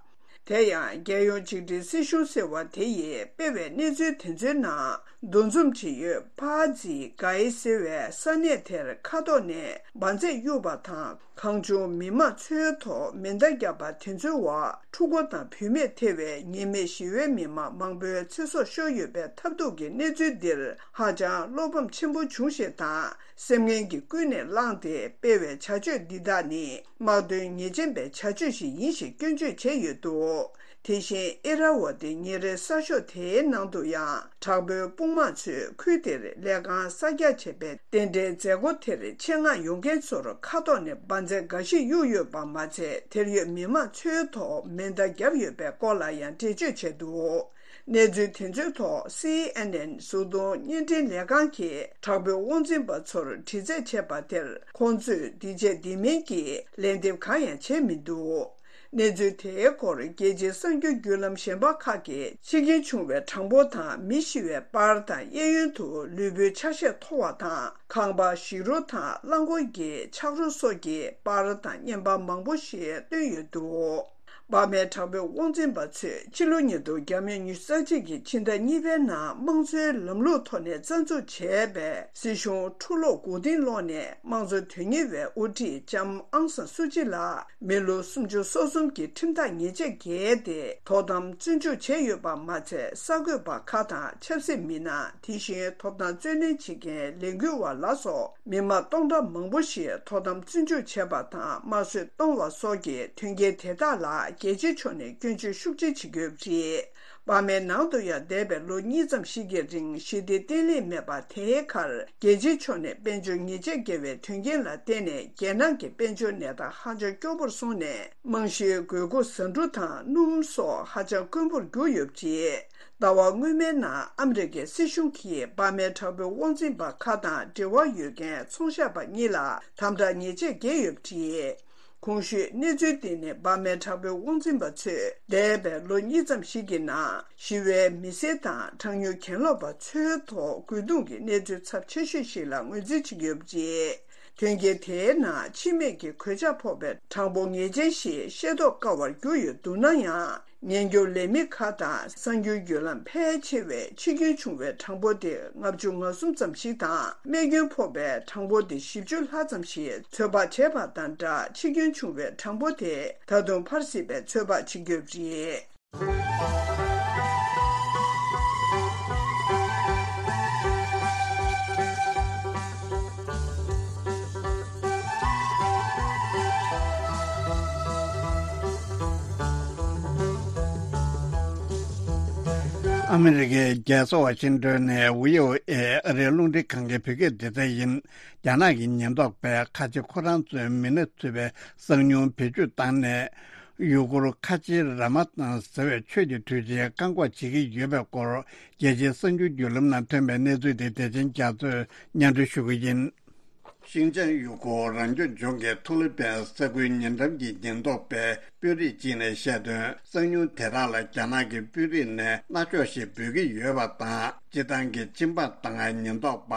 དེ་ཡང་རྒྱལ་ཡོངས་ཆིག་སྒྲིལ་སྲིད་གཞུང་ཟེར་བ་དེ་ཡིས་སྤེལ་བའི་གནས་ཚུལ་དེ་ཚོའི་ནང་། འདུ་འཛོམས་བྱེད་ཡུལ་ཕ་ཛི་གའི་ཟེར་བའི་ས་གནས་དེར་མཁའ་ཐོག་ནས་འབར་རྫས་གཡུགས་པ་དང་། གང་བྱུང་མི་མང་ཚོའི་ཐོག་མེ་མདའ་བརྒྱབ་པ་དེ་ཚོའི་འོག་ཕྲུ་གུ་དང་བུད་མེད་ཐེ་བའི་ཉེས་མེད་ཞི་བའི་མི་མང་མང་པོའི་ཚེ་སྲོག་ཤོར་ཡོད་པའི་ཐབས་སྡུག་གི་གནས་ཚུལ་འདིར་ཧ་ཅང་བློ་ཕམ་ཆེན་པོ་བྱུང་ཞེས་དང་། སེམས་ངན་གྱིས་ཀུན་ནས་བསླངས་ཏེ་སྤེལ་བའི་བྱ་སྤྱོད་འདི་དག་ནི་དམག་དོན་ཉེས་ཅན་པའི་བྱ་སྤྱོད་ཞིག་ཡིན་ཞེས་སྐྱོན་བརྗོད་བྱས་ཡོད་འདུག་དེ་བཞིན་ཨེ་ར་ཝ་ཏི་ཉིན་རེའི་གསར་ཤོག་དེའི་ནང་དུ་ཡང་དྲག་པོའི་དཔུང་དམག་ཚོས་ཁུལ་དེར་ལས་ཁང་གསར་རྒྱག་བྱས་པའི་རྟེན་འབྲེལ་མཛད་སྒོ་དེར་ཆེད་མངགས་ཡོང་མཁན་ཚོར་མཁའ་ཐོག་ནས་འབར་རྫས་འགའ་ཞིག་གཡུགས་ཡོད་པ་མ་ཚད། དེར་ཡོད་མི་མང་ཚོའི་ཐོག་མེ་མདའ་བརྒྱབ་ཡོད་པའི་སྐོར་ལ་ཡང་འགྲེལ་བརྗོད་བྱས་འདུག་གནས་ཚུལ་དེ་ཚོའི་ཐོག་སི་ཨེན་ཨེན་གཟུགས་མཐོང་བརྙན་འཕྲིན་ལས་ཁང་གིས་དྲག་པོའི་དབང་འཛིན་པ་ཚོར་དྲི་རྩད་བྱས་པ་དེར་ཁོང་ཚོས་འདི་བྱས་འདི་མིན་གྱི་ལན་འདེབས་གང་ཡང་བྱས་མི་འདུག་གནས་ཚུལ་དེའི་སྐོར་རྒྱལ་སྤྱིའི་གསར་འགྱུར་བརྒྱུད་ལམ་གཞན་པ་ཁག་གིས་འཆི་རྐྱེན་བྱུང་བའི་གྲངས་འབོར་དང་མི་ཤི་བའི་པར་དང་གཡས་གཡོན་དུ་ལུས་པོའི་ཆ་ཤས་མཐོ་བ་དང་ཁང་པ་ཞིག་རོ་དང་རླངས་འཁོར་གྱི་ཆག་རོ་སོགས་ཀྱི་པར་དང་བརྙན་པར་མང་པོ་ཞིག་བཏོན་ཡོད་འདུག་འབར་མའི་དྲག་པོའི་དབང་འཛིན་པ་ཚོས་ཕྱི་ལོ་ཉིས་སྟོང་ཉི་ཤུ་རྩ་གཅིག་གི་ཕྱི་ཟླ་གཉིས་པའི་ནང་དམངས་གཙོའི་ལམ་ལུགས་ཐོག་ནས་རྩ་འཛུགས་བྱས་པའི་སྲིད་གཞུང་འཁྲུག་ལོག་མགོ་རྟིང་སློག་ནས་དམངས་གཙོ་དོན་གཉེར་བའི་དབུ་ཁྲིད་ལྕམ་ཨང་སང་སུ་ཅི་ལ་མི་ལོ་སུམ་ཅུ་སོ་གསུམ་གྱི་ཁྲིམས་ཐག་ཉེས་ཆད་བཀལ་ཏེ་དོ་དམ་བཙོན་འཇུག་བྱས་ཡོད་པ་མ་ཚད། གསར་འགོད་པ་ཁག་དང་ཆབ་སྲིད་མི་སྣ། དེ་བཞིན་ཐོབ་ཐང་རྩོད་ལེན་བྱེད་མཁན་ལས་འགུལ་བ་ལ་སོགས། མི་མང་སྟོང་ཕྲག་མང་པོ་ཞིག་དོ་དམ་བཙོན་འཇུག་བྱས་པ་དང་དམར་གསོད་གཏོང་བ་སོགས་ཀྱི་དོན་རྐྱེན་དེ་དག་ལ་རྒྱལ་སྤྱིའི་ཕྱོགས་ནས་སྐྱོན་བརྗོད་ཤུགས་ཆེ་བྱེད་ཀྱི་ཡོད་པ་རེད། འབར་མའི་ནང་དུ་ཡང་འདས་པའི་ལོ་གཉིས་ཙམ་ཞིག་གི་རིང་ཞི་བདེ་བརྟན་ལྷིང་མེད་པ་དེའི་ཁར་རྒྱལ་སྤྱིའི་ཕྱོགས་ནས་དཔལ་འབྱོར་ཉེས་ཆད་བཀལ་བའི་དོན་རྐྱེན་ལ་བརྟེན་ནས་རྒྱལ་ནང་གི་དཔལ་འབྱོར་གནས་སྟངས་ཧ་ཅང་སྐྱོ་པོར་སོང་ནས་རྨང་གཞིའི་དགོས་མཁོ་ཟ་འབྲུ་དང་སྣུམ་སོགས་ཧ་ཅང་དཀོན་པོར་གྱུར་ཡོད་པ་རེད། ཟླ་བ་སྔོན་མའི་ནང་ཨ་མི་རི་ཀའི་སྲིད་གཞུང་གིས་འབར་མའི་དྲག་པོའི་དབང་འཛིན་པ་ཁག་དང་འབྲེལ་བ་ཡོད་མཁན་ཚོང་ཤག་པ་གཉིས་ལ་དམ་དྲག་ཉེས་ཆད་བཀལ་ཡོད་པ་རེད། གོང་ཞུས་གནས་ཚུལ་འདི་ནི་འབར་མའི་དྲག་པོའི་དབང་འཛིན་པ་ཚོས་འདས་པའི་ལོ་གཉིས་ཙམ་ཞིག་གི་ནང་ཞི་བའི་མི་སེར་དང་གྲངས་ཉུང་གྱེན་ལོག་པ་ཚོའི་ཐོག་རྒོལ་རྡུང་གི་གནས་ཚུལ་ཚབས་ཆེ་ཤོས་ཤིག་ལ་ངོས་འཛིན་བྱེད་ཀྱི་ཡོད་པ་རེད། དོན་རྐྱེན་དེའི་ནང་འཆི་རྨས་ཀྱི་གོད་ཆག་ཕོག་པའི་གྲངས་འབོར་ངེས་ཅན་ཞིག་ཤེས་རྟོགས་དཀའ་བར་གྱུར་ཡོད་འདུག་ན་ཡང་། ཉེན་སྐྱོབ་ལས་མི་ཁག་དང་གསར་འགྱུར་བརྒྱུད་ལམ་ཕལ་ཆེ་བས་འཆི་སྐྱོན་བྱུང་བའི་གྲངས་འབོར་དེ་ལྔ་བཅུ་ང་གསུམ་ཙམ་ཞིག་དང་རྨས་སྐྱོན་ཕོག་པའི་གྲངས་འབོར་དེ་བཞི་བཅུ་ལྷག་ཙམ་ཞིག་ཚོད་དཔག་བྱས་པ་དང་སྦྲགས། འཆི་སྐྱོན་བྱུང་བའི་གྲངས་འབོར་དེ་ད་དུང་འཕར་སྲིད་པའི་ཚོད་དཔག་བྱེད་ཀྱི་ཡོད་པ་རེད། ཨ་མི་རི་ཀའི་རྒྱལ་ས་ཝ་ཤིང་ཏོན་ནས་བྷི་ཨོ་ཨེ་ཨ་རིའི་རླུང་འཕྲིན་ཁང་གི་བོད་སྐད་སྡེ་ཚན་ཡིན། རྒྱ་ནག་གི་ཉེན་རྟོག་པས་ཁ་ཆེ་ཁོ་རང་ཚོའི་མི་སྣ་ཚུད་པའི་གསང་ཉུལ་བེད་སྤྱོད་བཏང་ནས། ཡུ་གུར་ཁ་ཆེ་ར་མ་ཏང་ཟེར་བའི་ཆོས་ཀྱི་གྲོས་ཆོད་བཀག་འགོག་བྱེད་ཀྱི་ཡོད་པའི་སྐོར། རྒྱལ་སྤྱིའི་གསར་འགྱུར་བརྒྱུད་ལམ་ནང་ཐོན་པའི་གནས་ཚུལ་དེ་བདེ་ཆེན་རྒྱ་མཚོས་སྙན་སྒྲོན་ཞུ་གི་ཡིན། ཤིན་ཅང་ཡུ་གུར་རང་སྐྱོང་ལྗོངས་ཀྱི་ཐུ་ལི་པན་ས་ཁུལ་ཉེ་འགྲམ་གྱི་ཉེན་རྟོག་པའི་དཔོན་རིགས་གཅིག་ནས་བཤད་དོན། གསང་ཉུལ་དེ་དག་ལ་རྒྱ་ནག་གི་དཔོན་རིགས་ནས་མནར་གཅོད་ཞིག་འབུལ་གྱི་ཡོད་པ་དང་། སྤྱི་བཏང་གི་སྤྱི་འབངས་དང་ཉེན་རྟོག་པ།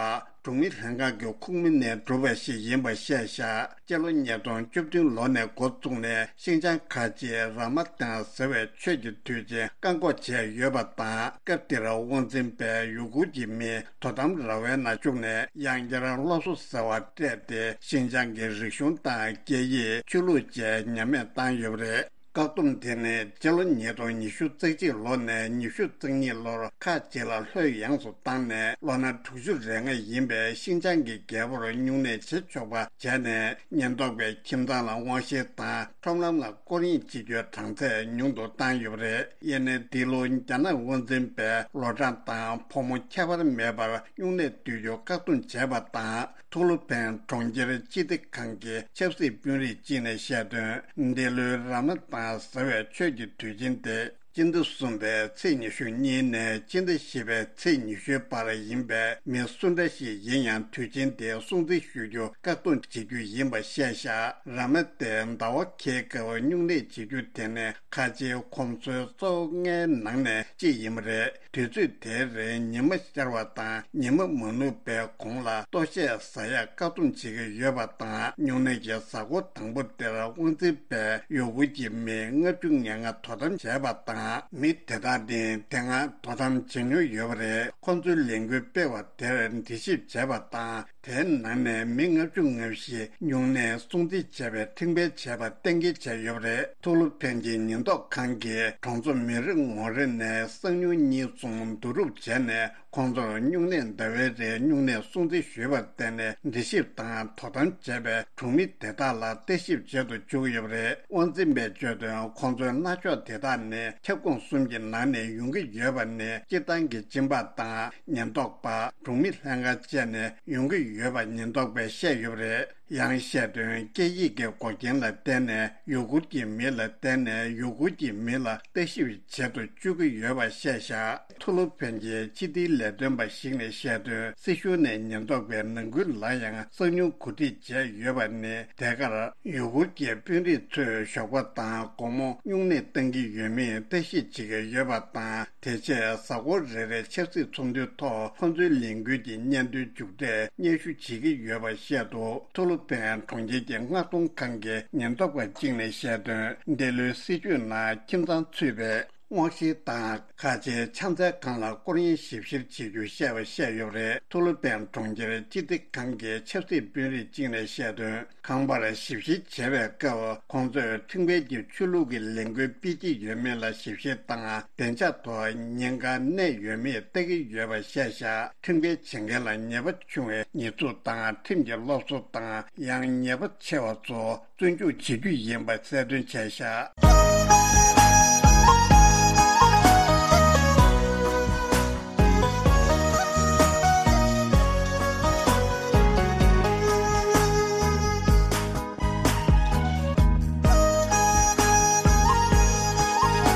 གྲོང་མི་ལྷན་ཁང་གི་ཁོངས་མི་ནས་གྲུབ་པ་ཞིག་ཡིན་པ་བཤད་བཞག་སྤྱི་ལོ་ཉིས་སྟོང་བཅུ་བདུན་ལོ་ནས་འགོ་བཙུགས་ནས་ཤིན་ཅང་ཁ་ཆེའི་ར་མ་ཏང་ཟེར་བའི་ཆོས་ཀྱི་དུས་ཆེན་བཀག་འགོག་བྱས་ཡོད་པ་དང་། སྐབས་དེར་དབང་འཛིན་པས་ཡུ་གུར་གྱི་མི་དོ་དམ་ར་བའི་ནང་བཅུག་ནས་ཡང་བསྐྱར་སློབ་གསོ་ཟེར་བ་སྤྲད་དེ། ཤིན་ཅང་གི་རིག་གཞུང་དང་སྐད་ཡིག་ཆོས་ལུགས་བཅས་ཉམས་དམས་བཏང་ཡོད་པ་རེད། བཀག་སྡོམ་དེ་ནི་སྤྱི་ལོ་ཉིས་སྟོང་ཉི་ཤུ་རྩ་གཅིག་ལོ་ནས་ཉི་ཤུ་རྩ་གཉིས་ལོར་ཁག་ཅིག་ལ་ལྷོད་ཡངས་སུ་བཏང་ནས། ལོ་ན་དྲུག་ཅུ་རེ་ལྔ་ཡིན་པའི་ཤིན་ཅང་གི་རྒྱལ་པོར་སྨྱུང་གནས་བྱེད་ཆོག་པ་བྱས་ནས། ཉེན་རྟོག་པས་ཁྱིམ་ཚང་ལ་དབང་བཤེར་དང་ཁྲོམ་ལམ་ལ་སྐོར་གཡེང་བྱེད་རྒྱུའི་གྲངས་ཚད་ཉུང་དུ་བཏང་ཡོད་པ་རེད། དབྱར་གནས་འདི་ལོ་རྒྱ་ནག་དབང་འཛིན་པས་ལོ་གྲངས་དང་ཕོ་མོ་ཁྱད་པར་མེད་པར་སྨྱུང་གནས་སྡོད་རྒྱུ་བཀག་སྡོམ་བྱས་པ་དང་། ཐུ་ལུ་ཕན་གྲོང་ཁྱེར་སྤྱི་བདེ་ཁང་གི་ཆབ་སྲིད་དཔོན་རིགས་གཅིག་ནས་བཤད་དོན། འདི་ལོའི་ར་མ་ཏང་ཟེར་བའི་ཆོས་ཀྱི་དུས་ཆེན་དེ་སྤྱི་ཟླ་གསུམ་པའི་ཚེས་ཉི་ཤུ་གཉིས་ནས་སྤྱི་ཟླ་བཞི་པའི་ཚེས་ཉི་ཤུའི་བར་ཡིན་པས། མི་སུ་འདྲ་ཞིག་ཡིན་ཡང་དུས་ཆེན་དེ་སྲུང་བརྩི་ཞུ་རྒྱུ་བཀག་སྡོམ་བྱེད་རྒྱུ་ཡིན་པ་བཤད་བཞག་ར་མ་ཏའི་ཟླ་བ་ཁའི་སྐབས་སྨྱུང་གནས་བྱེད་རྒྱུ་དེ་ནི་ཁ་ཆེའི་གོམས་སྲོལ་གཙོ་བོ་ལྔའི་ནང་ནས་གཅིག་ཡིན་པ་རེད། དུས་ཚོད་དེའི་རིང་ཉི་མ་ཤར་བ་དང་ཉི་མ་མ་ནུབ་པའི་གོང་ལ་ལྟོ་ཆས་ཟ་ཡག་བཀག་སྡོམ་བྱེད་ཀྱི་ཡོད་པ་དང་། སྨྱུང་གནས་ཀྱི་གཟའ་འཁོར་དང་པོ་དེར་དབང་འཛིན་པས་ཡུ་གུར་གྱི་མི་ལྔ་བཅུ་ང་ལྔ་དོ་དམ་བྱས་པ་དང་། མི་དེ་དག་ནི་དེ་སྔ་དོ་དམ་བྱེད་མྱོང་ཡོད་པ་རེད། ཁོང་ཚོའི་ལས་འགུལ་སྤེལ་བ་དེར་འགྲེལ་བཤད་བྱས་པ་དང་། དེའི་ནང་ནས་མི་ལྔ་བཅུ་ང་བཞི་སྨྱུང་གནས་སྲུང་བརྩི་བྱས་པའི་ཁྲིམས་འགལ་བྱས་པ་གཏན་འཁེལ་བྱས་ཡོད་པ་རེད། ཐུ་ལུ་ཕན་གྱི་ཉེན་རྟོག་ཁང་གིས་གྲོང་ཚོ་མི་རེ་ངོ་རེ་ནས་གསང་སྨྱུག་གཉིས་གསུམ་བསྡུ་རུབ་བྱས་ནས། ཁོང་ཚོར་སྨྱུང་གནས་ཟླ་བའི་རིང་སྨྱུང་གནས་སྲུང་བརྩི་ཞུས་པར་བརྟེན་ནས། འདྲི་ཞིབ་དང་དོ་དམ་བྱས་པའི་གྲོང་མི་དེ་དག་ལ་བརྟག་ཞིབ་བྱེད་དུ་བཅུག་ཡོད་པ་རེད། དབང་འཛིན་པས་བརྗོད་དོན། ཁོང་ཚོའི་མནར་གཅོད་དེ་དག་ནི་ཁྱབ་ཁོངས་གསུམ་གྱི་ནང་ནས་ཡོང་གི་ཡོད་པ་ནི། སྤྱི་བཏང་གི་སྦྱིན་པ་དང་། ཉེན་རྟོག་པ། གྲོང་མི་ལྷན་ཁང་བཅས་ནས་ཡོང་གི་ཡོད་པ་ཉེན་རྟོག་པས་བཤད་ཡོད་པ་རེད། ཡང་བཤད་དོན། སྐད་ཡིག་གི་འགོག་རྐྱེན་ལ་བརྟེན་ནས་ཡུ་གུར་གྱི་མི་ལ་བརྟེན་ནས་ཡུ་གུར་གྱི་མི་ལ་བརྟག་ཞིབ་བྱེད་དུ་བཅུག་གི་ཡོད་པ་བཤད་བཞག་ཐུ་ལུ་ཕན་གྱི་སྤྱི་བདེའི་ལས་དོན་པ་ཞིག་ནས་བཤད་དོན། སྲིད་གཞུང་ནས་ཉེན་རྟོག་པའི་ནང་ཁུལ་ལ་ཡང་གསང་སྨྱུག་གོ་སྒྲིག་བྱས་ཡོད་པ་ནི། དེ་གར་ཡུ་གུར་གྱི་དཔོན་རིགས་ཚོས་ཞོགས་པ་དང་དགོང་མོ་སྨྱུང་གནས་གཏང་གི་ཡོད་མེད་བརྟག་ཞིབ་བྱེད་ཀྱི་ཡོད་པ་དང་། དེ་རྗེས་གཟའ་འཁོར་རེ་རེའི་ཆབ་སྲིད་ཚོགས་འདུའི་ཐོག་ཁོང་ཚོའི་ལས་འགུལ་གྱི་སྙན་ཐོའི་མཇུག་འབྲས་སྙན་ཞུ་བྱེད་ཀྱི་ཡོད་པ་བཤད་འདུག་ཐུ་ལུ་ཕན་གྲོང་ཁྱེར་གྱི་མངགས་གཏོང་ཁང་གི་ཉེན་རྟོག་པ་གཅིག་ནས་བཤད་དོན། འདི་ལོའི་སྲིད་བྱུས་ནང་ཁྱིམ་ཚང་ཚུད་པའི་དབང་བཤེར་དང་ཁ་ཆེའི་ཕྱག་འཚལ་ཁང་ལ་སྐོར་གཡེང་ཞིབ་བཤེར་བྱེད་རྒྱུ་བཤད་པ་བཤད་ཡོད་པ་རེད། ཐུ་ལུ་ཕན་གྲོང་ཁྱེར་སྤྱི་བདེ་ཁང་གི་ཆབ་སྲིད་དཔོན་རིགས་གཅིག་ནས་བཤད་དོན། ཁང་པར་ཞིབ་བཤེར་བྱེད་པའི་སྐབས། ཁོང་ཚོས་ཁྲིམས་འགལ་གྱི་ཆོས་ལུགས་ཀྱི་ལས་འགུལ་སྤེལ་གྱི་ཡོད་མེད་ལ་ཞིབ་བཤེར་དང་། བདེ་འཇགས་ཐོག་ཉེན་ཁ་གནས་ཡོད་མེད་བལྟ་གི་ཡོད་པ་བཤད་བཞག་ཁྲིམས་འགལ་བྱེད་མཁན་ལ་ཉེས་པ་ཆུང་བའི་ཉེས་འཛུགས་དང་། ཁྲིམས་ཀྱི་སློབ་གསོ་དང་། ཡང་ཉེས་པ་ཆེ་བ་ཚོ་བཙོན་འཇུག་བྱེད་རྒྱུ་ཡིན་པ་གསལ་སྟོན་བྱས་བཞག་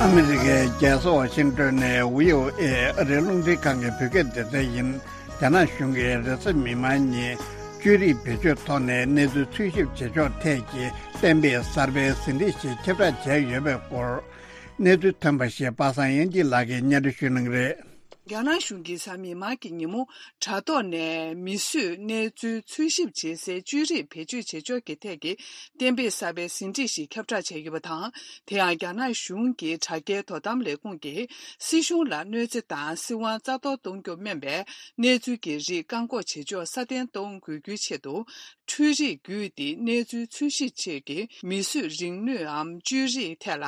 ཨ་མི་རི་ཀའི་རྒྱལ་ས་ཝ་ཤིང་ཏོན་ནས་བྷི་ཨོ་ཨེ་ཨ་རིའི་རླུང་འཕྲིན་ཁང་གི་བོད་སྐད་སྡེ་ཚན་ཡིན། རྒྱ་ནག་གཞུང་གིས་རེས་གཟའ་མིག་དམར་ཉིན་བཅོས་རིག་བེད་སྤྱོད་ཐོག་ནས་གནས་ཚུལ་འཚོལ་ཞིབ་བྱེད་ཕྱོགས་ཐད་ཀྱི་གཏན་འབེབས་གསར་པའི་ཟིན་བྲིས་ཤིག་ཁྱབ་བསྒྲགས་བྱས་ཡོད་པའི་སྐོར། གནས་ཚུལ་ཐོན་པ་ཞིག་པ་སངས་དབྱངས་སྐྱིད་ལགས་ཀྱིས་སྙན་སྒྲོན་ཞུ་གནང་གི་རེད། རྒྱ་ནག་གཞུང་གིས་གཟའ་མིག་དམར་གྱི་ཉིན་མོ་དྲ་ཐོག་ནས་མིས་བཟོས་གནས་ཚུལ་འཚོལ་ཞིབ་བྱེད་སའི་བཅོས་རིག་བེད་སྤྱོད་བྱེད་ཕྱོགས་ཀྱི་ཐད་ཀྱི་གཏན་འབེབས་གསར་པའི་ཟིན་བྲིས་ཤིག་ཁྱབ་བསྒྲགས་བྱས་ཡོད་པ་དང་། དེ་ཡང་རྒྱ་ནག་གཞུང་གི་དྲ་རྒྱའི་དོ་དམ་ལས་ཁུངས་ཀྱིས་སྲིད་གཞུང་ལ་གནོད་འཚེ་དང་སྲིད་དབང་རྩ་གཏོར་གཏོང་རྒྱུ་སྨན་པའི་གནས་ཚུལ་གྱི་རིགས་བཀག་འགོག་བྱེད་ཕྱོགས་སྲ་བརྟན་གཏོང་དགོས་རྒྱུའི་ཆེད་དུ། འཕྲུལ་རིག་བརྒྱུད་དེ་གནས་ཚུལ་འཚོལ་ཞིབ་ཆེད་ཀྱི་མིས་བཟོས་རིག་ནུས་འམ་བཅོས་རིག་ཐད་ལ་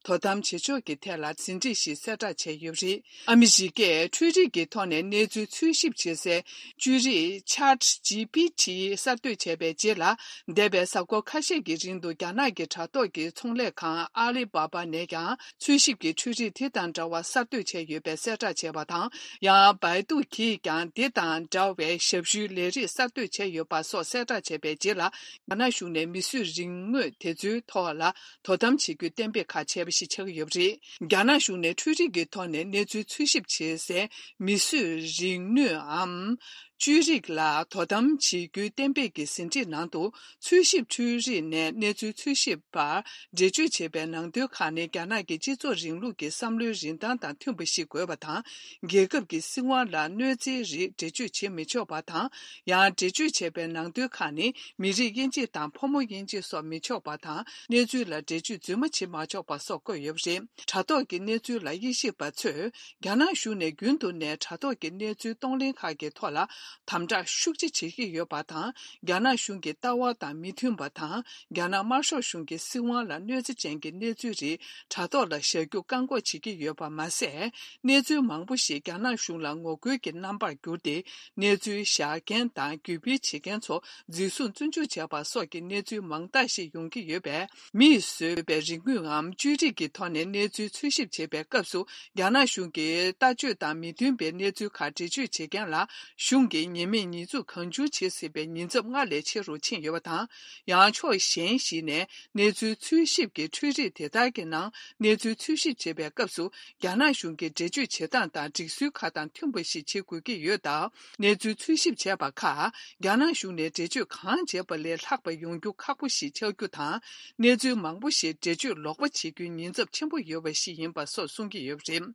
དོ་དམ་བྱེད་ཕྱོགས་ཀྱི་ཐད་ལ་ཟིན་བྲིས་ཤིག་གསལ་བསྒྲགས་བྱས་ཡོད་པ་རེད། ཨ་མི་རི་ཀས་འཕྲུལ་རིག་གི་ཐོག་ནས་གནས་ཚུལ་འཚོལ་ཞིབ་བྱེད་སའི་བཅོས་རིག་Chat G P T གསར་གཏོད་བྱས་པའི་རྗེས་ལ། འདས་པའི་གཟའ་འཁོར་ཁ་ཤས་ཀྱི་རིང་དུ་རྒྱ་ནག་གི་དྲ་ཐོག་གི་ཚོང་ལས་ཁང་ཨ་ལི་བྷ་བྷ་ནས་ཀྱང་འཚོལ་ཞིབ་ཀྱི་འཕྲུལ་རིག་དེ་དང་འདྲ་བ་གསར་གཏོད་བྱས་ཡོད་པའི་གསལ་བསྒྲགས་བྱས་པ་དང་། ཡང་Baidu གིས་ཀྱང་དེ་དང་འདྲ་བའི་ཞབས་ཞུའི་ལས་རིགས་གསར་གཏོད་བྱས་ཡོད་པ་སོགས་གསལ་བསྒྲགས་བྱས་པའི་རྗེས་ལ། རྒྱ་ནག་གཞུང་ནས་མིས་བཟོས་རིག་དངོས་དེ་ཚོའི་ཐོག་ལ་དོ་དམ་བྱེད་རྒྱུའི་གཏན་འབེབས་ཁག་བྱས་པ་ཞིག་ཆགས་ཀྱི་ཡོད་པ་རེད། རྒྱ་ནག་གཞུང་ནས་འཕྲུལ་རིག་གི་ཐོག་ནས་གནས་ཚུལ་འཚོལ་ཞིབ་བྱེད་སའི་མིས་བཟོས་རིག་ནུས་འམ། བཅོས་རིག་ལ་དོ་དམ་བྱེད་རྒྱུའི་གཏན་འབེབས་ཀྱི་ཟིན་བྲིས་ནང་དུ། འཚོལ་ཞིབ་འཕྲུལ་རིག་ནས་གནས་ཚུལ་འཚོལ་ཞིབ་པར་འགྲེལ་བརྗོད་བྱས་པའི་ནང་དོན་ཁག་ནི། རྒྱ་ནག་གི་སྤྱི་ཚོགས་རིང་ལུགས་ཀྱི་བསམ་བློའི་རིན་ཐང་དང་མཐུན་པ་ཞིག་དགོས་པ་དང་། རྒྱལ་ཁབ་ཀྱི་སྲིད་དབང་ལ་གནོད་འཚེའི་རིགས་འགྲེལ་བརྗོད་བྱེད་མི་ཆོག་པ་དང་། ཡང་འགྲེལ་བརྗོད་བྱས་པའི་ནང་དོན་ཁག་ནི། མི་རིགས་དབྱེ་འབྱེད་དང་ཕོ་མོ་དབྱེ་འབྱེད་སོགས་མི་ཆོག་པ་དང་། གནས་ཚུལ་ལ་འགྲེལ་བརྗོད་རྫུན་མ་བྱེད་མ་ཆོག་པ་སོགས་བཀོད་ཡོད་པ་རེད། དྲ་ཐོག་གི་གནས་ཚུལ་ལ་དབྱེ་ཞིབ་པ་ཚོས། རྒྱ་ནག་གཞུང་ནས་རྒྱུན་དུ་ནས་དྲ་ཐོག་གི་གནས་ཚུལ་གཏོང་ལེན་ཁག་གི་ཐོག་ལ་དམ་དྲག་ཤུགས་ཆེ་བྱེད་ཀྱི་ཡོད་པ་དང་། རྒྱ་ནག་གཞུང་གི་ལྟ་བ་དང་མི་མཐུན་པ་དང་། རྒྱ་ནག་དམར་ཤོག་གཞུང་གི་སྲིད་དབང་ལ་གནོད་འཚེ་ཅན་གྱི་གནས་ཚུལ་རིགས་དྲ་ཐོག་ལ་བཞག་རྒྱུ་བཀག་འགོག་བྱེད་ཀྱི་ཡོད་པ་མ་ཟད། གནས་ཚུལ་མང་པོ་ཞིག་རྒྱ་ནག་གཞུང་ལ་ངོ་རྒོལ་གྱི་རྣམ་པར་གྱུར་ཏེ། གནས་ཚུལ་བཞག་མཁན་དང་བརྒྱུད་སྤེལ་བྱེད་མཁན་ཚོ་འཛིན་བཟུང་བཙོན་འཇུག་བྱས་པ་སོགས་ཀྱི་གནས་ཚུལ་མང་དག་ཞིག་ཡོང་གི་ཡོད་པས། མིས་བཟོས་པའི་རིག་དངོས་ངམ་བཅོས་སྒྲིག་གི་ཐོག་ནས་གནས་ཚུལ་འཚོལ་ཞིབ་བྱེད་པའི་སྐབས་སུ། རྒྱ་ནག་གཞུང་གི་ལྟ་སྤྱོད་དང་མི་མཐུན་པའི་གནས་ཚུལ་ཁག་འགྲེལ་བརྗོད་བྱེད་མཁན་ལ། གཞུང་གིས་ཉེས་མེད་ཉེས་འཛུགས་གང་བྱུང་བྱེད་སྲིད་པའི་ཉེན་ཚབས་སྔར་ལས་ཆེ་རུ་ཕྱིན་ཡོད་པ་དང་། ཡང་ཕྱོགས་གཞན་ཞིག་ནས། གནས་ཚུལ་འཚོལ་ཞིབ་ཀྱི་འཕྲུལ་རིག་དེ་དག་གི་ནང་གནས་ཚུལ་འཚོལ་ཞིབ་བྱེད་པའི་སྐབས་སུ། རྒྱ་ནག་གཞུང་གི་འགྲེལ་བརྗོད་བྱེད་སྟངས་དང་སྒྲིག་སྲོལ་ཁག་དང་མཐུན་པ་ཞིག་བྱེད་དགོས་ཀྱི་ཡོད་སྟབས། གནས་ཚུལ་འཚོལ་ཞིབ་བྱས་པ་ཁག་རྒྱ་ནག་གཞུང་ནས་འགྲེལ་བརྗོད་གང་བྱས་པ་ལས་ལྷག་པ་ཡོང་རྒྱུ་ཁག་པོ་ཞིག་ཆགས་རྒྱུ་དང་། གནས་ཚུལ་མང་པོ་ཞིག་འགྲེལ་བརྗོད་ལོག་པ་བྱེད་རྒྱུའི་ཉེན་ཚབས་ཆེན་པོ་ཡོད་པ་ཞིག་ཡིན་པ་སོགས་གསུང་གི་ཡོད་པ་རེད།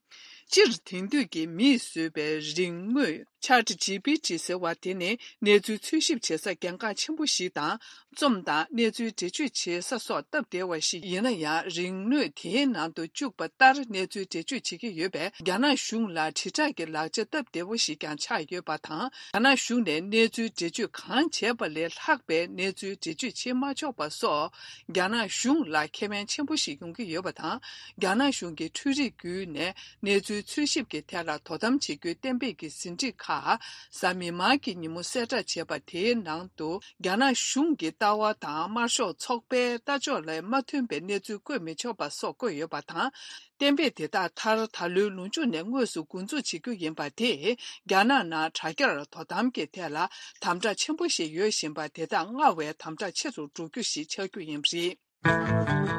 སྤྱིར་དེང་དུས་ཀྱི་མིས་བཟོས་པའི་རིག་དངོས། Chat G P T ཟེར་བ་དེ་ནི་གནས་ཚུལ་འཚོལ་ཞིབ་བྱེད་ས་གལ་འགངས་ཆེན་པོ་ཞིག་དང་། རྩོམ་དང་གནས་ཚུལ་འགྲེལ་བརྗོད་བྱེད་ས་སོགས་སྟབས་བདེ་བ་ཞིག་ཡིན་ན་ཡང་། རིག་དངོས་དེའི་ནང་དུ་བཅུག་པ་ལྟར་གནས་ཚུལ་འགྲེལ་བརྗོད་བྱེད་ཀྱི་ཡོད་པས། རྒྱ་ནག་གཞུང་ལ་དྲིལ་བསྒྲགས་ཀྱི་ལག་ཆ་སྟབས་བདེ་བོ་ཞིག་ཀྱང་ཆགས་ཡོད་པ་དང་། རྒྱ་ནག་གཞུང་ནས་གནས་ཚུལ་འགྲེལ་བརྗོད་གང་བྱས་པ་ལས་ལྷག་པའི་གནས་ཚུལ་འགྲེལ་བརྗོད་བྱེད་མ་ཆོག་པ་སོགས། རྒྱ་ནག་གཞུང་ལ་ཁེ་ཕན་ཆེན་པོ་ཞིག་ཡོང་གི་ཡོད་པ་དང་། རྒྱ་ནག་གཞུང་གི་འཕྲུལ་རིག་བརྒྱུད་ནས། གནས་ཚུལ་འཚོལ་ཞིབ་ཀྱི་ཐད་ལ་དོ་དམ་བྱེད་རྒྱུའི་གཏན་འབེབས་ཀྱི་ཟིན་བྲིས་ཁག་གཟའ་མིག་དམར་གྱི་ཉིན་མོ་གསལ་བསྒྲགས་བྱས་པ་དེའི་ནང་དུ། རྒྱ་ནག་གཞུང་གི་ལྟ་བ་དང་དམར་ཤོག་ཚོགས་པའི་ལྟ་ཕྱོགས་ལ་མ་མཐུན་པའི་གནས་ཚུལ་བཀོད་མི་ཆོག་པ་སོགས་བཀོད་ཡོད་པ་དང་། གཏན་འབེབས་དེ་དག་མཐར་ད་ལོའི་ལོ་མཇུག་ནས་དངོས་སུ་འགོ་འཛུགས་བྱེད་རྒྱུ་ཡིན་པ་དེས། རྒྱ་ནག་ནང་དྲ་རྒྱར་དོ་དམ་གྱི་ཐད་ལ་དམ་དྲག་ཆེན་པོ་ཞིག་ཡོད་བཞིན་པ་དེ་དག་སྔར་བས་དམ་དྲག་ཆེ་རུ་འགྲོ་རྒྱུ་ཞིག་ཆགས་རྒྱུ་ཡིན་པ་རེད།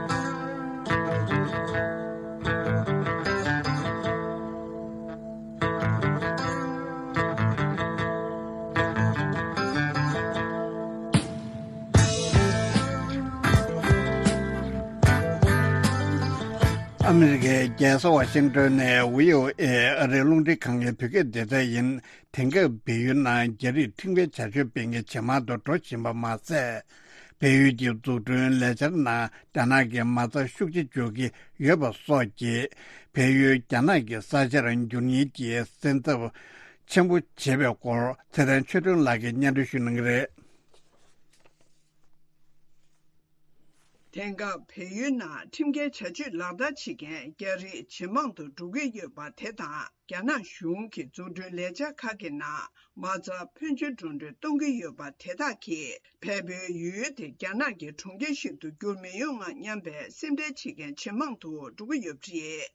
ཨ་མི་རི་ཀའི་རྒྱལ་ས་ཝ་ཤིང་ཏོན་ནས་བྷི་ཨོ་ཨེ་ཨ་རིའི་རླུང་འཕྲིན་ཁང་གི་བོད་སྐད་སྡེ་ཚན་ཡིན། དེང་སྐབས་བལ་ཡུལ་ནང་རྒྱ་རིགས་ཁྲིམས་འགལ་བྱ་སྤྱོད་སྤེལ་མཁན་ཇེ་མང་དུ་འགྲོ་བཞིན་པ་མ་ཟད། བལ་ཡུལ་གྱི་འཛུགས་སྐྲུན་ལས་འཆར་ནང་རྒྱ་ནག་གི་མ་རྩ་ཤུགས་ཆེ་འཇོག་གི་ཡོད་པ་སོགས་ཀྱིས། བལ་ཡུལ་རྒྱ་ནག་གི་ས་ཆར་འགྱུར་ཉེན་གྱི་སེམས་འཚབ་ཆེན་པོ་བྱེད་པའི་སྐོར། ཚེ་བརྟན་ཆོས་སྒྲོན་ལགས་ཀྱིས་སྙན་སྒྲོན་ཞུ་གནང་གི་རེད། དེང་སྐབས་བལ་ཡུལ་ནང་ཁྲིམས་འགལ་བྱ་སྤྱོད་ལག་བསྟར་བྱེད་མཁན་རྒྱ་རིགས་ཇེ་མང་དུ་འགྲོ་གི་ཡོད་པ་དེ་དང་། རྒྱ་ནག་གཞུང་གི་འཛུགས་སྐྲུན་ལས་འཆར་ཁག་གི་ནང་མ་རྩ་ཕོན་ཆེ་འགྲོ་གྲོན་གཏོང་གི་ཡོད་པ་དེ་དག་གིས། བལ་པོའི་ཡུལ་དེ་རྒྱ་ནག་གི་གྲོང་ཁྱེར་ཞིག་ཏུ་འགྱུར་མི་ཡོང་ང་སྙམ་པའི་སེམས་ཁྲལ་བྱེད་མཁན་ཇེ་མང་དུ་འགྲོ་གི་ཡོད་པ་རེད།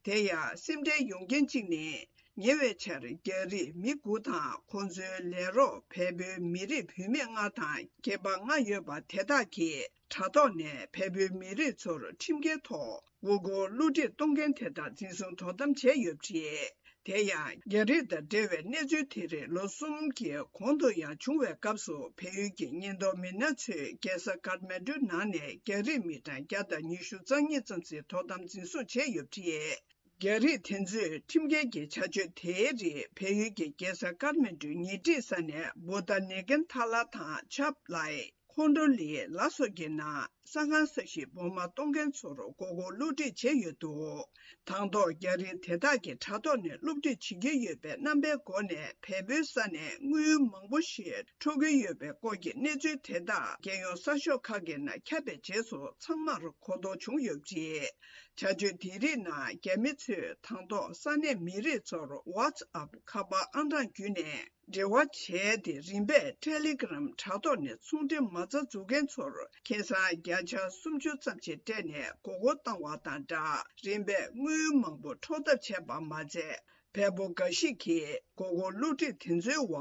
དེ་ཡང་སེམས་ཁྲལ་ཡོང་རྐྱེན་གཅིག་ནི། ཉེ་བའི་ཆར་རྒྱ་རིགས་མི་དགུ་དང་། ཁོང་ཚོའི་ལས་རོགས་བལ་པོའི་མི་རིགས་བུད་མེད་ལྔ་དང་། སྐྱེས་པ་ལྔ་ཡོད་པ་དེ་དག་གིས། དྲ་ཐོག་ནས་བལ་པོའི་མི་རིགས་ཚོར་ཁྲིམས་འགལ་ཐོག་མགོ་སྐོར་བསླུ་བྲིད་གཏོང་མཁན་དེ་དག་འཛིན་བཟུང་དོ་དམ་བྱས་ཡོད་པ་རེད། དེ་ཡང་། རྒྱ་རིགས་དང་འབྲེལ་བའི་གནས་ཚུལ་དེ་རིགས་ལོ་གསུམ་གྱི་གོང་དུ་ཡང་བྱུང་བའི་སྐབས་སུ། བལ་ཡུལ་གྱི་ཉེན་རྟོག་མི་སྣ་ཚོས་རྒྱལ་ས་ཀཱཐ་མན་ཌུ་ནང་ནས་རྒྱ་རིགས་མི་གྲངས་བརྒྱ་དང་ཉི་ཤུ་རྩ་གཉིས་ཙམ་ཞིག་དོ་དམ་འཛིན་བཟུང་བྱས་ཡོད་པ་རེད། རྒྱ་རིགས་དེ་ཚོས་ཁྲིམས་འགལ་གྱི་བྱ་སྤྱོད་དེའི་རིགས་བལ་ཡུལ་གྱི་རྒྱལ་ས་ཀཱཐ་མན་ཌུའི་ཉེ་འཁྲིས་ས་གནས་བུ་ད་ནེ་ཀན་ཐ་ལ་དང་ཆབ་ལའི། ཁོང་ཁྲོ་ལི་ལ་སོགས་ཀྱི་ནང་ས་ཁང་ས་གཞིའི་སྦོ་མ་གཏོང་མཁན་ཚོར་མགོ་སྐོར་བསླུ་བྲིད་བྱས་ཡོད་འདུག། དང་ཐོག་རྒྱ་རིགས་དེ་དག་གིས་དྲ་ཐོག་ནས་བསླུ་བྲིད་བྱེད་ཀྱི་ཡོད་པའི་རྣམ་པའི་སྒོ་ནས་བལ་པོའི་ས་ནས་དངུལ་མང་པོ་ཞིག་འཕྲོག་གི་ཡོད་པའི་སྐོར་གྱི་གནས་ཚུལ་དེ་དག་རྒྱལ་ཡོངས་གསར་ཤོག་ཁག་གི་ནང་ཁྱབ་པའི་རྗེས་སུ་ཚང་མར་གོ་རྟོགས་བྱུང་ཡོད་པ་རེད། བྱ་སྤྱོད་དེ་རིགས་ནང་རྒྱ་མི་ཚོས་དང་ཐོག་ས་གནས་མི་རིགས་ཚོར་WhatsApp་ཁ་པར་ཨང་གྲངས་བརྒྱུད་ནས་འབྲེལ་བ་བྱས་ཏེ། རིམ་པས་Telegram་དྲ་ཐོག་ནས་ཚོང་འབྲེལ་མ་རྩ་འཛུགས་མཁན་ཚོར་ཁེ་བཟང་བརྒྱ་ཆ་སུམ་ཅུ་ཙམ་ཞིག་སྤྲད་ནས་མགོ་སྐོར་བཏང་བ་དང་སྦྲགས། རིམ་པས་དངུལ་མང་པོ་འཕྲོག་ཐབས་བྱས་པ་མ་ཚད། བལ་པོ་འགའ་ཞིག་གིས་མགོ་སྐོར་བསླུ་བྲིད་དེ་ཚོའི་འོག་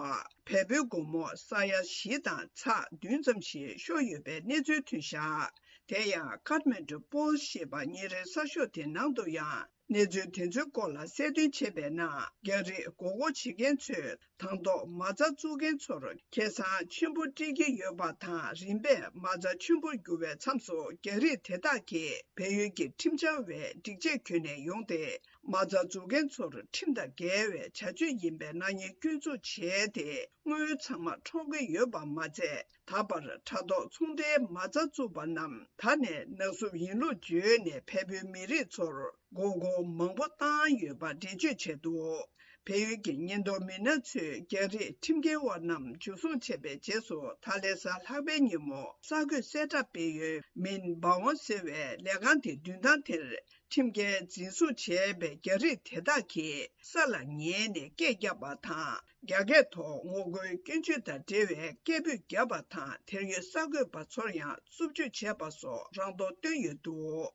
བལ་པོའི་སྒོར་མོ་ས་ཡ་བཞི་དང་ཚེག་བདུན་ཙམ་ཞིག་ཤོར་ཡོད་པའི་གནས་ཚུལ་ཐོན་བཞག། དེ་ཡང་Kathmandu Post་ཞེས་པ་ཉིན་རེའི་གསར་ཤོག་དེ་ནང་དུ་ཡང་ གནས་ཚུལ་དེ་ཚོའི་སྐོར་ལ་གསལ་སྟོན་བྱས་པའི་ནང་། རྒྱ་རིགས་མགོ་སྐོར་བྱེད་མཁན་ཚོས་དང་ཐོག་མ་རྩ་བཙུགས་མཁན་ཚོར་ཁེ་བཟང་ཆེན་པོ་སྤྲད་ཀྱི་ཡོད་པ་དང་། རིམ་པས་མ་རྩ་ཆེན་པོར་འགྱུར་བའི་མཚམས་སུ། རྒྱ་རིགས་དེ་དག་གིས་བལ་ཡུལ་གྱི་ཁྲིམས་འཆར་བའི་སྒྲིག་ཆས་གྱོན་ནས་ཡོང་སྟེ། མ་རྩ་འཛུགས་མཁན་ཚོར་ཁྲིམས་དང་འགལ་བའི་བྱ་སྤྱོད་ཡིན་པའི་སྣང་བརྙན་སྐྱོན་འཛུགས་བྱས་ཏེ། དངུལ་ཚང་མ་འཕྲོག་གི་ཡོད་པ་མ་ཚད། ད་བར་དྲ་ཐོག་ཚོང་འབྲེལ་མ་རྩ་བཙུགས་པ་རྣམས་ད་ནས་ནག་གསུབ་ཡིན་ལུགས་བརྗོད་ནས། བལ་པོའི་མི་རིགས་ཚོར་མགོ་སྐོར་མང་པོ་བཏང་ཡོད་པ་འགྲེལ་བརྗོད་བྱས་འདུག་བལ་ཡུལ་གྱི་ཉེན་རྟོག་མི་སྣ་ཚོས་རྒྱ་རིགས་ཁྲིམས་འགལ་བ་རྣམས་འཇུ་བཟུང་བྱས་པའི་རྗེས་སུ། ད་ལན་གཟའ་ལྷག་པའི་ཉིན་མོ་གསར་འགོད་གསལ་བསྒྲགས་སྤེལ་ཡུལ་མིན་བ་ཝང་ཟེར་བའི་ལས་ཁང་དེ་མདུན་ཐང་དེར། ཁྲིམས་འགལ་འཛིན་བཟུང་བྱས་པའི་རྒྱ་རིགས་དེ་དག་གིས་ས་ལ་ཉལ་ནས་སྐད་བརྒྱབ་པ་དང་། རྒྱ་སྐད་ཐོག་ངོ་རྒོལ་སྐྱོན་བརྗོད་དང་འབྲེལ་བའི་སྐད་འབོད་བརྒྱབ་པ་དང་། དེར་ཡོད་གསར་འགོད་པ་ཚོར་ཡང་རྩུབ་སྤྱོད་བྱས་པ་སོགས་རང་མདོག་བསྟན་ཡོད་འདུག་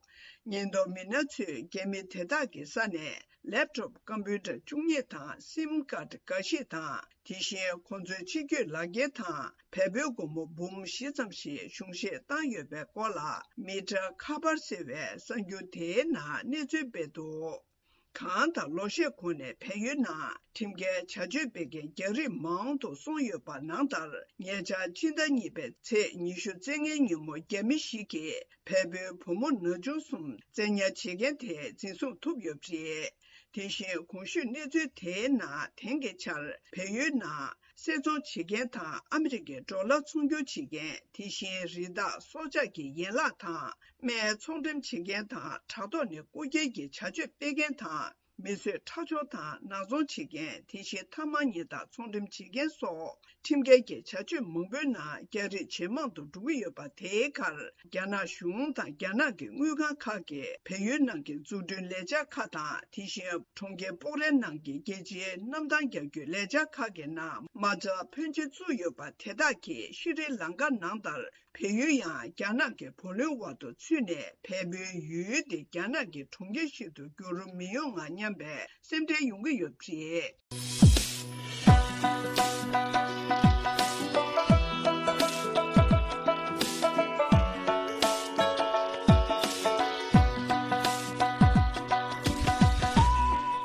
ཉེན་རྟོག་མི་སྣ་ཚོས་རྒྱ་མི་དེ་དག་གི་ས་ནས་ལེབ་ཊོབ་ཀམ་པུ་ཊར་བཅུ་གཉིས་དང་། སིམ་ཀཱར་འགའ་ཞིག་དང་། དེ་བཞིན་ཁོང་ཚོའི་ཆེད་བསྐྱོད་ལག་འཁྱེར་དང་། བལ་པོའི་སྒོར་མོ་འབུམ་བཞི་ཙམ་ཞིག་གཞུང་བཞེས་བཏང་ཡོད་པའི་སྐོར་ལ། མི་ཊར་ཁ་པར་ཟེར་བའི་གསར་འགྱུར་དེའི་ནང་གནས་ཚུལ་སྤེལ་འདུག་གང་ལྟར། ལོ་ཤས་གོང་ནས་བལ་ཡུལ་ནང་ཁྲིམས་འགལ་བྱ་སྤྱོད་སྤེལ་མཁན་རྒྱ་རིགས་མང་དུ་སོང་ཡོད་པ་ནང་ལྟར། ཉེ་ཆར་ཕྱི་ཟླ་གཉིས་པའི་ཚེས་ཉི་ཤུ་རྩ་ལྔའི་ཉིན་མོ། རྒྱ་མི་ཞིག་གིས་བལ་པོའི་བུ་མོ་ན་ཆུང་གསུམ་བཙན་ཉར་བྱེད་མཁན་དེ་འཛིན་བཟུང་ཐུབ་ཡོད་པ་རེད། དེ་བཞིན་གོང་ཞུས་གནས་ཚུལ་དེའི་ནང་། དེང་གི་ཆར་བལ་ཡུལ་ནང་བསད་རྫོང་བྱེད་མཁན་དང་། ཨ་མི་རི་ཀའི་ཌོ་ལར་ཚོང་སྒྱུར་བྱེད་མཁན། དེ་བཞིན་རི་དྭགས་སྲོག་ཆགས་ཀྱི་ཡན་ལག་དང་། སྨན་ཚོང་འགྲེམས་བྱེད་མཁན་དང་། དྲ་ཐོག་ནས་རྐུ་འཁྱེར་གྱི་བྱ་སྤྱོད་སྤེལ་མཁན་དང་། མི་གསོད་ཁྲག་སྦྱོར་དང་ནག་ཚོང་བྱེད་མཁན། དེ་བཞིན་ཐ་མག་ཉེས་དང་ཚོང་འགྲེམས་བྱེད་མཁན་སོགས། ཁྲིམས་འགལ་གྱི་བྱ་སྤྱོད་མང་པོའི་ནང་རྒྱ་རིགས་ཇེ་མང་དུ་འགྲོ་གི་ཡོད་པ། དེའི་ཁར་རྒྱ་ནག་གཞུང་དང་རྒྱ་ནག་གི་དངུལ་ཁང་ཁག་གིས་བལ་ཡུལ་ནང་གི་འཛུགས་སྐྲུན་ལས་འཆར་ཁག་དང་། དེ་བཞིན་གྲོང་ཁྱེར་སྤོག་རའི་ནང་གི་རྒྱལ་སྤྱིའི་གནམ་ཐང་རྒྱག་རྒྱུའི་ལས་འཆར་ཁག་གི་ནང་མ་རྩ་ཕོན་ཆེ་བཙུགས་ཡོད་པ། དེ་དག་གིས་ཤྲི་ལང་ཀ་ནང་ལྟར་བལ་ཡུལ་ཡང་རྒྱ་ནག་གི་བུ་ལོན་འོག་ཏུ་ཚུད་ནས། བལ་པོའི་ཡུལ་དེ་རྒྱ་ནག་གི་གྲོང་ཁྱེར་ཞིག་ཏུ་འགྱུར་མི་ཡོང་ང་སྙམ་པའི་སེམས་ཁྲལ་ཡོང་གི་ཡོད་པ་རེད།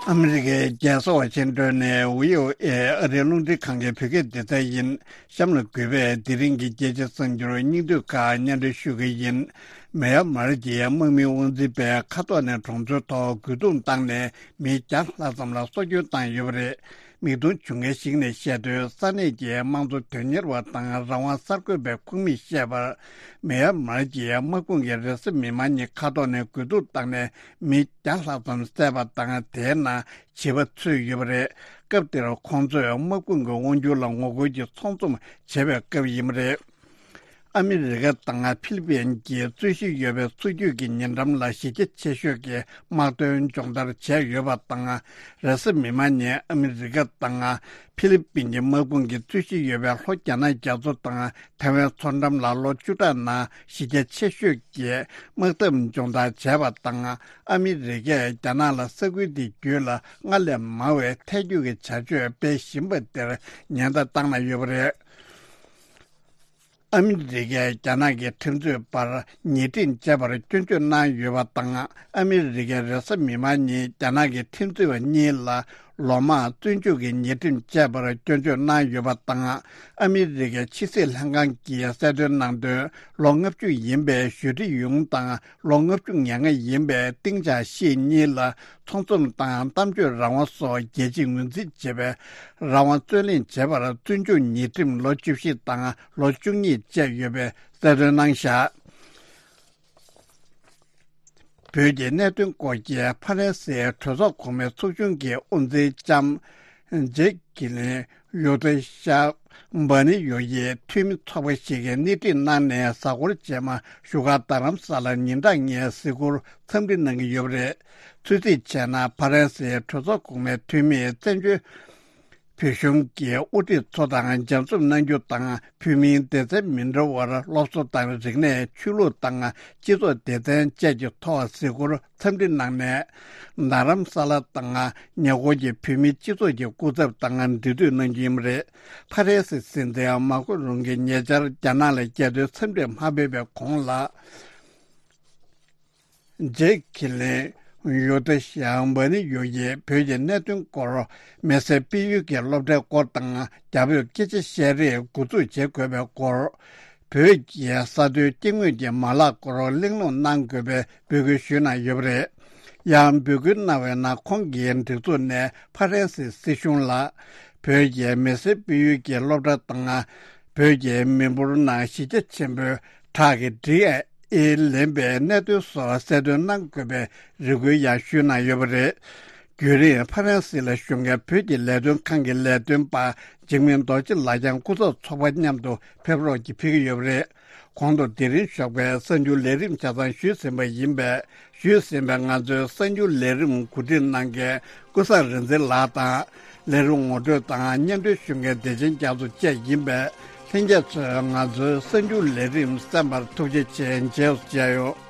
ཨ་མི་རི་ཀའི་རྒྱལ་ས་ཝ་ཤིང་ཏོན་ནས་བྷི་ཨོ་ཨེ་ཨ་རིའི་རླུང་འཕྲིན་ཁང་གི་བོད་སྐད་སྡེ་ཚན་ཡིན། གཤམ་ལ་གུས་པས་དེ་རིང་གི་རྒྱལ་སྤྱིའི་གསར་འགྱུར་སྙིང་བསྡུས་ཁག་སྙན་སྒྲོན་ཞུ་གི་ཡིན། མེ་ཡར་མར་གྱི་དམག་མིའི་དབང་འཛིན་པས་མཁའ་ཐོག་ནས་གྲོང་ཚོའི་ཐོག་རྒོལ་རྡུང་བཏང་ནས་མི་བརྒྱ་ལྷག་ཙམ་ལ་སྲོག་སྐྱོན་བཏང་ཡོད་པ་རེད། མིག་མཐོང་བྱུང་མཁན་ཞིག་ནས་བཤད་དོན། ས་གནས་ཀྱི་དམངས་གཙོ་དོན་གཉེར་བ་དང་རང་དབང་གསར་འགོད་པའི་ཁོངས་མིས་བཤད་པར། མེ་ཡར་མར་གྱི་དམག་དཔུང་གིས་རེས་གཟའ་མིག་དམར་ཉིན་མཁའ་ཐོག་ནས་རྒོལ་རྡུང་བཏང་ནས་མི་བརྒྱ་ལྷག་ཙམ་བསད་པ་དང་། དེའི་ནང་བྱིས་པ་ཚུད་ཡོད་པ་རེད། སྐབས་དེར་ཁོང་ཚོས་དམག་དཔུང་གི་དབང་སྒྱུར་ལ་ངོ་རྒོལ་གྱི་ཚོགས་འཛོམས་བྱེད་པའི་སྐབས་ཡིན་པ་རེད། ཨ་མི་རི་ཀ་དང་ཕི་ལི་པིན་གྱིས་རྩོད་གཞི་ཡོད་པའི་མཚོ་རྒྱུད་ཀྱི་ཉེ་འགྲམ་ལ་གཞི་རྒྱ་ཆེ་ཤོས་ཀྱི་དམག་དོན་སྦྱོང་བརྡར་བྱས་ཡོད་པ་དང་། རེས་གཟའ་མིག་དམར་ཉིན་ཨ་མི་རི་ཀ་དང་ཕི་ལི་པིན་གྱི་དམག་དཔུང་གིས་རྩོད་གཞི་ཡོད་པའི་ལྷོ་རྒྱ་ནག་རྒྱ་མཚོ་དང་ཐའེ་ཝན་མཚོ་འགྲམ་ལ་ལོ་བཅུ་ཕྲག་ནང་གཞི་རྒྱ་ཆེ་ཤོས་ཀྱི་དམག་འཐབ་སྦྱོང་བརྡར་བྱས་པ་དང་། ཨ་མི་རི་ཀས་རྒྱ་ནག་ལ་ས་ཁུལ་དེ་བརྒྱུད་ལ་སྔར་ལས་མང་བའི་ཐལ་འགྱུར་གྱི་བྱ་སྤྱོད་སྤེལ་བཞིན་པ་དེར་ཉེན་བརྡ་བཏང་གནང་ཡོད་པ་རེད། ཨ་མི་རི་ཀས་རྒྱ་ནག་གི་ཁྲིམས་རྩོད་པར་ཉེས་ཁྲིམས་བཅད་པར་སྐྱོན་བརྗོད་གནང་ཡོད་པ་དང་། ཨ་མི་རི་ཀས་རེས་གཟའ་མིག་དམར་ཉིན་རྒྱ་ནག་གི་ཁྲིམས་རྩོད་པ་གཉིས་ལ་ལོ་མང་བཙོན་འཇུག་གི་ཉེས་ཁྲིམས་བཅད་པར་སྐྱོན་བརྗོད་གནང་ཡོད་པ་དང་། ཨ་མི་རི་ཀའི་ཕྱི་སྲིད་ལྷན་ཁང་གིས་གསལ་སྟོན་གནང་དོན། ལོ་ལྔ་བཅུ་ཡིན་པའི་ཞུ་ཀྲི་ཡུང་དང་ལོ་ལྔ་བཅུ་ང་ལྔ་ཡིན་པའི་ཏིང་ཅང་ཤིས་གཉིས་ལ་ཚོགས་འཛོམས་དང་གཏམ་བརྗོད་རང་དབང་སོགས་རྒྱལ་སྤྱིས་ངོས་འཛིན་བྱེད་པའི་རང་དབང་རྩོད་ལེན་བྱེད་པར་བཙོན་འཇུག་ཉེས་ཁྲིམས་ལོ་བཅུ་བཞི་དང་ལོ་བཅུ་གཉིས་བཅད་ཡོད་པའི་གསལ་སྟོན་གནང་བཞག་བོད་ཀྱི་གནད་དོན་སྐོར་གྱི་ཕ་རན་སིའི་གྲོས་ཚོགས་གོང་མའི་ཚོགས་ཆུང་གི་དབུ་འཛིན་ལྕམ་ཇེག་ཀི་ལིན་ཡོ་ཏེ་ཤ་འབར་ནི་ཡོ་ཡིས་འཐུས་མི་ཚོགས་པ་ཞིག་གིས་སྣེ་ཁྲིད་གནང་ནས་གཟའ་འཁོར་རྗེས་མ་བཞུགས་སྒར་རྡ་རམ་ས་ལར་ཉིན་གྲངས་ལྔའི་གཟིགས་སྐོར་འཚམས་འདྲི་གནང་གི་ཡོད་པ་རེད། ཚོད་རྩིས་བྱས་ན་ཕ་རན་སིའི་གྲོས་ཚོགས་གོང་མའི་འཐུས་མིས་བཙན་བྱོལ་བོད་གཞུང་གི་དབུ་ཁྲིད་ཚོ་དང་མཇལ་འཛོམས་གནང་རྒྱུ་དང་། བོད་མིའི་སྡེ་ཚན་མི་འདྲ་བར་སློབ་གསོ་དང་རིག་གནས། ཆོས་ལུགས་དང་སྤྱི་ཚོགས་སྡེ་ཚན་བཅས་ཀྱི་ཐོག་གཟིགས་སྐོར་འཚམས་འདྲི་གནང་ནས། རྡ་རམ་ས་ལ་དང་ཉེ་འཁོར་གྱི་བོད་མིའི་སྤྱི་ཚོགས་ཀྱི་སྐུ་ཚབ་དང་འབྲེལ་མཐུད་གནང་རྒྱུ་ཡིན་པ་རེད། ཕ་རན་སི་སྲིད་འཛིན་མཱ་ཁོ་རུང་གིས་ཉེ་ཆར་རྒྱ་ནག་ལ་རྒྱལ་དོན་འཚམས་འདྲིར་མ་ཕེབས་པའི་གོང་ལ། ཇེག་ཁི་ལིན་ ཡོ་ཏི་ཤ་མ་ནི་ཡོ་ཡིས་བོད་ཀྱི་གནད་དོན་སྐོར། མེ་སེར་སྤེལ་ཡུལ་གྱི་སློབ་གྲྭའི་སྐོར་དང་རྒྱ་བོད་སྐད་ཆ་བཤད་རེས་འགོ་འཛུགས་བྱེད་དགོས་པའི་སྐོར། བོད་ཀྱི་ས་མཐོའི་སྐྱེ་དངོས་ཀྱི་མ་ལག་སྐོར་གླེང་སློང་གནང་དགོས་པའི་འབོད་སྐུལ་ཞུས་གནང་ཡོད་པ་རེད། ཡང་འབོད་སྐུལ་གནང་བའི་ནང་ཁོང་གི་སྒྲིག་འཛུགས་ནས་ཕ་རན་སི་སྲིད་གཞུང་ལ། བོད་ཀྱི་མེ་སེར་སྤེལ་ཡུལ་གྱི་སློབ་གྲྭ་དང་། བོད་ཀྱི་མི་འབོར་ནང་གཞི་རྒྱ་ཆེན་པོའི་ཁྲག་གི་ཌི་ཨེན་ཨེ་ལེན་པའི་གནད་དོན་སོགས་གསལ་སྟོན་གནང་དགོས་པའི་རེ་སྐུལ་ཡང་ཞུས་གནང་ཡོད་པ་རེད། རྒྱུན་རིང་ཕ་རན་སི་ལ་བཞུགས་མཁན་བོད་ཀྱི་ལས་དོན་ཁང་གི་ལས་དོན་པ་འཇིགས་མེད་རྡོ་རྗེ་ལགས་ཀྱང་སྐུ་ཚབ་ཚོགས་པ་མཉམ་དུ་ཕེབས་རོགས་ཀྱིས་ཕེབས་ཀྱི་ཡོད་པ་རེད། གོང་དུ་དེ་རིང་ཞོགས་པའི་གསར་འགྱུར་ལས་རིམ་ཆ་ཚང་ཞུས་ཟིན་པ་ཡིན་པས། ཞུས་ཟིན་པའི་ང་ཚོའི་གསར་འགྱུར་ལས་རིམ་གོ་སྒྲིག་གནང་མཁན་ཀུན་བཟང་རིག་འཛིན་ལགས་དང་། ལས་རིམ་ངོ་སྤྲོད་དང་སྙན་སྒྲོན་ཞུ་མཁན་བདེ་ཆེན་རྒྱ་མཚོ་བཅས་ཡིན་པས། ལྷན་རྒྱས་ཚོས་ང་ཚོའི་གསར་འགྱུར་ལས་རིམ་གསན་པར་ཐུགས་རྗེ་ཆེ། མཇལ་བ་མཇལ་ཡོང་།